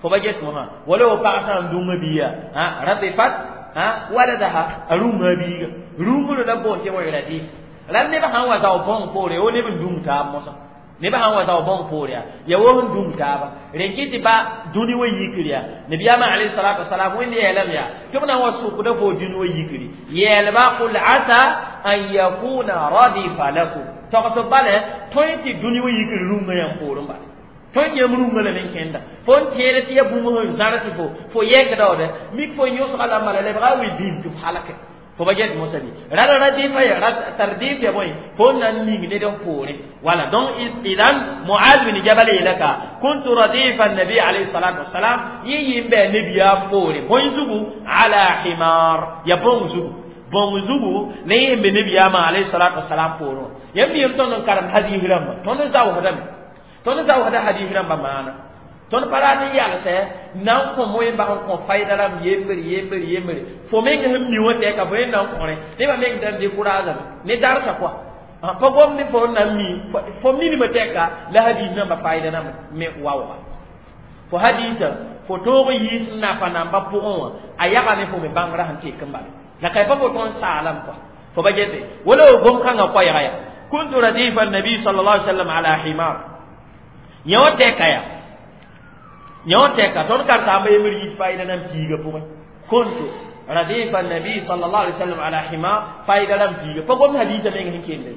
fo ba get mosã wala wa pag sã n dũngã biiga radifat waladaha a rũngã biiga rũngr la boon tɩ bõe radif rãnd neb sã n wa zao bõng poore wo neb n dũng taab mosã neb sã n wa zao bõng poore yaa wo sẽn dũng taaba rẽn kɩ tɩ ba dũni wa yikr yaa nabiyaamã alayhi salatu wasalam wẽnd yeelame yaa tɩ b na n wa sʋkda fo dũni wa yikri yeelba qul asa an yakuna radifa lakum togs bala tõe tɩ dũni wa yikr rũngã yãmb poorẽ bala tõe yãmb rũngã lame n kẽnda fo n tẽed tɩ ya bũmb sẽn zãr tɩ fo yɛkdaoode mik fo yõsga la n bala lebga a wi dĩm tɩ f halke fo ba get mosã bɩ rala radifa ya tardif ya bõe fo n na n ning ned n poore wala donc idan Muaz bin Jabal yeela ka kuntu radifa nabi alayhi salatu wassalam yẽ yɩ n bɩ a nabiyaam poore bõe zugu ala himar ya bõng zugu bõng zugu la yẽ n be nabiyaamã alayhi salatu wassalam poorẽ wã yãmb yem tõnd n karem hadiis rãmba tõnd n zaoosdame tõnd zaoosda hadiis rãmba maana tõnd pa rat n yalsɛ na n kõ moẽmba sẽn kõ fayda rãmb yembre yembre yembre fo meng sẽn mi wã tɛka fo yẽ na n kõre nebã meng da n découragame ne darsa kɔa pa gom ne fo n na n mi fo minimã tɛka la hadiis nambã fayda rãmb me waooga Fo hadisa fo toog yiis napa namba pʋgẽ wã a yagame fo me bãngrã sẽn tek n bala la ka pa fo tõnd saalam kɔa fo ba gete wala gom kãngã koɛɛga yaa kuntu radifa nabi sallallahu alaihi wasallam ala himar yõ tɛka ya yõ tɛka tõnd karsaamba yembr yiis faɩda nan piiga pʋgẽ kuntu radifa nabi sallallahu alaihi wasallam ala himar faɩda rãmb piiga pa gomd hadiisa meng sẽn kell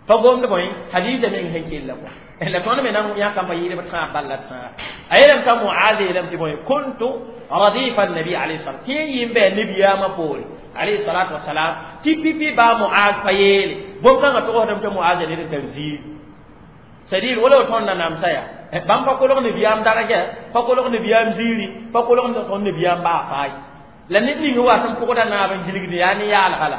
pa gomd bõe hadiisa meng sẽn kella kɔa la tõnd me nan yãkamba yɩɩdb tãag balla tãag a yeelame t'a Muaz yeelame tɩ bõe kuntu radifa nabi alayhi salam tɩ yẽ yɩ n bɩ nabiyaamã poore alayhi salatu wasalam tɩ pipi baa Muaz pa yeele bõn-kãngã togsdame tɩ Muaz ned n tar ziir c'est-à-dire wala tõnd na namsa yaa bãmb pa kolg nabiyaam daraja pa kolg nabiyaam ziiri pa kolg tõnd nabiyaam baa faay la ned ning wa sẽn pʋgda naab n gilgd yaa ne yaalga la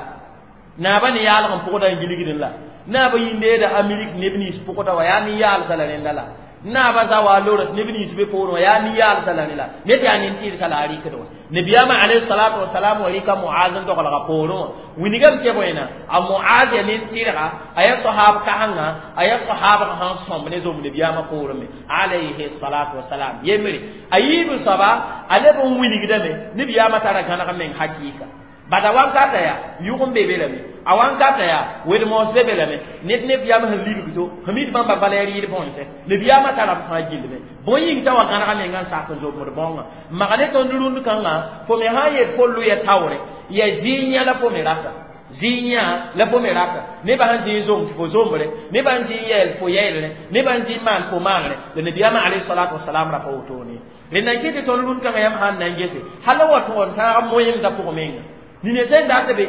naaba ne yaalg n pʋgda n gilgd la naaba yĩndeeda Amerik neb nins pʋgda wa yaa ne yaalsa la rẽnda la naaba zawa lorã neb nins be poorẽ wã yaa ne yaalsa la rẽ la ned yaa nin-tɩɩdsa la a rɩkd wã nabiyaamã alayhi salatu wasalam wa rɩka Muaz n doglga poorẽ wã wilgame tɩ bõena a Muaz ya nin-tɩrga a yaa sahab kãsenga a yaa sahabg sẽn sõmb ne zom nabiyaamã poorẽ me alayhi salatu wasalam yembre a yiib soaba a leb n wilgdame nabiyaamã tara gãneg meng hakɩɩka bada wankata ya yʋg n be be lame a wankata ya wed-moos be be lame ned nebiyaam sẽn libg to sẽn mid bãmba bala ya rɩɩd bõnse nebiyaamã tara b fãa gillme bõe yĩng t'a wa gãnega menga n sak n zomd bõngã mag ne tõnd rũnd kãngã fo me sã n yet fo lʋ ya taoore ya zɩɩ yã la fo me rata zɩɩ yã la fo me rata nebã sẽn zɩ n zom tɩ fo zombre nebã n zɩ n yɛɛl fo yɛɛlre nebã n zɩ n maan fo maangre la nabiyaamã alayhi salatu wasalam ra pa wotone rẽnda n kɩ tɩ tõnd rũnd kãngã yãmb sãn na n gese hal wa tõg n tãag moẽmdã pʋgẽ menga nina sẽn dat be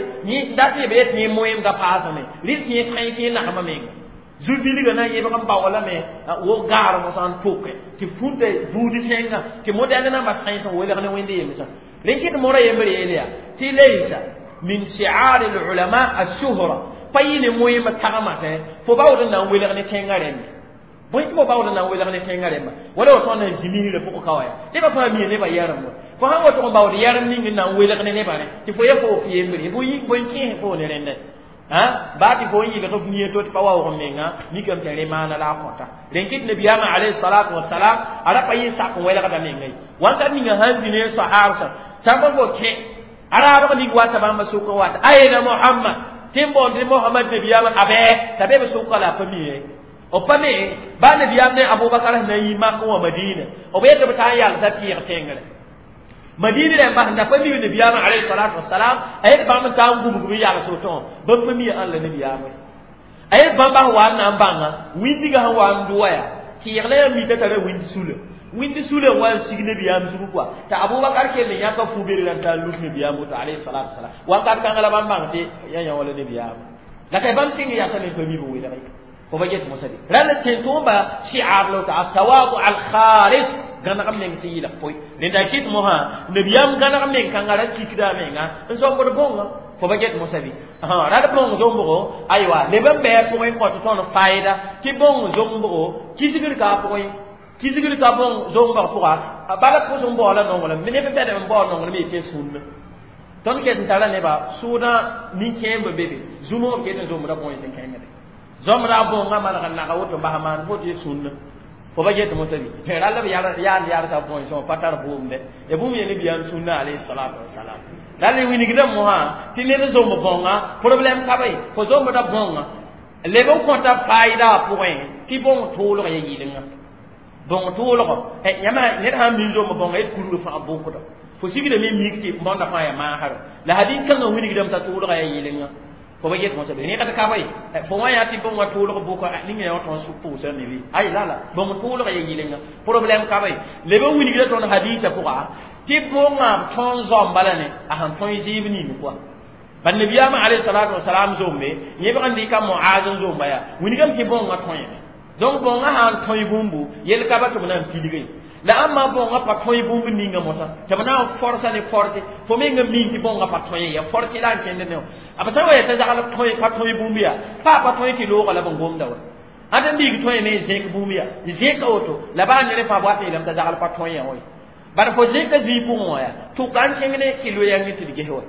dat be tɩ moẽmdã paasame rɩ tɩ sẽn tɩ nagmã menga zu-bilgã na n yẽbg n baoolame wo gaar mosã n tʋke tɩ fũnta buud tẽngã tɩ modɛl nambã sãens n welg ne wẽnd yemsã rẽn kɩt mora yembr yeel yaa tɩ laysa min shi'ar al-ulama ash-shuhra pa yɩ ne moẽmb tagmã sẽ fo baood n na n welg ne tẽngã rẽmbe bõe tɩ fo baood n na n welg ne tẽngã rẽmba wala wa tõnd n zĩmisrã pʋgẽ ka wa yaa nebã fãa mia nebã yɛrem wa fo sãn wa tʋg n baood yɛrem ning n na n welg ne nebã rẽ tɩ fo ya fo f yembre bõe kẽes fo ne rẽndã baa tɩ fo n yɩlg f nia to tɩ pa waoog menga mikame tɩ rẽ maana la a kõta rẽn kɩt nabiyaamã alayhi salatu wasalam a ra pa yɩ sak n welgda menga ye wãnkat ninga sãn zĩ ne sahaabsã sãn pa fo kẽ a raabg ning wata bãmba sʋkã wata ayna Muhammad tɩ n boond Muhammad nabiyaamã a bɛɛ t'a be b sʋka la a pa mi b pa me baa nabiyaam ne Abubakar sẽn na n yi Mak wã Madina b yetɩ b taa n yalsa tɩɩg tẽngre Madina rẽmba sẽn da pa mi nabiyaamã alayhi salatu wasalam a yet bãmb n taa n gũbg b yals woto wã bãmb pa mi ãn la nabiyaamã a yet bãmba sẽn wa n na n bãnga wĩndiga sẽn wa n dʋa yaa tɩɩg la yaa mita tara wĩnd sula wĩnd sula n wa n sig nabiyaam zugu kɔa t'a Abubakar kell n yãka fu-bergrã n taa n lus nabiyaam woto alayhi salatu wasalam wakat kãngã la bãmb bãng tɩ ya yã wala nabiyaamã la ka bãmb sɩng yasame pa mi b welg fo ba get mosã de rãnd tẽn-tʋʋmba shi'ar la woto atawadu al-khalis gãneg meng sẽn yɩlg poe rẽnda kɩt mosã nabiyaam gãneg meng kãngã ra sikda menga n zombd bõnga fo ba get mosã bɩ rad bõng zombgo aywa leb n bɩ a pʋgẽ kõt tõnd faɩda tɩ bõng zombgo kisgr ka a pʋgẽ kisgr ka bõng zombg pʋga bala pʋs n baoola nonglem neb bɛdem n baool nonglem yetɩ sũnna tõnd ket n tara nebã sʋʋdã nin-kẽemb be be zũmg b ket n zombda bõe sẽn kẽngde zombda bõngã maneg n naga woto bas maan fo tɩ sũnna fo ba get mosã bɩ rall b yaand yaarsa bõe sã pa tar bʋʋmde ya bũmb ye nabiyaam sũnna alayhi salatu wasalam rall wilgdame mosã tɩ ned zomb bõnga problème ka be fo zombda bõnga leb n kõta faɩda a pʋgẽ tɩ bõng tʋʋlg ya yɩlenga bõng tʋʋlgɔ yãmba ned sãn min zomb bõnga d kurg fãa bʋkda fo sigdame mik tɩ bõnda fãa ya maasra la hadɩn kãngã wilgdame t'a tʋʋlga ya yɩlenga fo ba get mosã bɩ rẽgd ka be fo wã yaa tɩ bõngã tʋʋlg bʋka ning yã wã tõnd pʋʋsã me bɩ ay la la bõng tʋʋlg ya yɩlenga problème ka be leb n wilgda tõnd hadiisã pʋga tɩ bõngã tõnd zãmba la ne a sẽn tõe zɩɩb ning kɔa bal nabiyaamã alayhi salatu wasalam zombe yẽbg n dɩka Muaz n zomba yaa wilgame tɩ bõngã tõeme donc bõngã sã n tõe bũmbu yel ka ba tɩ b na n pilge la ãmba bõngã pa tõe bũmb ninga mosã tɩ b na n forsa ne forse fo meng n min tɩ bõngã pa tõe ya forse la n kẽnd ne wã b sã n wa yaa t'a zagl tõe pa tõe bũmb yaa pa pa tõe tɩ looga la b n gomda wa ãd n biig tõeme n zẽk bũmb yaa n zẽka woto la baa ned fãa b wat n yeelame t'a zagl pa tõe yã wa bara fo zẽka zĩig pʋgẽ wã yaa tʋka n kẽng ne tɩ loyang tɩ d ges wa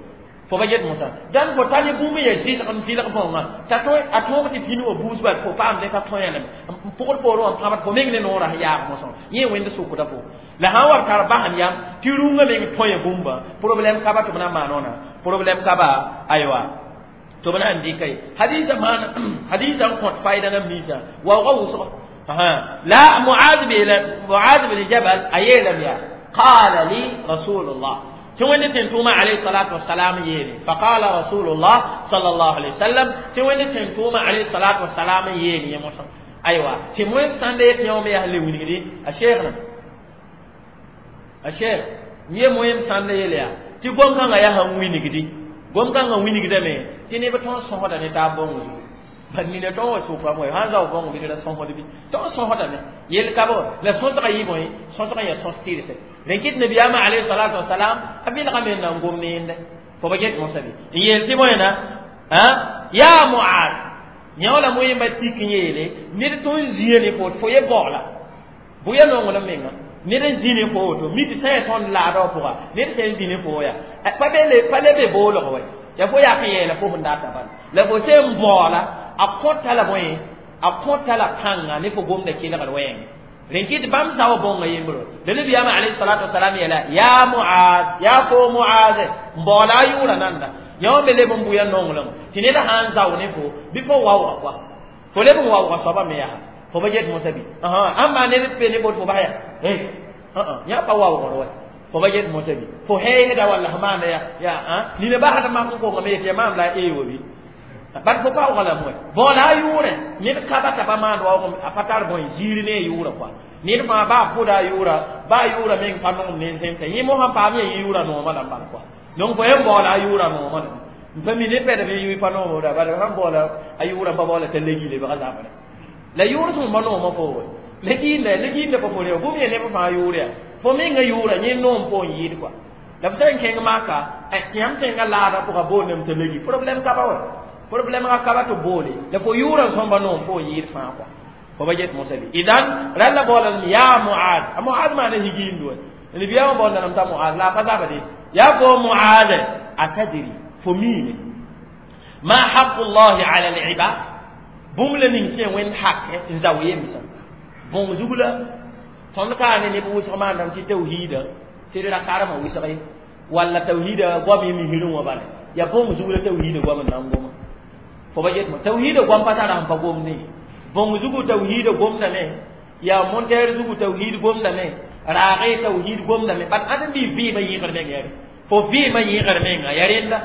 Fo ba get mosa dan fo tali bũmb ya zɩlg n zɩlg bõnga t'a tõe a tõog tɩ pĩnd wã buus bal fo paamde t'a tõe lame n pʋgd poorẽ wã pãbd fo meng ne noorã sẽn yaag mosã yẽ wẽnd sʋkda fo la sã n wa b tar basem yam tɩ rũngã meng tõe bũmba problème ka ba tɩ b na n maan wãna problème ka ba aywa tɩ b na n dɩka ye hadiisã maan hadiisã n kõt fayda nam ninsã waoogã wʋsgo la Muaz bin Jabal a yeelame yaa qala li rasulullah تون تنتوما عليه الصلاة والسلام يلي فقال رسول الله صلى الله عليه وسلم تون تنتوما عليه الصلاة والسلام يلي يا موسى أيوة تموين سندي يوم يهلي ونيدي الشيخنا الشيخ يموين سندي يلي تي قوم كان يا هم وينيدي قوم كان وينيدي مي تني بتون سوهدا نتابون bad nina tõn wa sʋka moe sãn zao bõng bɩ la sõsd bɩ tõn sõsdame yel ka bo la sõsgã yɩ bõe sõsgã yaa sõs tɩrse rẽn kɩt nabiyaamã alayhi salatu wasalam a vɩlgame n na n gom neende fo ba get mosã bɩ n yeel tɩ bõena yaa Muaz yã la moẽmba tik n yeele ned tõn zĩa ne fo fo ye baoola bʋ ya nonglem menga ned n zĩ ne fo woto mi tɩ sã yaa tõnd laadã wã pʋga ned sẽn zĩ ne fo yaa pa le be boolg wa ya fo yak n yeela fo sẽn data bala la fo sẽn baoola a kõta la bõe a kõta la kãnga ne fo gomda kelgd wɛɛngẽ rẽn kɩt bãmb sao bõnga yembro la nabiyaamã alayhi salatu wasalam yeela yaa Muaz yaa fo Muaz n baoola a yʋʋra nanda yã wã me leb n bʋya nonglem tɩ ned sã n zao ne fo bɩ fo waooga koa fo leb n waooga soabã me yaa fo ba get mosã bɩ ãmba ned pe ne bot fo bas yaa yã pa waoogr wa fo ba get mosã bɩ fo heesda walla sẽn maanda yaa nina basd mak n kongame yetɩ ya maam la a ee wa bɩ bat fo paoogã la moe baoola a yʋʋrẽ ned ka ba t'a pa maand waoog a pa tar bõe ziir ne a yʋʋrã koa ned fãa baa pʋda a yʋʋra baa yʋʋra meng pa nongem ne zẽmsã yẽ mosã paam ya yʋʋra noomã la bal koa donc fo yẽn baoola a yʋʋra noomã la n pa mi ne pɛdb yʋ pa noomda bala sãn baoola a yʋʋra pa baoola t'a legi lebga zabrã la yʋʋr sẽn pa noomã fo we la giinda pa fo reo bũmb ya neb fãa yʋʋr yaa fo menga yʋʋra yẽ noom po n yɩɩd koa la f sã n kẽng maka tɩ yãmb tẽngã laadã pʋga boondame t'a legi problème ka ba wa problème ka kaba tɩ boole la fo yʋʋrã sõmba noom fo n yɩɩd fãa kɔa fo ba get mosã bɩ idan rãlla baoolame yaa Muaz a Muaz maana higiind wa nabiyaamã baoolame t'a Muaz la a pa zabde yaa fo Muaz a tadri fo miime ma haqu llahi ala libad bũmb la ning sẽn wẽnd hake n zao yemsã bõng zug la tõnd kaa ne neb wʋsg maandame tɩ tawhiida tɩ d ra karemã wɩsg ye walla tawhiida goam yẽ misrẽ wã bala yaa bõng zug la tawhiida goam n na n goma fo ba get mo tawhiida goam pa tara sẽn pa gomde bõng zugu tawhiida gomdame yaa montɛɛr zugu tawhiid gomdame raage tawhiid gomdame bat ãdem bɩ vɩɩmã yẽgr meng yare fo vɩɩmã yẽgr menga ya rẽnda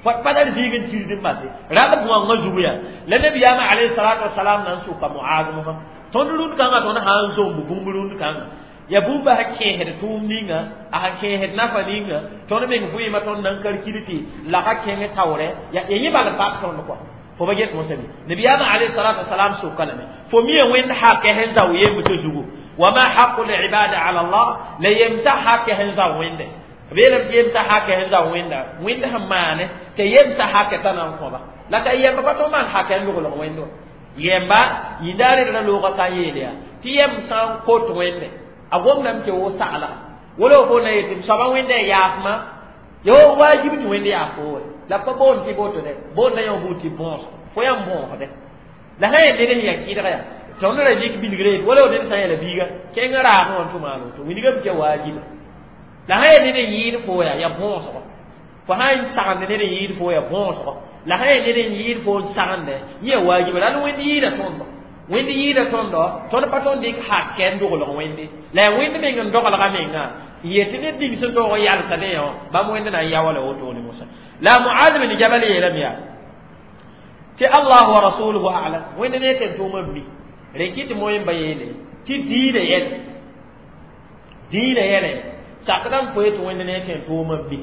pa tar zĩig n tirsd n base rall bõangã zugu yaa la nabiyaamã alayhi salatu wasalam na n sʋka Muaz mosã tõnd rũnd kãngã tõnd sã n zomb bũmb rũnd kãngã ya bũmba sã kẽesd tʋʋm ninga a sã kẽesd nafa ninga tõnd meng vɩɩmã tõnd na n kalkil tɩ lagã kẽng taoorɛ ya yẽ bal n bas tõnd kɔa fo ba get mosã bɩ nabiyaamã alayhi salatu wasalam soka lame fo mi wẽnd hake sẽn zao yemsã zugu wa ma haqu libada ala Allah la yemsã hake sẽn zao wẽnde b yeelame tɩ yemsã hake sẽn zao wẽnda wẽnd sẽn maane tɩ yemsã hake t'a na n kõba la ka yemba pa tõnd maan hake n logl wẽnd wã yemba yĩndaare ra loogã ka n yeel yaa tɩ yem sã n kot wẽnde a gomdame tɩ wo sagla wala fo na yetɩ soaba wẽnda y yaafmã yo wajib tɩ wẽnd yaa fo wa la pa boond tɩ boto dɛ boonda yã buud tɩ bõos fo yãmb bõosde la sã yaa ned sẽn yaa kɩdg yaa tõnd ra lik bilgre yet wala ned sã n yɛla biiga kẽng raagẽ wã tɩ maan woto wilgame tɩ ya waajiba la sã yaa ned n yɩɩd fo yaa ya bõosgo fo sã n sagend ned n yɩɩd fo yaa bõosgo la sã yaa ned n yɩɩd fo n sagende yẽ ya waajiba la wẽnd yɩɩda tõndo wẽnd yɩɩda tõndo tõnd pa tõnd dɩk hakɛ n doglg wẽnde la yaa wẽnd meng n doglga menga n yetɩ ned ning sẽn toog n yalsdẽ yã bãmb wẽnd na n yao la wotone mosã la Muaz bin Jabal yeelame yaa tɩ Allah wa rasuluhu a'lam wẽnd ne tɩ tʋʋmã mi rẽn kɩ tɩ moẽmba yeele tɩ diinã yɛlɛ diinã yɛlɛ sakdame fo yetɩ wẽnd ne tɩ tʋʋmã mi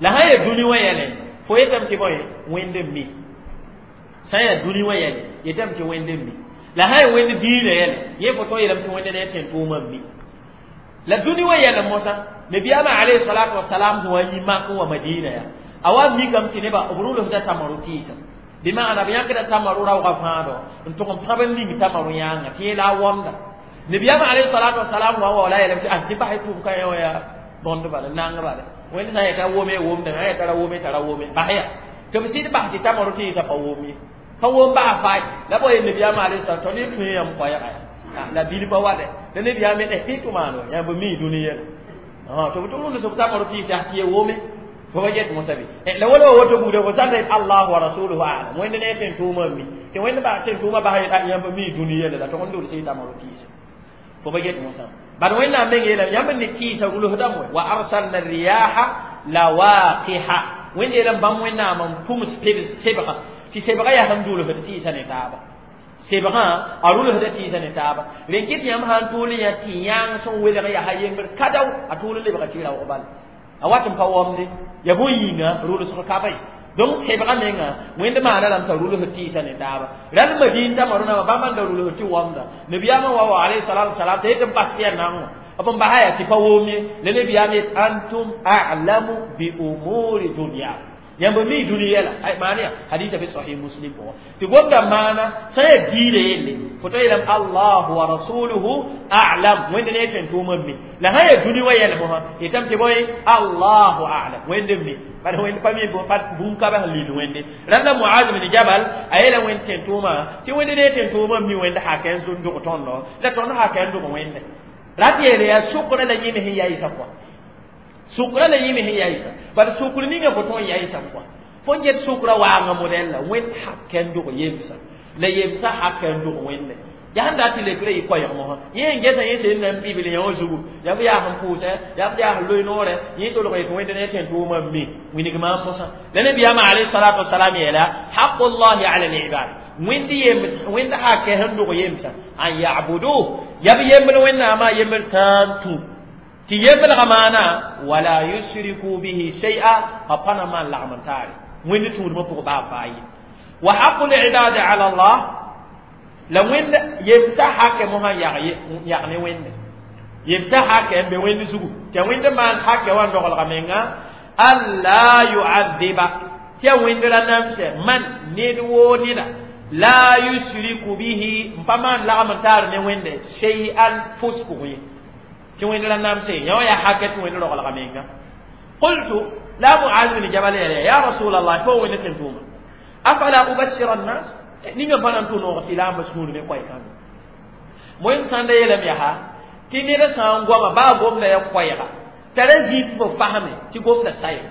la sã yaa dũni wã yɛlɛ fo yetame tɩ bõe wẽnd n mi sã yaa dũni wã yɛlɛ yetame tɩ wẽnd n mi la sã yaa wẽnd diinã yɛlɛ yẽ fo tõe yeelame tɩ wẽnd ne tɩ tʋʋmã mi la dũni wã yɛlɛ mosã nabiyaamã alayhi salatu wasalam sẽn wa yi mak n wa Madina yaa a wa mikame tɩ nebã b rʋlsda tamaru tɩɩsã bɩ maana b yãkda tamaru raoogã fãado n tʋg n pãb n ning tamaru yãanga tɩ yẽ la a wõmda nabiyaamã alayhi salatu wasalam wa wa la yeelame tɩ tɩ basɩ tʋʋm ka yã wã yaa bõnd bala nang bala Wẽnd sã n yeta wome womdã sã n yeta ra wome t'a ra wome bas ya tɩ b sɩd bas tɩ tamaro tɩɩsã pa wom ye pa wom bas faay la bo ye nabiyaamã alayhi salam tõnd yẽ tõe yãmb koɛɛga ya la bil pa wa dɛ la nabiyaam tɩ tʋ maano yãmb mi dũni yɛla tɩ b tʋ rũnd sb tamaro tɩɩs yaa tɩ ye wome fo ba get mosã bɩ la wala wa woto buuda fo sã n allahu wa rasuluhu a'lam wẽnd ne tẽn tʋʋmã mi tɩ wẽnd bas tẽn tʋʋmã bas yãmb mi dũni yɛla la tʋg n dol sɩ tamaro tɩɩsã fo ba get mosã bad wẽnnaam meng yeelame yãmb n ne kɩɩsa rulsdame wa arsalna riyaha lawaqiha wẽnd yeelame bãmb wẽnnaam n pʋms sebga tɩ sebga yaa sẽn dulsd tɩɩsa ne taaba sebgã a rulsda tɩɩsa ne taaba rẽn kɩt yãmb sã n tʋʋl yã tɩ yãang sẽn welg yaa yembr ka-dao a tʋʋl n lebga tɩ raoog bala a wat n pa wamde ya bõe yĩnga rulsg ka ba ye donc sebga menga wẽnd maana lame t'a rulsd tɩɩsa ne taaba rãnd madin t'a marona bãmb n da rulsd tɩ wamda nabiyaamã wa wa alayhi salatu wasalam t'a yet n bas tɩ yaa naang wã b n basa yaa tɩ pa wom ye la nabiyaam yet antum a'lamu bi umuri dunya yãmb mi dũni yɛla maana ya hadisa be sahih muslim pʋgã tɩ gomda maana sã n yaa diirã yelle fo ta yeelame allahu wa rasuluhu a'lam wẽnd ne tẽn tʋʋmã mi la sã n yaa dũni wã yɛl mosã yetame tɩ bõe allahu a'lam wẽnd mi bad wẽnd pa mi bũn-kaba sẽn lil wẽnde rãnda muaz bin jabal a yeela wẽnd tẽn tʋʋmã tɩ wẽnd ne tẽn tʋʋmã mi wẽnd hakɛ n dʋg tõndo la tõnd hakɛ n dʋg wẽnde rat yeele yaa sʋkrã la yĩme sẽn yaɩsa kɔa sukra la yĩme sẽn yaɩsa bad sukr ninga fo tõe n yaɩsame kɔa fo n get sukra waanga modɛl la wẽnd hakɛ n dʋg yemsa la yemsa hakɛ n dʋg wẽnde yaa sẽn dat tɩ lekrã yɩ koɛɛg mosã yẽ n gesa yẽ sẽn na n bibl yã wã zugu yaa b yaa sẽn pʋʋsɛ yaa b yaa sẽn loe noorɛ yẽ tolg yetɩ wẽnd ne tẽn tʋʋmã mi wilg maam mosã la nabiyaamã alayhi salatu wasalam yeela haqullahi ala libad wẽnd yems wẽnd hakɛ sẽn dʋg yemsa an yabuduh ya b yembr wẽnnaamã yembr tãan tũ tɩ yemblgã maana wala yusriku bihi shay'a a pa na maan lagm n taare wẽnd tũudmã pʋgã baa baa ye wa haqu libadi ala allah la wẽnd yemsa hakɛ mosã yag ne wẽnde yemsa hakɛ n be wẽnd zugu tɩ wẽnd maan hakɛ wã n dogelga menga alla yu'adhiba tɩ ya wẽnd ra namsɛ man ned woo neda la yusriku bihi n pa maan lagm n taar ne wẽnde shay'an fos pʋgẽ ye tɩ wẽnd ra namsɛ yã wã yaa hakɛ tɩ wẽnd rogelga menga qultu la muaz bin jabal yeela ya rasul allah fo wẽnd tẽn tʋʋma afala ubashira annas ninga pa na n tʋ noog silaambã sũur ne koɛɛ-kãngã moẽ sãn da yeelame yaa tɩ ned sã n goama baa gomda ya koɛɛga t'a ra zĩis fo fasme tɩ gomda saya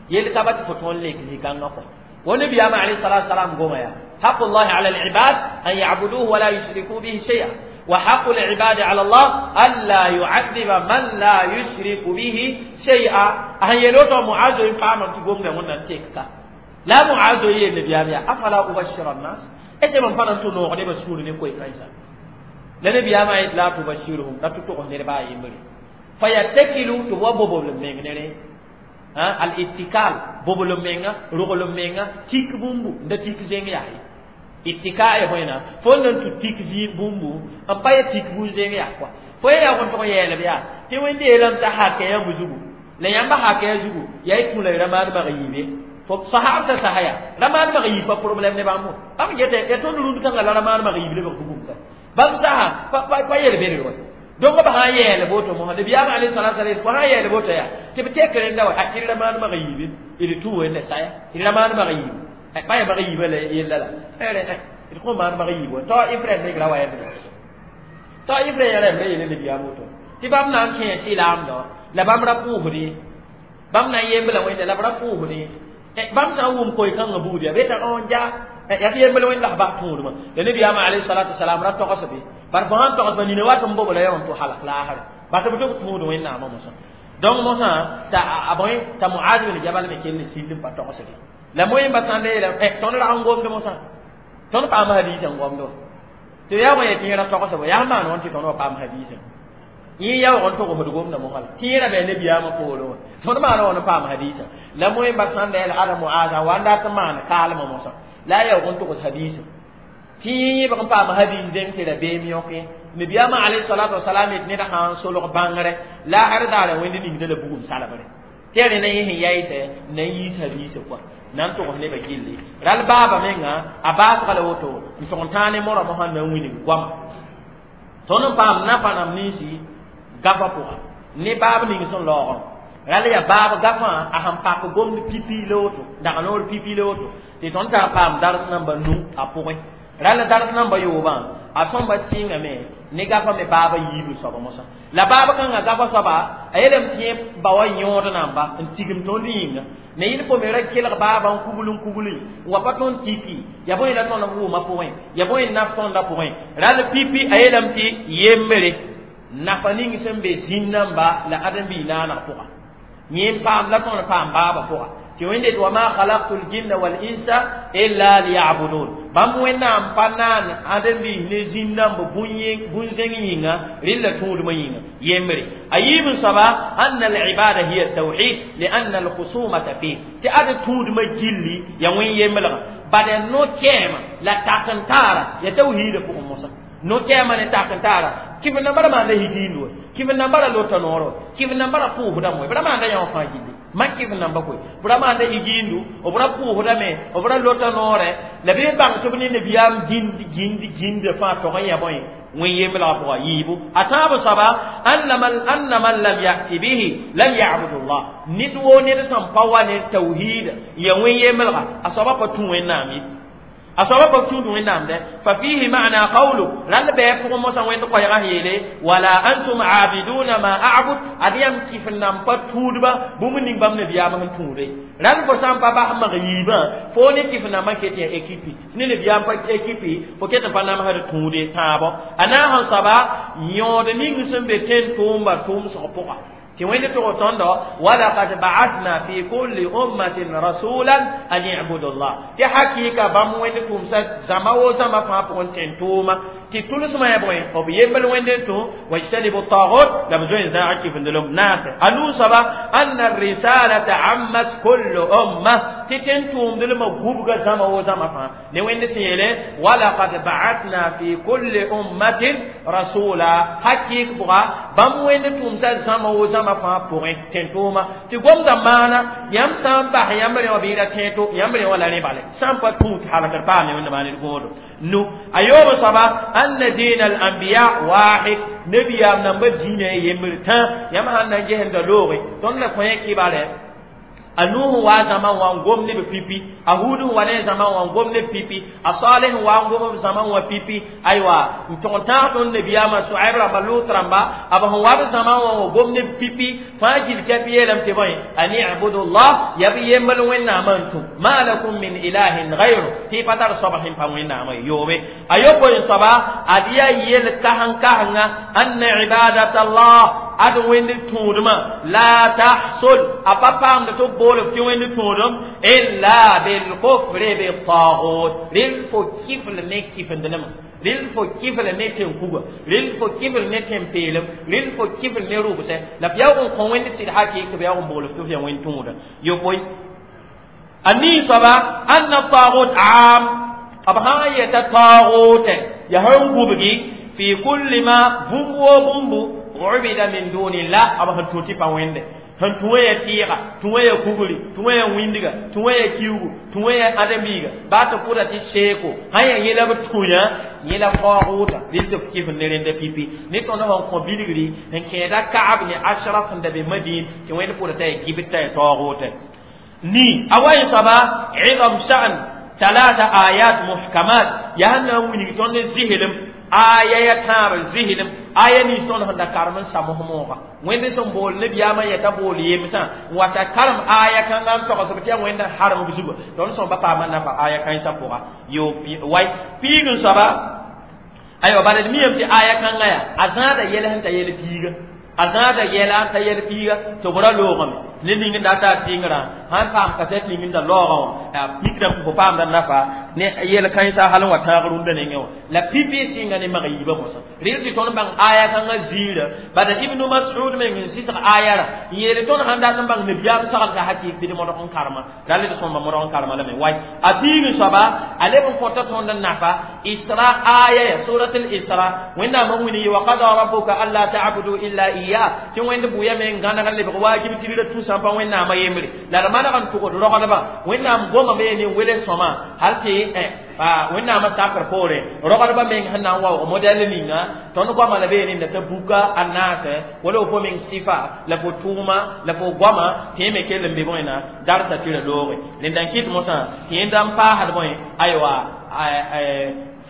yel ka ba tɩ fo tõnd lek zĩ-kãngã kɔ wa nabiyaamã alayhi salatu wasalam goma yaa haqullahi ala alibad an yabuduhu wala yushriku bihi shay'a wa haqu العباد على الله ألا يعذب من لا يشرك به شيئا أهن يلوتو معاذ يفهم أن تقوم لهم تيكا لا معاذ يي النبي أفلا أبشر الناس إذا من فلان تنو غني بسور نكوي كايسا لنبي أما لا تبشرهم لا تتوقع نربا يمري فيتكلوا تبوا بوبول مينغنري ها الاتكال بوبول مينغا رغول مينغا تيك بومبو nda tik zeng yahi ittika ya hoina fo nan tu tik zi bumbu n pa ya tik bu zeng ya kwa fo ya gon to yele ya ti wende yelam ta hake ya buzugu la yamba hake ya zugu ya ikula ramad ma yibe fo sahab sa sahaya ramad ma yib pa problème ne bambo bam yete ya to nuru kan la ramad ma yib le ba bugum ka bam saha pa pa pa yele bere ro donc ba ha yele boto mo nabi am alayhi salatu wasallam ko ha yele boto ya ti be tekere ndaw a iri ramad ma yib iri tu wende saya iri ramad ma yib pa ya ma yib le yella la ere iri ko ma ma yib to ifre ne gra wa ya to ifre ya re yele nabi am to ti bam nan ke silam do la bam ra puhri bam na yembla wende la ra puhri bãmb sã n wʋm koe-kãngã buud yaa beta n ja yaa tɩ yembl wẽnd la bas tũudmã la nabiyaamã alayhi salatu wasalam ra togs be bar fo sãn togs nina wat n bobla ya n tʋ halak laasre bas b tɩ b tũud wẽnnaamã mosã donc mosã t'a a bõe t'a muaz bin jabal me kell sild n pa togsde la moẽmba sãn da yeela tõnd rag n gomd mosã tõnd paam hadiisã n gomd wa tɩ yaa bõe tɩ yẽra togsbo yaa maan wãn tɩ tõnd wa paam hadiisã yẽ yaoog n togsd gomda mosã la tɩ yẽra bɩ nabiyaamã poorẽ wã tõnd maana wã n paam hadiisã la moẽmba sãn da yeela ada muaza wa n dat n maan kaalmã mosã la a yaoog n togs hadiisã tɩ yẽ yẽbg n paam hadiis dẽng tɩ rabeem yõke nabiyaamã alayhi salatu wasalam yet ned sã n solg bãngre la ar daara wẽnd ningda la bugum salbre tɩ ya rẽ na yẽ sẽn yaɩsɛ na n yiis hadiisã kɔa na n togs nebã gilli ral baaba menga a baasga la woto n tʋg n tãag ne morã mosã na n wilg goama tõnd n paam napa nam ninsi gafa pʋga ne baab ning sẽn laoogã Rala ya baab gafã a sẽn pak gomd pipi la woto dag noor pipi la woto tɩ tõnd tar paam dars namba nu a pʋgẽ rala dars namba yoobã a tõmba sɩngame ne gafã me baaba yiibu soaba mosã la baab kãngã gafa soaba a yeelame tɩ yẽ ba wa yõod namba n tigim tõnd yĩnga ne yɩl fo me ra kelg baaba n kugl n kugli n wa pa tõnd tiki ya bõe la tõnd wʋʋmã pʋgẽ ya bõe n naf tõndã pʋgẽ ral pipi a yeelame tɩ yembre nafa ning sẽn be zĩn-namba la ãdem-biig naaneg pʋga yẽ n paam la tõnd paam baabã pʋga tɩ wẽnde tɩ wa ma khalaqtu ljinna wal insa illa liyabudun bãmb wẽnnaam pa naan ãdem-biis ne zĩn-namba bũn-zẽng yĩnga rɩlla tũudmã yĩnga yembre a yiib n soaba anna alibada hiya tawhid lianna alkhusumata fih tɩ ad tũudmã gilli ya wẽn yemblga bad ya no-kɛɛma la tak-n-taara ya tawhiidã pʋgẽ mosã no-kɛɛma ne tak-n-taara kɩf nambã ra maanda higiind wa kɩf nambã ra lota noor wa kɩf nambã ra pʋʋsdame wa b ra maanda yã wã fãa gilli mak kɩf namba koe b ra maanda higiindu b ra pʋʋsdame b ra lota noorɛ la bɩ bãng tɩ b ne nabiyaam gĩnd gĩnd gĩnda fãa tog n yã bõe wẽn yemblga pʋga yiibu a tãab soaba anna man lam yati bihi lam yabud llah ned woo ned sẽn pa wa ne tawhiida ya wẽn yemblga a soaba pa tũ wẽnnaam ye a soaba pa tũud wẽnnaam dɛ fa fihi ma'na qawlu rall bɩ pʋgẽ mosã wẽnd koɛɛgã yeele wala antum aabiduna ma a'bud ad yãmb kɩf n nan pa tũudba bũmb ning bãmb nabiyaam sẽn tũude rall fo sã n pa bas mag yiibã fo ne kɩf nambã ket ya ekipi ne nabiyaam pa ekipi fo ket n pa namsd tũude tãabo a naag n soaba yõod ning sẽn be tẽn-tʋʋmba tʋʋmsg pʋga tɩ wẽnd tʋg tõndo walakad ba'athna fi kulli ummatin rasulan an i'budu llah tɩ hakɩɩka bãmb wẽnd tʋʋmsa zãma wo zãma fãa pʋgẽ tẽn-tʋʋma tɩ tʋlsmã ya bõe b yembl wẽnd n tũ wajtanibu tagut la b zoe n zãag kɩfendelem naase a nuu soaba anna risalata ammat kullu umma tɩ tẽn-tʋʋmdlmã gubga zãma wo zãma fãa ne wẽnd sẽn yeele walakad ba'athna fi kulli ummatin rasula hakɩɩk bʋga bãmb wẽnd tʋʋmsa zãma wo zãma fãa pʋgẽ tẽn-tʋʋma tɩ gomda maana yãmb sã n bas yãmb rẽ wã bɩ ra tẽeto yãmb rẽ wã la rẽ bale sã n pa tũud halgd paame wẽnda maan d gõodo nu a yoob soaba anna diin al anbiya wahid nabiyaam namba diinã yembr tã yãmb sãn na n gesenda looge tõnd la kõ kɩbare a nuh wa zãma wã n gom ne b pipi a hud n wa ne zãma wã n gom ne b pipi a saleh n wa n gom b zãma wã pipi aywa n tʋg n tãag tõnd nabiyaamã soɛb rãmba lut rãmba a b sẽn wa b zãma wã wa gom ne b pipi fãa gil kɛp yeelame tɩ bõe an ibudu llah ya b yembl wẽnnaamã n tũ ma lakum min ilahin gayru tɩ y pa tar soab sẽn pa wẽnnaamã yoobe a yopoe n soaba ad yaa yel kasn-kasengã anna ibadata llah ad wẽnd tũudmã la tahsul a pa paamd tɩ b bool f tɩ wẽnd tũudem illa bilkufri bitagut rel fo kifl ne kifendlmã rel fo kifl ne tẽn-kuga rel fo kifl ne tẽn-peelem rel fo kifl ne rʋbsɛ la f yaoog n kõ wẽnd sɩd hakɩɩk tɩ b yaoog n bool f tɩ f yaa wẽnd tũuda yopoe a nii soaba anna tagut aam b sã n yeta taagute yaa sẽn gubgi fi kulli ma bũmb woo bũmbu ubida min dunillah b sẽn tũ tɩ pa wẽnde sẽn tũ ya tɩɩga tũ ya kugri tũ ya wĩndga tũ ya kiugu tũ ya ãdem-biiga baa tɩ pʋda tɩ seeko sã yaa yẽla b tũ yã yẽla taoogʋta rɩl tɩ f kɩf ne rẽnda pipi ne tõnd sẽn kõ bilgri n kẽeda kaab ne ashraf sẽn da be madin tɩ wẽnd pʋda t'a ya gibd t'a ya taoogʋta ni a wa n soaba idam sha'n talata ayat muhkamat yaa sẽn na n wilg tõnd zɩslem aya ya tãab zɩslem aya nins tõnd sẽn da karem n sams mooga wẽnd sẽn bool nabiyaamã yeta bool yemsã n wata karem aya kãngã n togsb tɩ yaa wẽnd n harem b zuga tõnd sõmba paama nafa aya kãensã pʋga yo way piig n soaba aywa bala d miyame tɩ aya kãngã yaa a zãada yɛl sẽn ta yɛl piiga a zãada yɛla n ta yɛl piiga tɩ b ra loogame ne ning n da taa sɩngrã sãn paam kasɛt ning n da laoogã wã pikrame tɩ fo paamda nafa ne yɛl kãensã hal n wa tãag rũndã nengẽ wã la pipi sɩnga ne mag yiibã mosã rɩl tɩ tõnd bãng aya kãngã ziirã bada ibnu masud meng n sɩsg aya rã n yeele tõnd sãn dat n bãng nabiyaam sagl t'a hakɩɩk bɩ d modg n karema rall d sõmba modg n karema lame way a piig n soaba a leb n kõta tõnd n nafa isra aya ya surat al isra wẽnnaam n wilg wa qada rabbuka alla ta'budu illa iya tɩ wẽnd bʋya me n gãneg n lebg waajib tigrã tũsã pa wẽnnaamã yembre la d maneg n tʋgd rogdbã wẽnnaam goma me ne wele sõma hal tɩ A wẽnnaamã sakr poore rogdbã meng sẽn na n waoog modɛl ninga tõnd goamã la bee rẽnda t'a buka a naasɛ wala fo meng sɩfa la fo tʋʋma la fo goamã tɩ yẽ me kell n be bõena darsa tɩ ra looge rẽnda n kɩt mosã tɩ yẽnda n paasd bõe aywa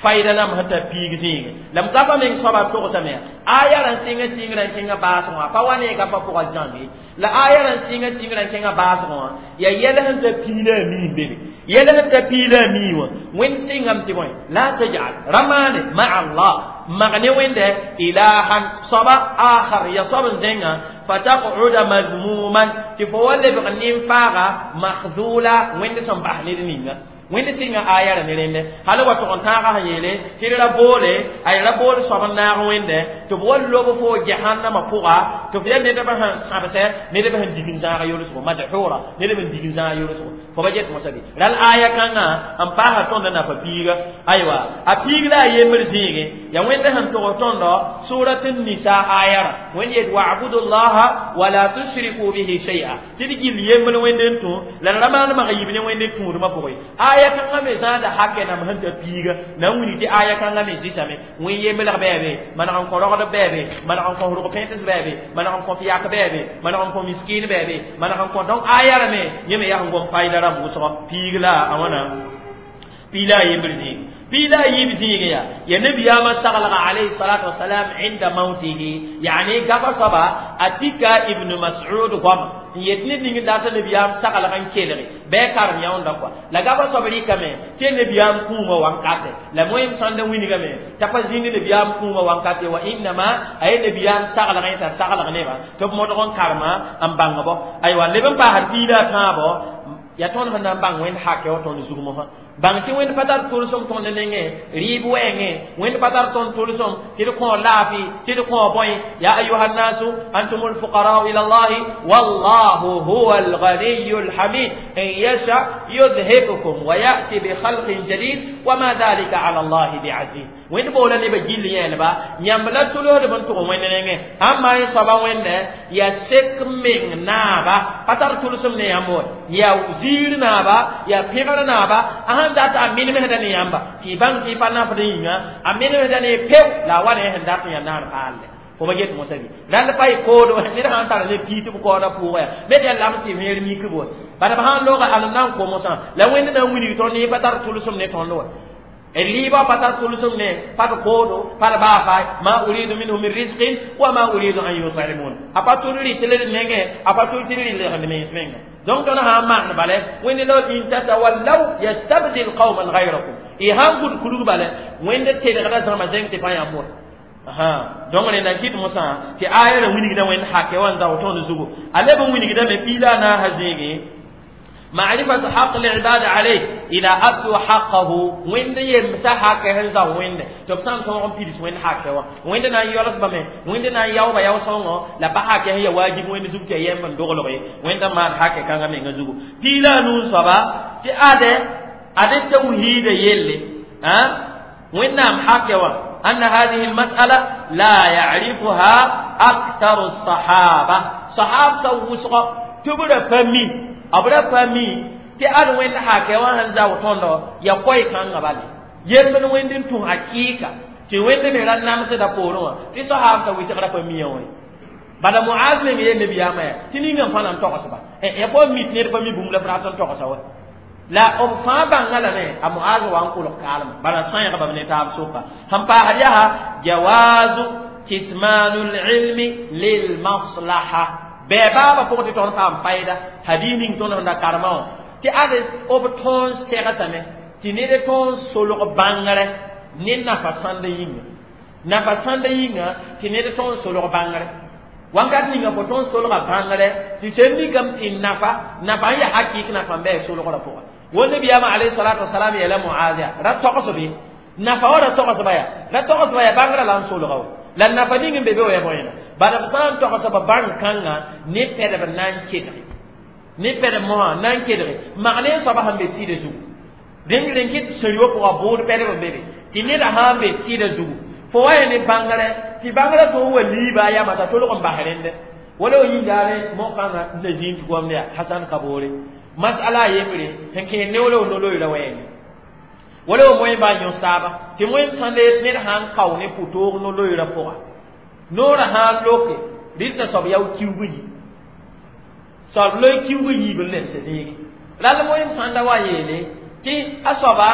fayda nam sẽn tar piig zĩige la m gapa meng soaba togsame aya ra n sɩnga sɩngrã n kẽngã baasgõ wã pa wa ne gapa pʋga zãmbe la aya ra n sɩnga sɩngrã n kẽngã baasgõ wã yaa yɛl sẽn tar piig la a mii n bebe yɛl sẽn tar piig la a mii wã wẽnd sɩngame tɩ bõe la tajal ra maane maa allah mag ne wẽnde ilahan soaba akhar ya soab n zẽnga fataq'uda mazmuman tɩ fo wa lebg nin-faaga makhzula wẽnd sẽn bas ned ninga wẽnd sɩnga aya ra ne rẽnde hal wa tʋg n tãagã sẽn yeele tɩ d ra boole a ra bool soab n naag wẽnde tɩ b wa lob fo jahannamã pʋga tɩ f yaa nedbã sẽn sãbsɛ nedbã sẽn dig n zãag yolsgo madhura nedb n dig n zãag yolsgo fo ba get mosã bɩ ral aya kãngã n paasa tõnd nafa piiga aywa a piig la a yembr zĩige yaa wẽnd sẽn tʋgs tõndo surat nisa aya ra wẽnd yet wa'budu llaha wala tushriku bihi shay'a tɩ d gill yembr wẽnd n tũ la d ra maan mag yib ne wẽnd n tũudmã pʋgẽ aya kãngã me zãada hakɛ nam sẽn tar piiga na n wilg tɩ aya kãngã me zɩsame wẽn yemblg bɛɛbe maneg n kõ rogdb bɛɛbe maneg n kõ rʋg pẽts bɛɛbe maneg n kõ yak bɛɛbe maneg n kõ miskin bɛɛbe maneg n kõ donc aya ra me yẽ me yaa sẽn gom fayda rãmb wʋsgɔ piig la a wãna piig la a yembr zĩig piig la a yiib zĩig yaa ya nabiyaamã saglga alayhi salatu wasalam inda mautihi yani gaba soaba a tika ibn mas'ud goama n yet ned ning n dat nabiyaam saglg n kelge bɩ karem yãoonda kɔa la gaba soab rɩkame tɩ nabiyaam kũumã wankate la moem sãnd n wilgame t'a pa zĩnd nabiyaam kũumã wankate wa innama a ye nabiyaam saglg yẽ t'a saglg nebã tɩ b modg n karema n bãng-bɔ aywa leb n paasd piig la a tãabo yaa tõnd sẽn na n bãng wẽnd hakɛ wa tõnd zugmosã bãng tɩ wẽnd pa tar tʋlsem tõnd nengẽ rɩɩb wɛɛngẽ wẽnd pa tar tõnd tʋlsem tɩ d kõ laafɩ tɩ d kõ bõe ya ayuha nnasu antum lfuqarau ila llahi wallahu huwa alganiyu lhamid in yasha yudhibkum wa yati bikhalqin jadid wama dhalika ala llahi biaziz wẽnd boola nebã gill yẽelba yãmb la tʋlsdb n tʋg wẽnd nengẽ ãmba yẽ soaba wẽnde yaa sek meng naaba pa tar tʋlsem ne yãmb wa yaa ziir naaba yaa pẽgr naaba a sãn dat a menemsda ne yãmba tɩ y bãng tɩ y pa nafd yĩnga a menemsda ne peo la a wa ne sẽn dat n yaa naar paalle fo ba get mosã bɩ rãnd pa y koodo ned sãn tar ne pii tɩ b kaooda pʋʋga yaa ned yaa lams tɩ vẽer mik bo bala b sãn looga alem na n ko mosã la wẽnd na n wilg tõnd ne pa tar tʋlsem ne tõnd wa riba pa tar tʋlsem ne pa d koodo pa d baa ma uridu minhu min rizqin wa ma uridu an yut'imun a pa tʋl rɩt l d mengẽ a pa tʋl tɩ d rɩ legend mens menga donc tõnd sã n maan bale wẽnd la in tatawallaw yastabdil qauman gayrakum y sãn gʋd kurg bale wẽnd tedgda zãma zẽng tɩ pa yãmb wa donc rẽnda n kɩt mosã tɩ aya ra wilgda wẽnd hakɛ wã n zao tõnd zugu a leb n wilgdame piila a naasã zĩige معرفة حق العباد عليه إذا أدوا حقه وين يمسا حقه هنزا وين تبسان سون بيرس وين حقه وين نا يولس بامي وين نا ياو با ياو سون لا با حقه هي واجب وين زوب تي يم دوغلو وين ما حقه كان مي نزوغو بيلا نون صبا تي أده أده توحيد يلي ها وين نام حقه أن هذه المسألة لا يعرفها أكثر الصحابة صحابة سوسق تبرا فمي b ra pa mi tɩ ad wẽnd hakɛ wã sẽn zao tõndo ya koɛɛ kãngã bale yembd wẽnd n tũ hakɩɩka tɩ wẽnd me ra namsda poorẽ wã tɩ sahaabsã wɩtg ra pa mia wã bala Muaz meng yeel nabiyaamã yaa tɩ ninga n fãa na n togsba ya pa mit ned pa mi bũmb la f rat n togsa wa la b fãa bãnga lame a Muaz wa n kolg kaalma bala sãegba b ne taab soka sẽn paasd yaa jawazu kitmanu lilmi lilmaslaha bɛɛ baaba pʋgẽ tɩ tõnd paam fayda hadis ning tõnd sẽn da karema wã tɩ ad b tõon segsame tɩ ned tõon solg bãngrɛ ne nafa sãnd yĩnga nafa sãnd yĩnga tɩ ned tõon solg bãngrɛ wakat ninga fo tõon solga bãngrɛ tɩ sẽn mikame tɩ nafa nafa n yaa hakɩk nafa n bɩ solgrã pʋga wẽnd nabiyaamã alayhi salatu wasalam yeela Muaz yaa ra togsb nafa wa ra togsba yaa ra togsba yaa bãngrã la n solga wa la nafa ning n be be wa ya bõena bala b sã n togsba bãng kãngã ne pɛdb na n kedge ne pɛdb mosã na n kedge mag ne n soaba sẽn be sɩda zugu rẽnd rẽn kɩt sẽn-yoa pʋga bʋʋd pɛdb n be be tɩ neda sã n be sɩda zugu fo wa ya ne bãngrɛ tɩ bãngrã tõog wa liiba a yama t'a tolg n bas rẽndɛ wala wa yĩndaare mo-kãngã n na zĩig tɩ goamd yaa Hasan Kaboore masala a yembre sẽn kẽer ne wala wa no-loeera wɛɛngẽ Wala wo moẽ ba yõ saaba tɩ wẽnd sã ned sã n kao ne pʋtoog no-loeerã pʋga noorã sã n loke rɩta soab yao kiuug yi soab loe kiuug yiib n lebs zĩigi rall wẽnd sãn da wa yeele tɩ a soaba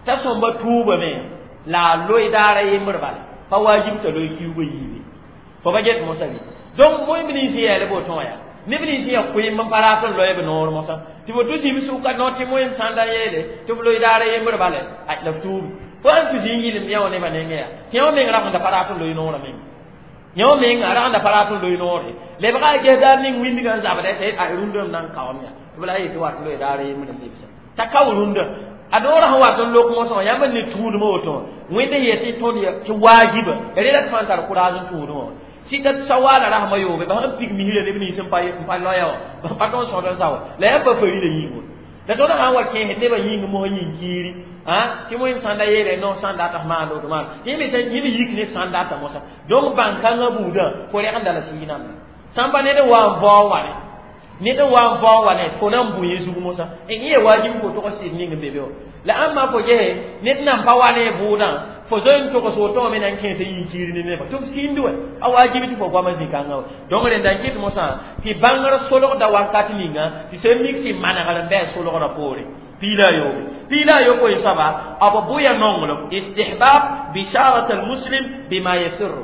t'a sõmba tuubame la a loe daara yembr bala pa wajib t'a loe kiuug yiibe fo ba get mosã bɩ donc wẽnd nins yɛɛl boto wã yaa neb nins yaa koeem n pa rat n loe b noor mosã tɩ fo tʋ zĩb sʋka no tɩ wẽnd sãn da yeele tɩ f loe daara yembr bala la f tuubi fo sãn tʋ zĩ n yɩlem yã wã nebã nengẽ yaa tɩ yã wã meng ragenda pa rat n loe noorã menga yã menga ragenda pa rat n loe noore lebga a ges daar ning wĩndgã n zabda tɩ a rũndã m na n kaoom yaa tɩ b la yetɩ wat loe daara yembr n lebsa t'a kao rũndã a noorã sẽn wat n lok mosã wã yãmb n ne tũudmã woto wẽnd n yet tɩ tõnd tɩ waajiba rela tɩ fãa tar kʋraas n tũudmã wã sɩta sawaala rasmã yoobe ba sẽn pig misrã neb nins n pa loya wã ba pa tõnd sõd n sa wã la yãmb pa farila yĩngo la tõnd sã n wa kẽesd nebã yĩng mosã yĩng kiiri tɩ wẽnd sãn da yeele no sãn data f maan woto maan tɩ yẽ me yik ne sãn data mosã donc bãn-kãngã buudã fo rẽgenda la sɩɩg-nambã sãn pa ned n wa n vao wane ned n wa n vao wane fo na n bũ yẽ zug mosã yẽ ya wajib fo tog sɩd ning n be be wã la ãmba fo gese ned nan pa wa ne bʋʋdã fo zoe n togs woto wã me na n kẽes yĩn kiir ne nebã tɩ f sĩnd wɛ a wajib tɩ fo goamã zĩ-kãngã wa donc rẽnda n kɩt mosã tɩ bãngr solgda wakat ninga tɩ sẽn mik tɩ manegr n bɩ solgrã poore piila yoobe piila yopoe soaba b bʋya nonglem istihbab bisharat almuslim bima yasirru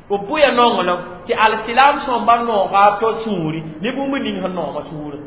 b bʋya nonglem tɩ alsilam sõmba nooga to sũuri ne bũmb ning sẽn nooma sũurã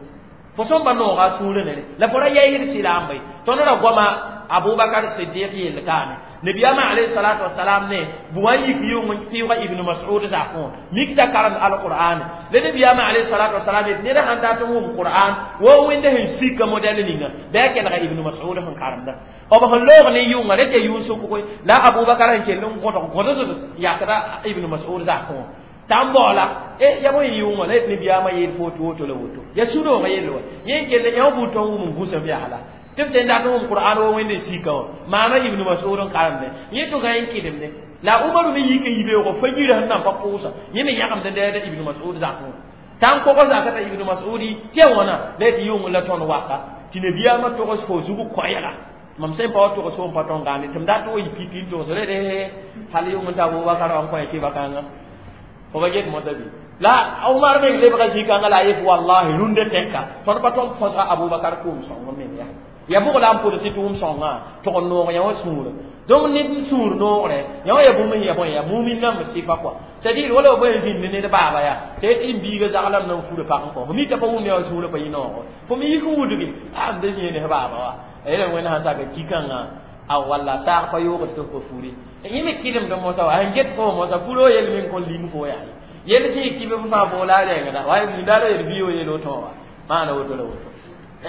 fo sõmba nooga sũurã nere la fo ra yaɩsd silaamba ye tõnd ra goama Abubakar Siddiq yell kaame nabiyama alayhi salatu wassalam ne buwa yik yʋng n pɩʋga Ibn Mas'ud zakõ mik t'a karemd alqur'an la nabiyama alayhi salatu wassalam yet ned sãn dat n wʋm qur'an wo wẽnda sẽn sika modɛl ninga bɩ a kelga Ibn Mas'ud sẽn karemda b sẽn loog ne yʋnga rẽ tɩ yʋʋn sʋkgo la Abubakar sẽn kell n gõdg gõdg yakda Ibn Mas'ud zakõ t'a n baoola ya bõe yʋngã la yet nabiyaamã yeel fo woto woto la woto ya sũ-noogã yell wa yẽ n kell yã buud tõn wʋm n gũsem yaasla tɩ b sẽn dat n wʋm qur'an wa wẽnd n sika wã maana Ibn Mas'ud n karemde yẽ tʋga n kɩdemde la Umaru me yik n yi beoogo fa yirã sẽn nan pa pʋʋsa yẽ me yãgemd n dɛɛda Ibn Mas'ud zakẽ t'a n kogs zakã t'a Ibn Mas'udi tɩ ya wãna la yetɩ yʋng la tõnd waka tɩ nabiyaamã togs fo zug koɛɛga mam sẽn pa wa togs fo n pa tõn gãande tɩ m dat wa yɩ pipi n togs rede hal yʋng n ta Abubakar wã n kõ kɩba kãnga fo ba get mosã bɩ la Umar meng lebga zĩ-kãngã la a yet wallahi rũndã tɛka tõnd pa tõnd põsga Abubakar kʋʋm sõng meng yaa ya bʋg la n pʋd tɩ tʋʋm sõngã tʋg n noog yã wã sũurã donc ned n sũur noogre yã wã ya bũmb sẽn ya bõe ya mumin nãmb sɩfa kɔa c'est à dire wala b bõe zĩnd ned baaba yaa tɩ n biiga zaglame na n fura pag n kõ fo mi t'a pa wʋm yã wã sũurã pa yɩ noogo fo me yik n wudgi a m da zĩig ne baaba wa yela wẽnd sãn saka ki-kãngã a walla saag pa yoogd tɩ f pa furi yẽ me kɩdemd mosã wa sẽn get fo mosã furo yel meng kõn ling fo yaa yel tɩ yɩ kɩb f fãa fo la a rẽngda wa nindaara yel bi yel woto wa maana woto la woto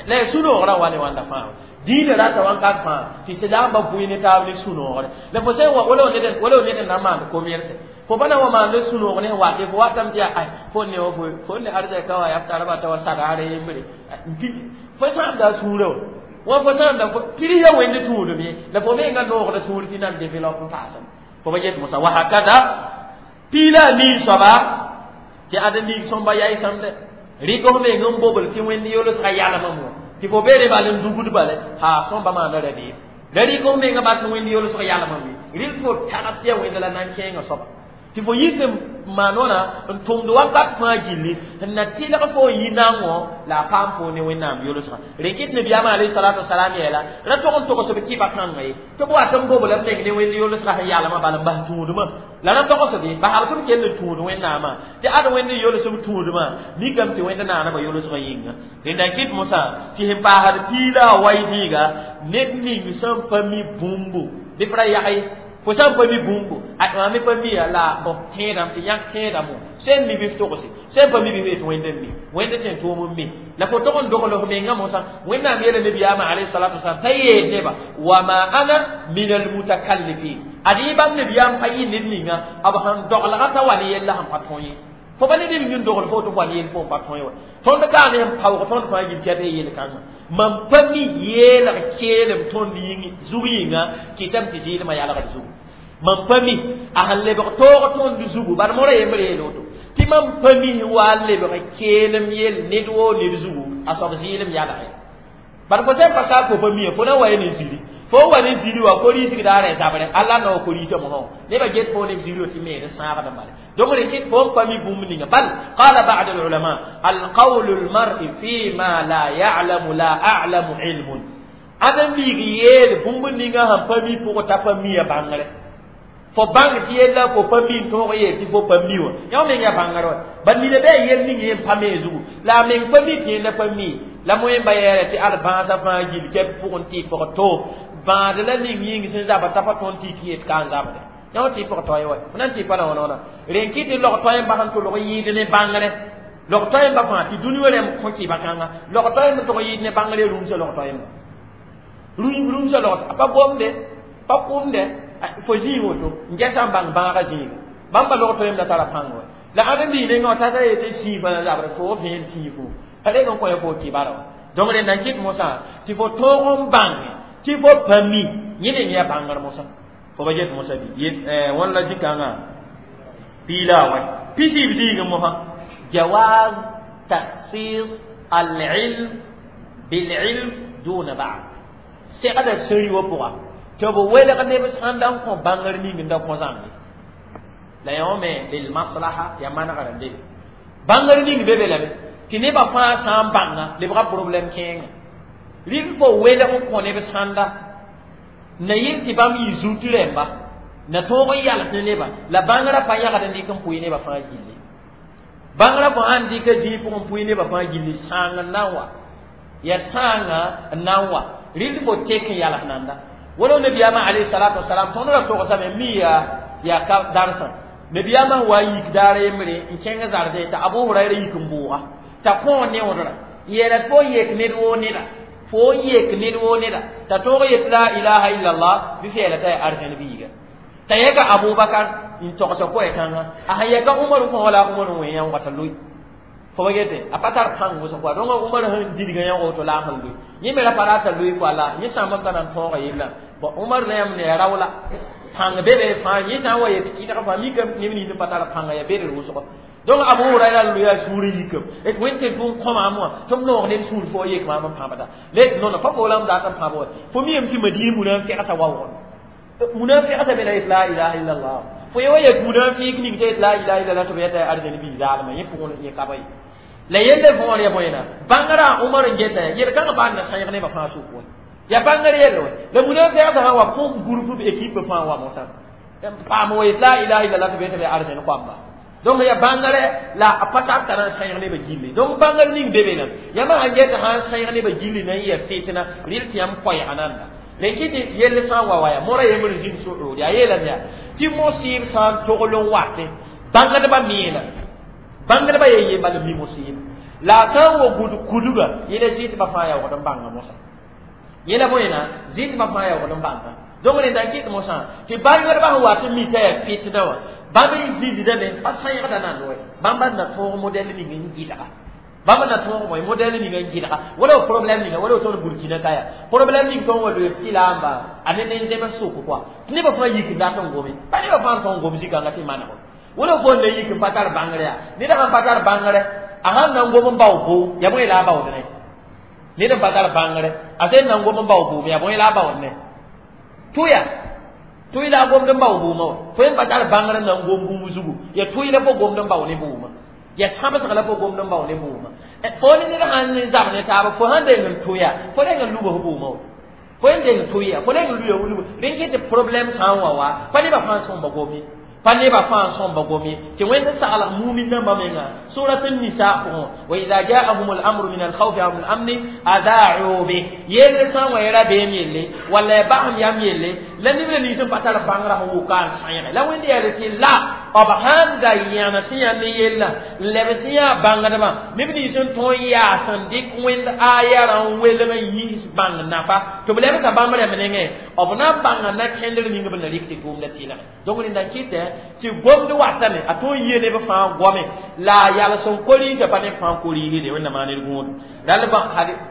la ya sũ-noogrã wa ne wãnda fãa diinã rata wãnkat fãa tɩ tɩ lamba bʋɩ ne taab ne sũ-noogre la fo sẽn wala ned n na n maand commerce fo pa na wa maand sũ-noog ne wate fo watame tɩ yaa ay fo ne wa fo ne arzɛka wa yaa tarba t'a wa sagaare yembre fo sãamda a sũurã wa fo sãamda pirs ya wẽnd tũudum ye la fo menga noogda sũur tɩ nan développe n paasem fo pa get mosa wa hakada piila a miig soaba tɩ ad n miig sõmba yaɩsãmdɛ rɩk f meng n bobl tɩ wẽnd yolsga yalmame wã tɩ fo beere bal n dugd bale ha sõmba maanda radiim la rɩk f menga bas wẽnd yolsg yalmame rɩl fo tags ya wẽnd la nan kẽengã soaba tɩ fo yik n maan wãna n tʋmd wakat fãa gilli n na tɩlg fo n yi naangõ la a paam fo ne wẽnnaam yolsgã rẽ kɩt nabiyaamã alayhi salatu wasalam yeela ra tog n togs b kɩba kãnga ye tɩ b wat n bobl b meng ne wẽnd yolsgã sẽn yalmã bal n bas tũudmã la ra togsb ye basb tɩ b kell n tũud wẽnnaamã tɩ ad wẽnd yolsb tũudmã mikame tɩ wẽnd naanamã yolsgã yĩnga rẽnda n kɩt mosã tɩ sẽn paasd piila a wa zĩiga ned ning sẽn pa mi bũmbu bɩ f ra yag ye fo sã n pa mi bũmbu a me pa mi la bõ tẽedame tɩ yãk tẽedame sẽn mi bɩ f togse sẽn pa mi bɩ f yet wẽnd n mi wẽnd tɩ n tʋʋm n mi la fo tog n dogl f mengã mosã wẽnnaam yeela nabiyaamã alayhi salatu wasalam t'a yeel neba wa ma ana min almutakallifin ad yẽ bãmb nabiyaam pa yɩ ned ninga b sẽn doglga t'a wa ne yella sẽn pa tõe ye fo pa ned ning n dogl fo tɩ f wa ne yell fo n pa tõe wa tõnd kaa ne n paoog tõnd fãa yil tɩ yaa yel-kãngã mam pa mi yeelg keelem tõnd yĩng zug yĩnga kɩtame tɩ zɩɩlmã yalgd zugu mam pa mi a sẽn lebg toog tõnd zugu bad mora yembr yeel woto tɩ mam pa mi wa n lebg keelem yel ned woo ned zugu a soab zɩɩlem yalge bad fo sẽn pa ka fo pa mi fo na wa ye ne ziri Fo wa ne ziri wa korisg daara zabre alla no korisa mo ne ba get fo ne ziri ti me ne sãagd bale. Donc ne kit fo pa mi bũmb ninga bal qala ba'd al ulama al qawl al mar'i fi ma la ya'lamu la a'lamu ilmun adam biig yeel bũmb ninga sẽn pa mi pʋgẽ t'a pa mi ya bãngre fo bãng tɩ yella fo pa mi n tõog yeel tɩ fo pa mi wã yõ meng ya bãngr wa ba nina bɩ a yel ning yẽ pa me zugu la a meng pa mi tɩ yẽnda pa mi la moẽmba yɛɛra tɩ ad bãasã fãa gil kɛb pʋgẽ tɩ pg to bãad la ning yĩng sẽn zaba t'a pa tõnd tɩ tɩ yet ka n zabde yõ tɩ pg toɛ wa f na n tɩ pa la wãna wãna rẽn kɩ tɩ log toɛɛmba sẽn tʋlg yɩɩd ne bãngre log toɛɛmba fãa tɩ dũni wã rẽmb kõ kɩɩba kãnga log toɛɛmb tʋg yɩɩd ne bãngre rũmsa log toɛɛmba rũmsa log a pa gomde pa kʋmde fo zĩig woto n gɛsa n bãng bãagã zĩiga bãmba log toɛɛm la tara pãng wa la ãd n bii nengã tata yetɩ sĩifã la zabre fo vẽen sĩifo a reg n kõ fo kɩbara wa. Donc rẽnda n kɩt mosã tɩ fo tõog n bãnge tɩ fo pa mi yẽ ne yaa bãngr mosã fo ba get mosã bɩ wãn la zĩ-kãngã piila wa pisiib zĩigẽ mosã jawaz takhsis al-ilm bil-ilm duna ba'd segda sẽri wã pʋga tɩ b welg neb sãnda n kõ bãngr ning n da kõ zãmbe la yõ me bil maslaha ya manegr n debe bãngr ning be be lame tɩ nebã fãa sã n bãnga lebga problɛm kẽenga rɩl fo welg n kõ neb sãnda na yel tɩ bãmb yɩ zut rẽmba na tõog n yals ne neba la bãngrã pa yagd n dɩk n pʋɩ nebã fãa gilli bãngrã fo sãn dɩka zĩig pʋgẽ n pʋɩ nebã fãa gilli sãang n na n wa ya sãanga n na n wa rɩl fo tek n yals nanda wala nabiyaamã alayhi salatu wasalam tõnd ra togsame mi yaa ka darsã nabiyaamã wa yik daar yembre n kẽng zarde t'a Abu Hurayra yik n bʋʋga t'a kõ neoodra n yeela tɩ fo yek ned woo neda fo yek ned woo neda t'a tõog yet la ilaha illallah bɩ fɛɛla t'a yaa arzẽn biiga t'a yɛka Abubakar n togsa koɛ-kãngã a sẽn yɛka Umar kõ la Umar n wẽ yãoogã t'a loe fo ba gete a pa tar pãng wʋsg kɔa donc Umar sẽn didgã yãoog woto la a sẽn loe yẽ me ra pa rata loe kɔa la yẽ sãambã pa na n tõoga yella bon Umar la yãmb ne ya rao la pãng be be fãa yẽ sã n wa yet kɩdg fãa mikame neb nins n pa tar pãnga ya bedr wʋsgo donc Abu Hurayra loe a sũur yikame d wẽnd tɩ bũmb kõ maam wã tɩ b noog ned sũur fo yek maam n pãbda le non pa fo la m dat n pãb wa fo miyame tɩ Madina munafɩgsa waoogd munafɩgsa be la yet la ilaha illallah fo ye wa yet munafɩk ning t'a yet la ilaha illallah tɩ b yeta arzẽn bii zaalmã yẽ pʋgẽ yẽ ka ba ye la yelle võor ya bõena bãngrã Umar n geta yel-kãngã baa n na sãyg nebã fãa sʋk wa ya bãngr yelle wa la munafɩgsa sã wa kõ groupe équipe fãa wa mosã paam wa yet la ilaha illallah tɩ b yeta bɩ arzẽn koamba donc ya bãngre la a pa sak t'a na n sãyg nebã gilli donc bãngr ning be be la yãmb sãn geta sã n sãyg nebã gilli na n yɛ fitna rɩl tɩ yãmb koɛɛga nanda rẽn kɩ tɩ yell sã n wa wa ya mora yembr zĩnd so-rood yaa yeelame yaa tɩ mosɩɩb sã n togl n watẽ bãngdbã meelame bãngdbã yen ye bala mi mosɩɩb la a sã n wa gud kudga yẽla zɩtbã fãa yaoogd n bãnga mosã yẽla bõena zɩtbã fãa yaoogd n bãnga donc rẽnda n kɩt mosã tɩ bãngdbã sẽn wat n mi t'a yaa fitna wã bãmb n zĩisdame pa sãyegda nand wɛ bãmba na tõog modɛl ning n gɩlga bãmb na tõog bõe modɛl ning n gɩlga wala problème ninga wala tõnd Burkina ka yaa problème ning tõnd wa loe sɩlaamba a ne nen-zems sʋk kɔa tɩ nebã fãa yik n dat n gome pa nebã fãa n tõog gom zĩ-kãngã tɩ maneg wala fo n na yik n pa tar bãngr yaa ned sãn pa tar bãngre a sãn na n gom n bao boo yaa bõe la a baood ne ned n pa tar bãngre a sẽn na n gom n bao boom yaa bõe la a baood ne tʋya tʋy la a gomd n bao boomã wa fo yẽ pa tar bãngr n na n gom bũmb zugu ya tʋy la fo gomd n bao ne boomã ya sãbsg la fo gomd n bao ne boomã fo ne ned sãn ne zab ne taaba fo sãn deng n tʋya fo deng n lubs boomã wa fo yẽ deng tʋya fo deng n luya lub rẽn kɩ tɩ problème sã n wa wa pa nebã fãa sõmba gomi pa nebã fãa sõmba gomi tɩ wẽnd saglg mumin nambã menga surat an-nisa pʋgẽ wa idha ja'ahum al-amru min al-khawfi aw min al-amni ada'u bih yelle sã n wa ya rabeem yelle walla ya basem yam yelle la neb la nins n pa tar bãngrã sẽn wʋka n sãyge la wẽnd yaa tɩ la b sãn da yãna sẽn yaa ne yella n leb sẽn yaa bãngdbã neb nins n tõe n yaas n dɩk wẽnd ayarã n welg n yiis bãng nafa tɩ b lebsa bãmb rẽmb nengẽ b na n bãnga na kẽndr ning b na rɩk tɩ tʋʋmda tɩlge donc rẽnda n kɩtɛ tɩ gomd watame a tõe n yee neb fãa goame la a yals n koriisã pa neb fãa koriisde wẽnnaam maa ned gũud rall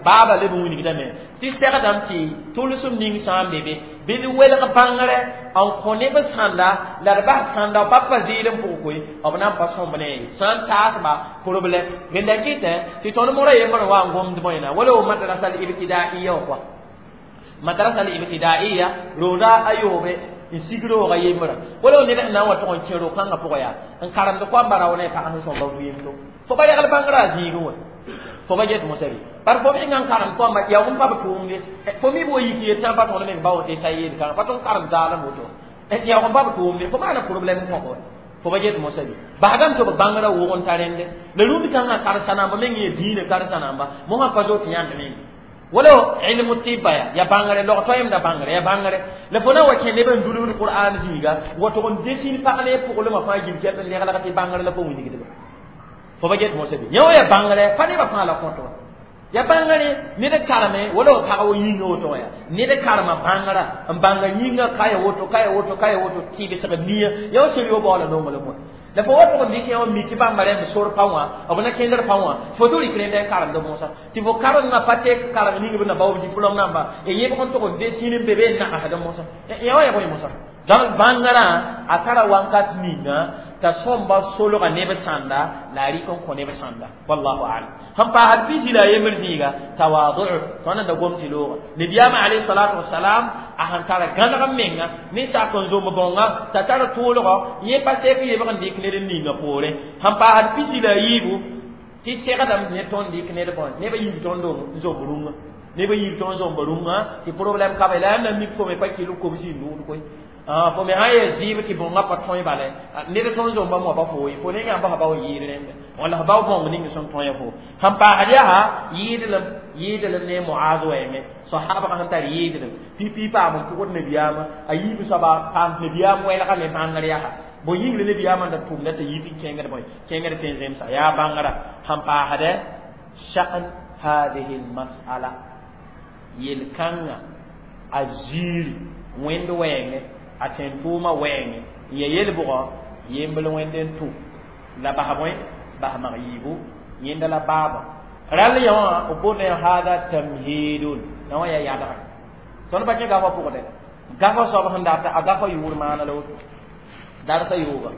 baaba leb n wilgdame tɩ segdame tɩ tʋlsem ning sã n be be bɩ d welg bãngre n kõ neb sãnda la d bas sãnda pa pa zɩɩd n pʋg koe b na n pa sõmb ne sã n taasba problème rẽnda kɩtɛ tɩ tõnd mora yembr wa n gomd bõena wala wo madrasa al ibtidaiya wã kɔa Madrasa al ibtidaiya rooda a yoobe n sig rooga yembra wala ned sẽn na n wa tʋg n kẽ ro-kãngã pʋgã yaa n karemd koamba rao ne pag sẽn sõmba vɩɩmdo fo pa yagl bãngrã a zĩigẽ wã fo pa get mosã bɩ bar fo menga n karem koamba yaa n pa b tʋʋmde fo mi b wa yik yet sã n pa tõnd meng bao tɩ sa yeel kãngã pa tõnd karem zaalem woto yaa n pa b tʋʋmde fo maana problème kõ fo pa get mosã bɩ basdame tɩ b bãngrã wʋg n ta rẽnde la rũnd kãngã karen-sa-namba meng yẽ dĩinã karen-sa-namba mosã pa zoet yãnd meng wala ilmu tibba ya ya bãngre log toɛɛmda bãngre ya bãngre la fo na wa kẽ neb n dulgd qur'an zĩiga wa tʋg n desin pag ne pʋglmã fãa gil kɛp n leglg tɩ bãngre la fo wilgdba fo pa get mosã bɩ yẽ wã ya bãngre pa nebã fãa la kõt wa ya bãngre ned kareme wala f pag wa yĩnga woto wã ya ned karema bãngra n bãnga yĩnga ka ya woto ka ya woto ka ya woto tɩbsg nia ya wa sel yo baoola nonglem wã la fo wa tʋg n dɩk yã wã mi tɩ bãmba rẽmb sor pa wã b na kẽndr pa wã fo tɩ rɩk rẽnda n karemd mosã tɩ fo karengã pa tek kareng ning b na bao diplôme namba y yẽbg n tʋg n desin n be be n nagsd mosã yã wã ya bõe mosã donc bãngrã a tara wankat ninga t'a sõmba solga neb sãnda la a rɩk n kõ neb sãnda wallahu alam sẽn paasd pisi la a yembr zĩiga tawadu tõnd n da gom tɩ looga nabiyaamã alayhi salatu wasalam a sẽn tara gãneg n menga ne sak n zomb bõnga t'a tar tʋʋlgɔ yẽ pa sek yebg n dɩk ned n ninga poorẽ sẽn paasd pisi la a yiibu tɩ segdame ne tõnd dɩk ned bõe neb a yiib tõnd n zomb rũngã neb a yiib tõnd zomba rũngã tɩ problème ka be la yãmb na mik fo me pa kɩl kobsi n nʋʋd koe fo me sã yaa zɩɩb tɩ bõngã pa tõe bala ned tõnd zomba moa pa fo ye fo ne yãmba fa bao yɩɩd rẽnda walla f bao bõng ning sẽn tõe fo sẽn paasd yaa yɩɩdlem yɩɩdlem ne Muaz wɛɛngẽ sahabgã sẽn tar yɩɩdlem pipi paam n pʋgd nabiyaamã a yiib soaba paam nabiyaam wɛlga me bãngr yaa bõe yĩngre nabiyaamã n da tʋmda t'a yit n kẽngd bõe kẽngd tẽn zemsa yaa bãngrã sẽn paasdɛ sha'n hadihi lmasala yel-kãngã a ziiri wẽnd wɛɛngẽ a tẽn tʋʋmã wɛɛngẽ n ya yel-bʋgɔ yembl wẽnd n tʋ la bas bõe bas mag yiibu yẽnda la baaba rall yã wã b boonda yã hada tamhidun yã wã ya yadga tõnd pa kẽ gafã pʋgdɛ gafa soab sẽn data a gafa yʋʋr maana la woto darsa yooga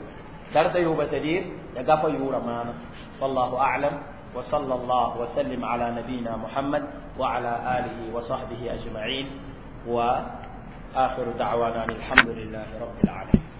darsa yooga c'est à dire ya gafa yʋʋra maana wallahu a'lam wa sallallahu wa sallim ala nabiyina muhammad wa ala alihi wa sahbihi ajma'in wa akhiru da'wana alhamdulillahi rabbil alamin.